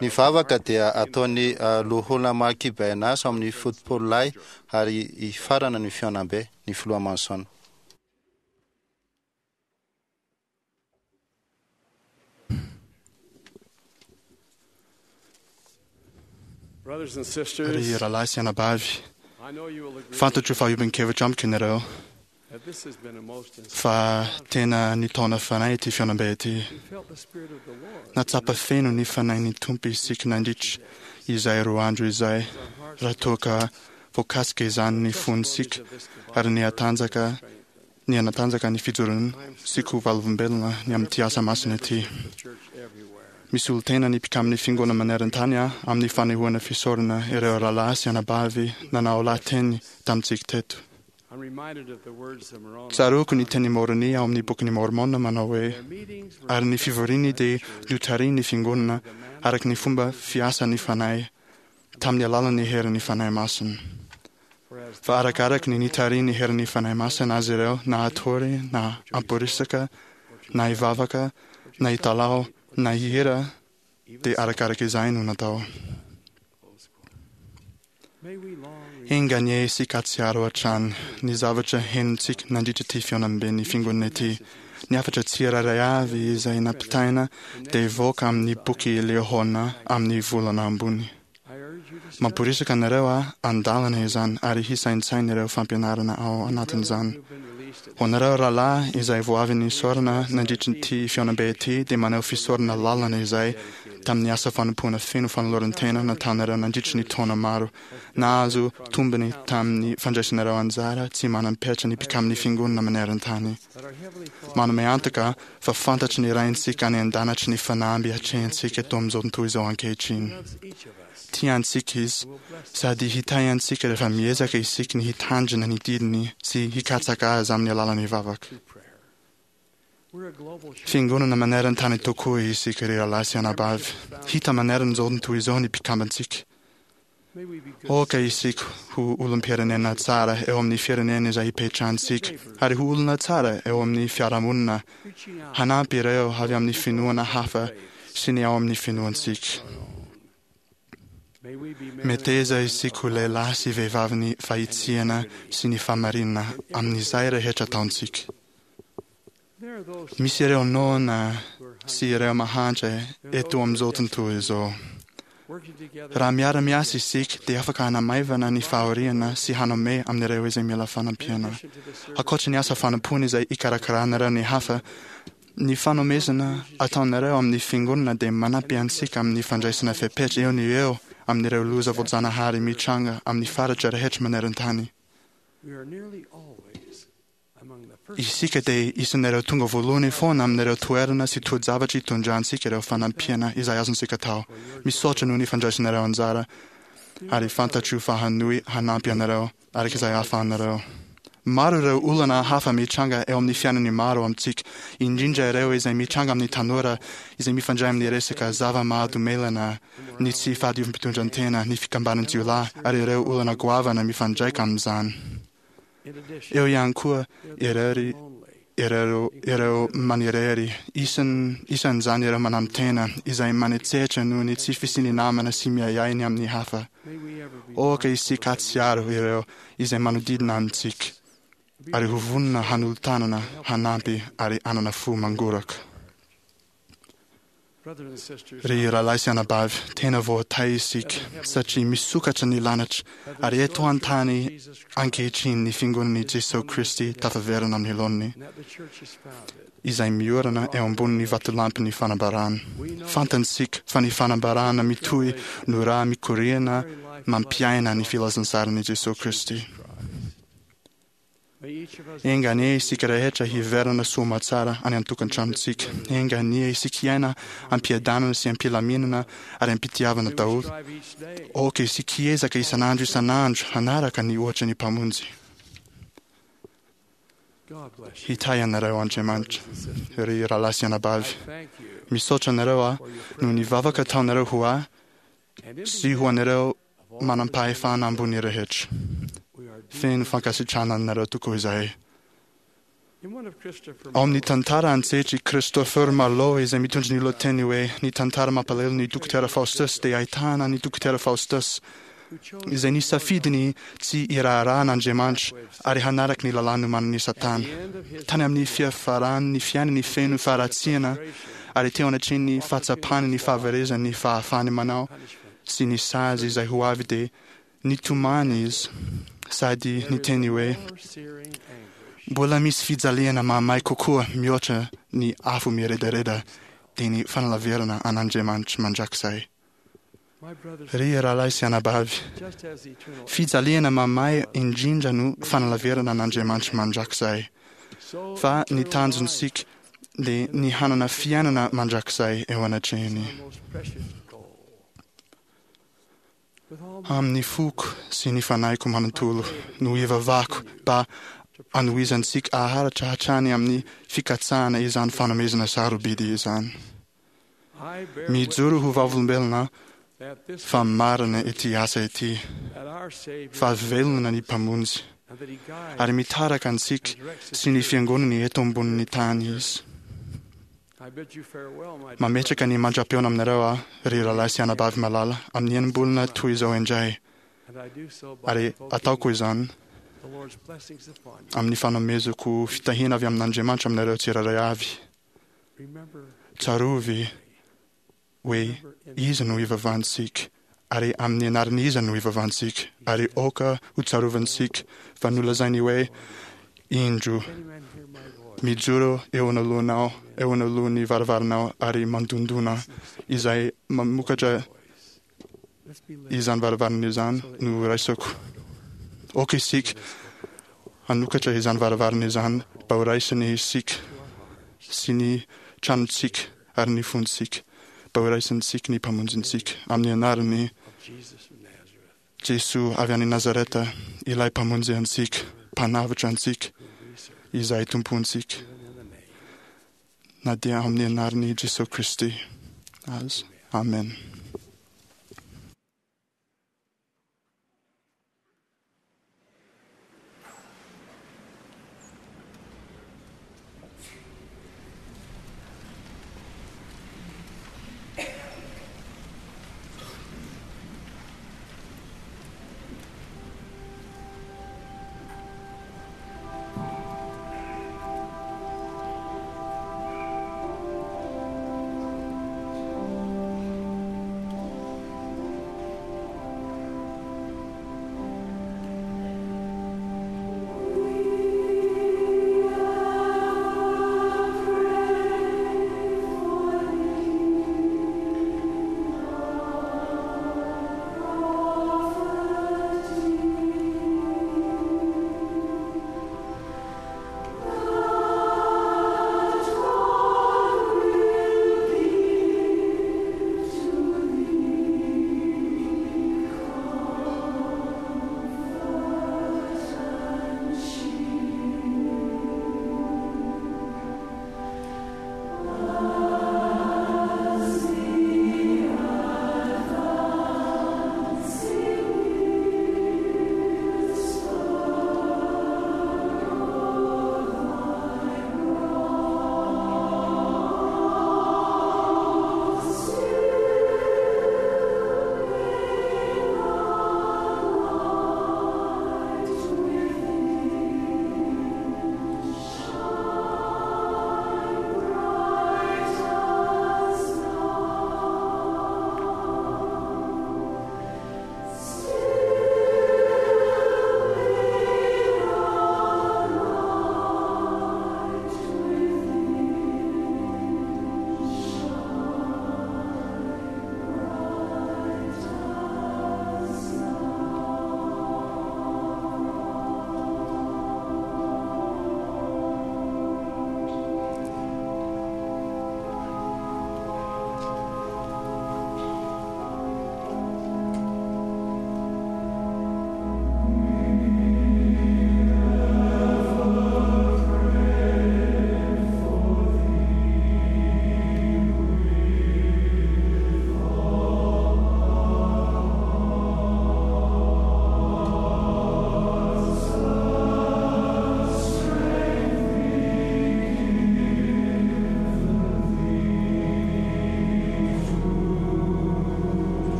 [SPEAKER 2] Ny vavaka dia ataon'ny loholona Marky Bernas ao amin'ny fotopolo lahy ary hifarana ny fihaonambe, ny filoha Manson.
[SPEAKER 7] Ry rahalahy sy anabavy, fantatro fa hiombon-kevitra amiko ianareo. Fa tena nitaona fanahy ity fihaonambe ity. Nahatsapa feno ny fanahin'ny Tompo isika nandritra izay 2 andro izay, raha toa ka voakasika izany ny fontsika ary nihatanjaka nihanatanjaka ny fijoroantsika ho vavolombelona ny amin'ity asa masina ity. Misy olon-tena ny mpikamin'ny Fiangonana maneran-tany amin'ny fanehoana fisaorana ireo rahalahy sy anabavy nanao lahateny tamintsika teto. Tsaroako ny tenin'i Môrônia ao amin'ny Bokin'i Môrmôna manao hoe, Ary ny fivoriany dia notarihin'ny Fiangonana araka ny fomba fiasan'ny Fanahy tamin'ny alalan'ny herin'ny Fanahy Masina. Fa arakaraka ny nitarihin'ny herin'ny Fanahy Masina azy ireo na hatory na hamporisika na hivavaka na hitalaho na hihira dia arakaraka izay no natao. Enga anie isika hahatsiaro hatrany ny zavatra henontsika nandritra ity fihaonamben'ny Fiangonana ity. Ny hafatra tsirairay avy izay nampitaina dia hivoaka amin'ny boky Liahona amin'ny volana ambony. Mamporisika anareo aho handalina izany ary hisaintsaina ireo fampianarana ao anatin'izany. Ho anareo rahalahy izay vao avy nisaorana nandritra ity fihaonambe ity dia maneho fisaorana lalina izay tamin'ny asa fanompoana feno fanoloran-tena nataonareo nandritra ny taona maro. Nahazo tombony tamin'ny fandraisanareo anjara tsy manam-petra ny mpikamin'ny Fiangonana maneran-tany. Manome antoka fa fantatry ny Raintsika any an-danitra ny fanamby atrehintsika eto amin'izao tontolo izao ankehitriny. Tia antsika Izy, sady hitahy antsika rehefa miezaka isika ny hitandrina ny didiny sy hikatsaka Azy amin'ny alalan'ny vavaka. Fiangonana maneran-tany tokoa isika ry rahalahy sy anabavy. Hita maneran'izao tontolo izao ny mpikambantsika. Aoka isika ho olom-pirenena tsara eo amin'ny firenena izay ipetrahantsika, ary ho olona tsara eo amin'ny fiarahamonina, hanampy ireo avy amin'ny finoana hafa sy ny ao amin'ny finoantsika. Meteza isika ho lehilahy sy vehivavin'ny fahitsiana sy ny fahamarinana amin'izay rehetra ataontsika. Misy ireo noana sy ireo mahantra eto amin'izao tontolo izao. Raha miara-miasa isika dia afaka hanamaivana ny fahoriana sy hanome amin'ireo izay mila fanampiana. Ankoatra ny asa fanompoana izay ikarakaranareo ny hafa, ny fanomezana ataonareo amin'ny Fiangonana dia manampy antsika amin'ny fandraisana fepetra eo no eo amin'ireo loza voajanahary mitranga amin'ny faritra rehetra maneran-tany. Isika dia isan'ireo tonga voalohany foana amin'ireo toerana sy toe-javatra itondrantsika ireo fanampiana izay azontsika atao. Misaotra noho ny fandraisanareo anjara ary fantatro fa hanohy hanampy anareo araka izay ahafahanareo. Maro ireo olana hafa mitranga eo amin'ny fiainan'ny maro amintsika, indrindra ireo izay mitranga amin'ny tanora izay mifandray amin'ny resaka zava-mahadomelina, ny tsy fahadiovam-pitondran-tena, ny fikambanan-jiolahy ary ireo olana goavana mifandraika amin'izany. Eo ihany koa ireo ireo ireo manirery, isan isan'izany ireo mananotena, izay manetsetra noho ny tsy fisian'ny namana sy miahiahy ny amin'ny hafa. Aoka isika hahatsiaro ireo izay manodidina antsika, ary ho vonona hanolo-tanana, hanampy ary hanana fo mangoraka. Ry rahalahy sy anabavy, tena voatahy isika satria misokatra ny lanitra ary eto an-tany ankehitriny ny Fiangonan'i Jesoa Kristy tafaverina amin'ny laoniny, izay miorina eo ambonin'ny vatolampin'ny fanambarana. Fantantsika fa ny fanambarana mitohy no ra mikoriana mampiaina ny filazantsaran'i Jesoa Kristy. Enga anie isika rehetra hiverina soa aman-tsara any an-tokantranontsika. Enga anie isika hiaina am-piadanana sy am-pilaminana ary am-pitiavana daholo. Aoka isika hiezaka isan'andro isan'andro hanaraka ny ohatry ny Mpamonjy. Hitahy anareo Andriamanitra, ry rahalahy sy anabavy. Misaotra anareo aho noho ny vavaka ataonareo ho ahy sy ho an'ireo manam-pahefana ambony rehetra. Feno fankasitrahana anareo tokoa izahay. Ao amin'ny tantara an-tsehatry Christopher Marlowe izay mitondra ny lohateny hoe Ny tantara mampalahelo ny Dokotera Faustus dia ahitana an'i Dokotera Faustus izay nisafidy ny tsy hiraharaha an'Andriamanitra ary hanaraka ny lalàna nomanin'i Satana. Tany amin'ny fiafaran'ny fiainany feno faharatsiana ary teo anatrehan'ny fahatsapany ny fahaverezan'ny fahafahany manao sy ny sazy izay ho avy dia nitomany izy sady niteny hoe, Mbola misy fijaliana mahamay kokoa mihoatra ny afo miredareda dia ny fanalavirana an'Andriamanitra mandrakizay. Ry rahalahy sy anabavy, fijaliana mahamay indrindra no fanalavirana an'Andriamanitra mandrakizay. Fa ny tanjontsika dia ny hanana fiainana mandrakizay eo anatrehany. Amin'ny foko sy ny fanahiko manontolo no ivavahako mba hanohizantsika haharitra hatrany amin'ny fikatsahana izany fanomezana sarobidy izany. Mijoro ho vavolombelona fa marina ity asa ity, fa velona ny Mpamonjy, ary mitarika antsika sy ny fiangonany eto ambonin'ny tany Izy. Mametraka ny mandra-pihaona aminareo aho, ry rahalahy sy anabavy malala, amin'ny enim-bolana toy izao indray, ary ataoko izany amin'ny fanomezako fitahiana avy amin'Andriamanitra aminareo tsirairay avy. Tsarovy hoe iza no ivavahantsika, ary amin'ny anaran'iza no ivavahantsika, ary aoka hotsarovantsika fa nolazainy hoe, Indro, mijoro eo anoloanao, eo anoloan'ny varavaranao ary mandondona. Izay mamokatra izany varavarana izany no raisako. Aoka isika hanokatra izany varavarana izany mba ho raisiny isika sy ny tranontsika ary ny fontsika, mba ho raisintsika ny Mpamonjintsika amin'ny anaran'i Jesoa avy any Nazareta, ilay Mpamonjy antsika, Mpanavotra antsika, izay Tompontsika, na dia amin'ny anaran'i Jesoa Kristy aza. Amen.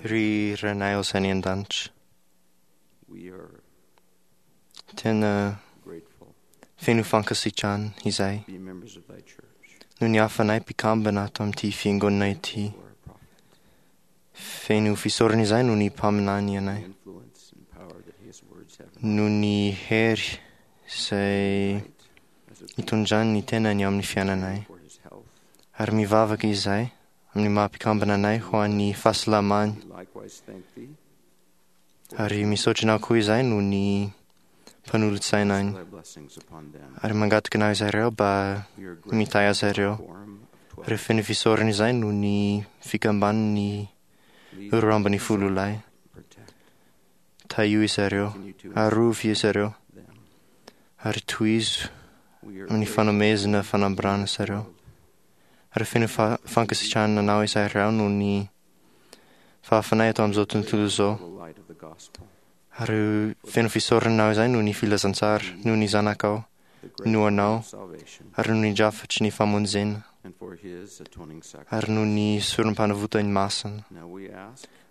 [SPEAKER 5] Ry Rainay izay any an-danitra, tena feno fankasitrahana izay noho ny hafanay mpikambana ato amin'ity fiangonana ity. Feno fisaorana izay noho ny mpaminany anay, noho ny hery izay itondrany ny tenany amin'ny fiainanay. Ary mivavaka izay amin'ny maha mpikambana anay ho an'ny fahasalamany. Ary misaotra anao koa izay noho ny mpanolotsaina any. Ary mangataka anao izy ireo mba mitahy azy ireo. Ary feno fisaorana izay noho ny fikamban'ny 12 lahy. Tahio izy ireo, arovy izy ireo, ary tohizo amin'ny fanomezana fanambarana izy ireo. Ary feno fankasitrahana anao izy ireo noho ny fahafanay eto amin'izao tontolo izao. Ary feno fisaorana anao izay noho ny filazantsara, noho ny zanakao, noho anao, ary noho ny drafatry ny famonjena, ary noho ny sorom-panavotany masina.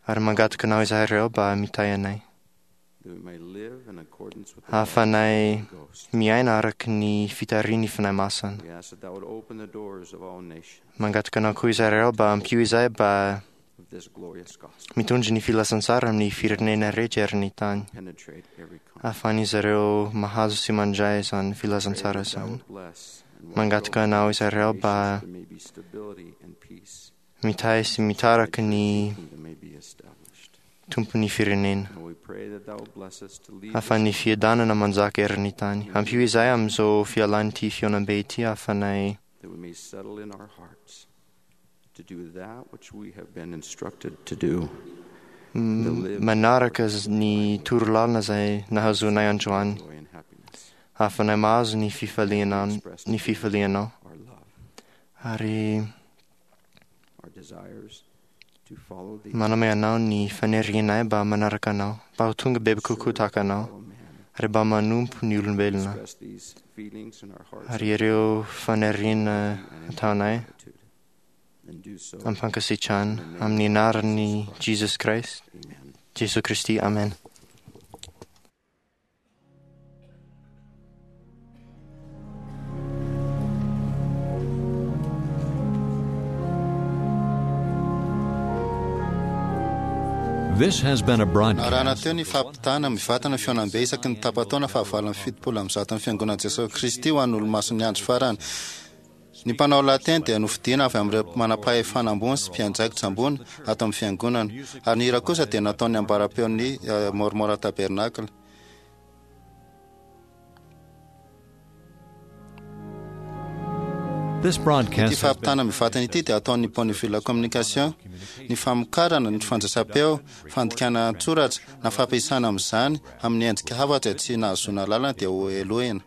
[SPEAKER 5] Ary mangataka anao izahay ireo mba mitahy anay. Ahafanay miaina araka ny fitarihan'ny Fanahy Masina. Mangataka anao koa izahay ireo mba ampio izahay mba mitondra ny filazantsara amin'ny firenena rehetra eran'ny tany. Ahafahan'izy ireo mahazo sy mandray izany filazantsara izany. Mangataka anao izahay ireo mba mitahy sy mitaraka ny tompon'ny firenena. Ahafahan'ny fiadanana manjaka eran'ny tany. Ampio izahay amin'izao fialan'ity fihaonambe ity ahafanay manaraka ny torolalana izay nahazoanay androany. Ahafanay mahazo ny fifaliana ny fifalianao. Ary manome anao ny fanirianay mba manaraka anao, mba ho tonga bebe kokoa tahaka anao, ary mba manompo ny olombelona. Ary ireo faniriana ataonay am-pankasitrahana amin'ny anaran'i Jesus Christ, Jesoa Kristy, amen.
[SPEAKER 1] This has been a broadcast.
[SPEAKER 2] Narahana teo ny fampitana mivantana fihaonambe isaky ny tapa-taona fahavalo amby fitopolo amby zato ny fiangonan'i Jesoa Kristy ho an'ny olomasin'ny andro farany. Ny mpanao lahateny dia nofidina avy amin'ireo manam-pahefana ambony sy mpiandraikitra ambony ato amin'ny fiangonana, ary ny hira kosa dia nataon'ny ambaram-peon'ny Mormon Tabernacle.
[SPEAKER 1] This broadcast
[SPEAKER 2] Ity fampitana mivantana ity dia ataon'ny Bonneville Communication. Ny famokarana, ny fandraisam-peo, fandikana an-tsoratra na fampiasana amin'izany amin'ny endrika hafa izay tsy nahazoana alalana dia ho helohina.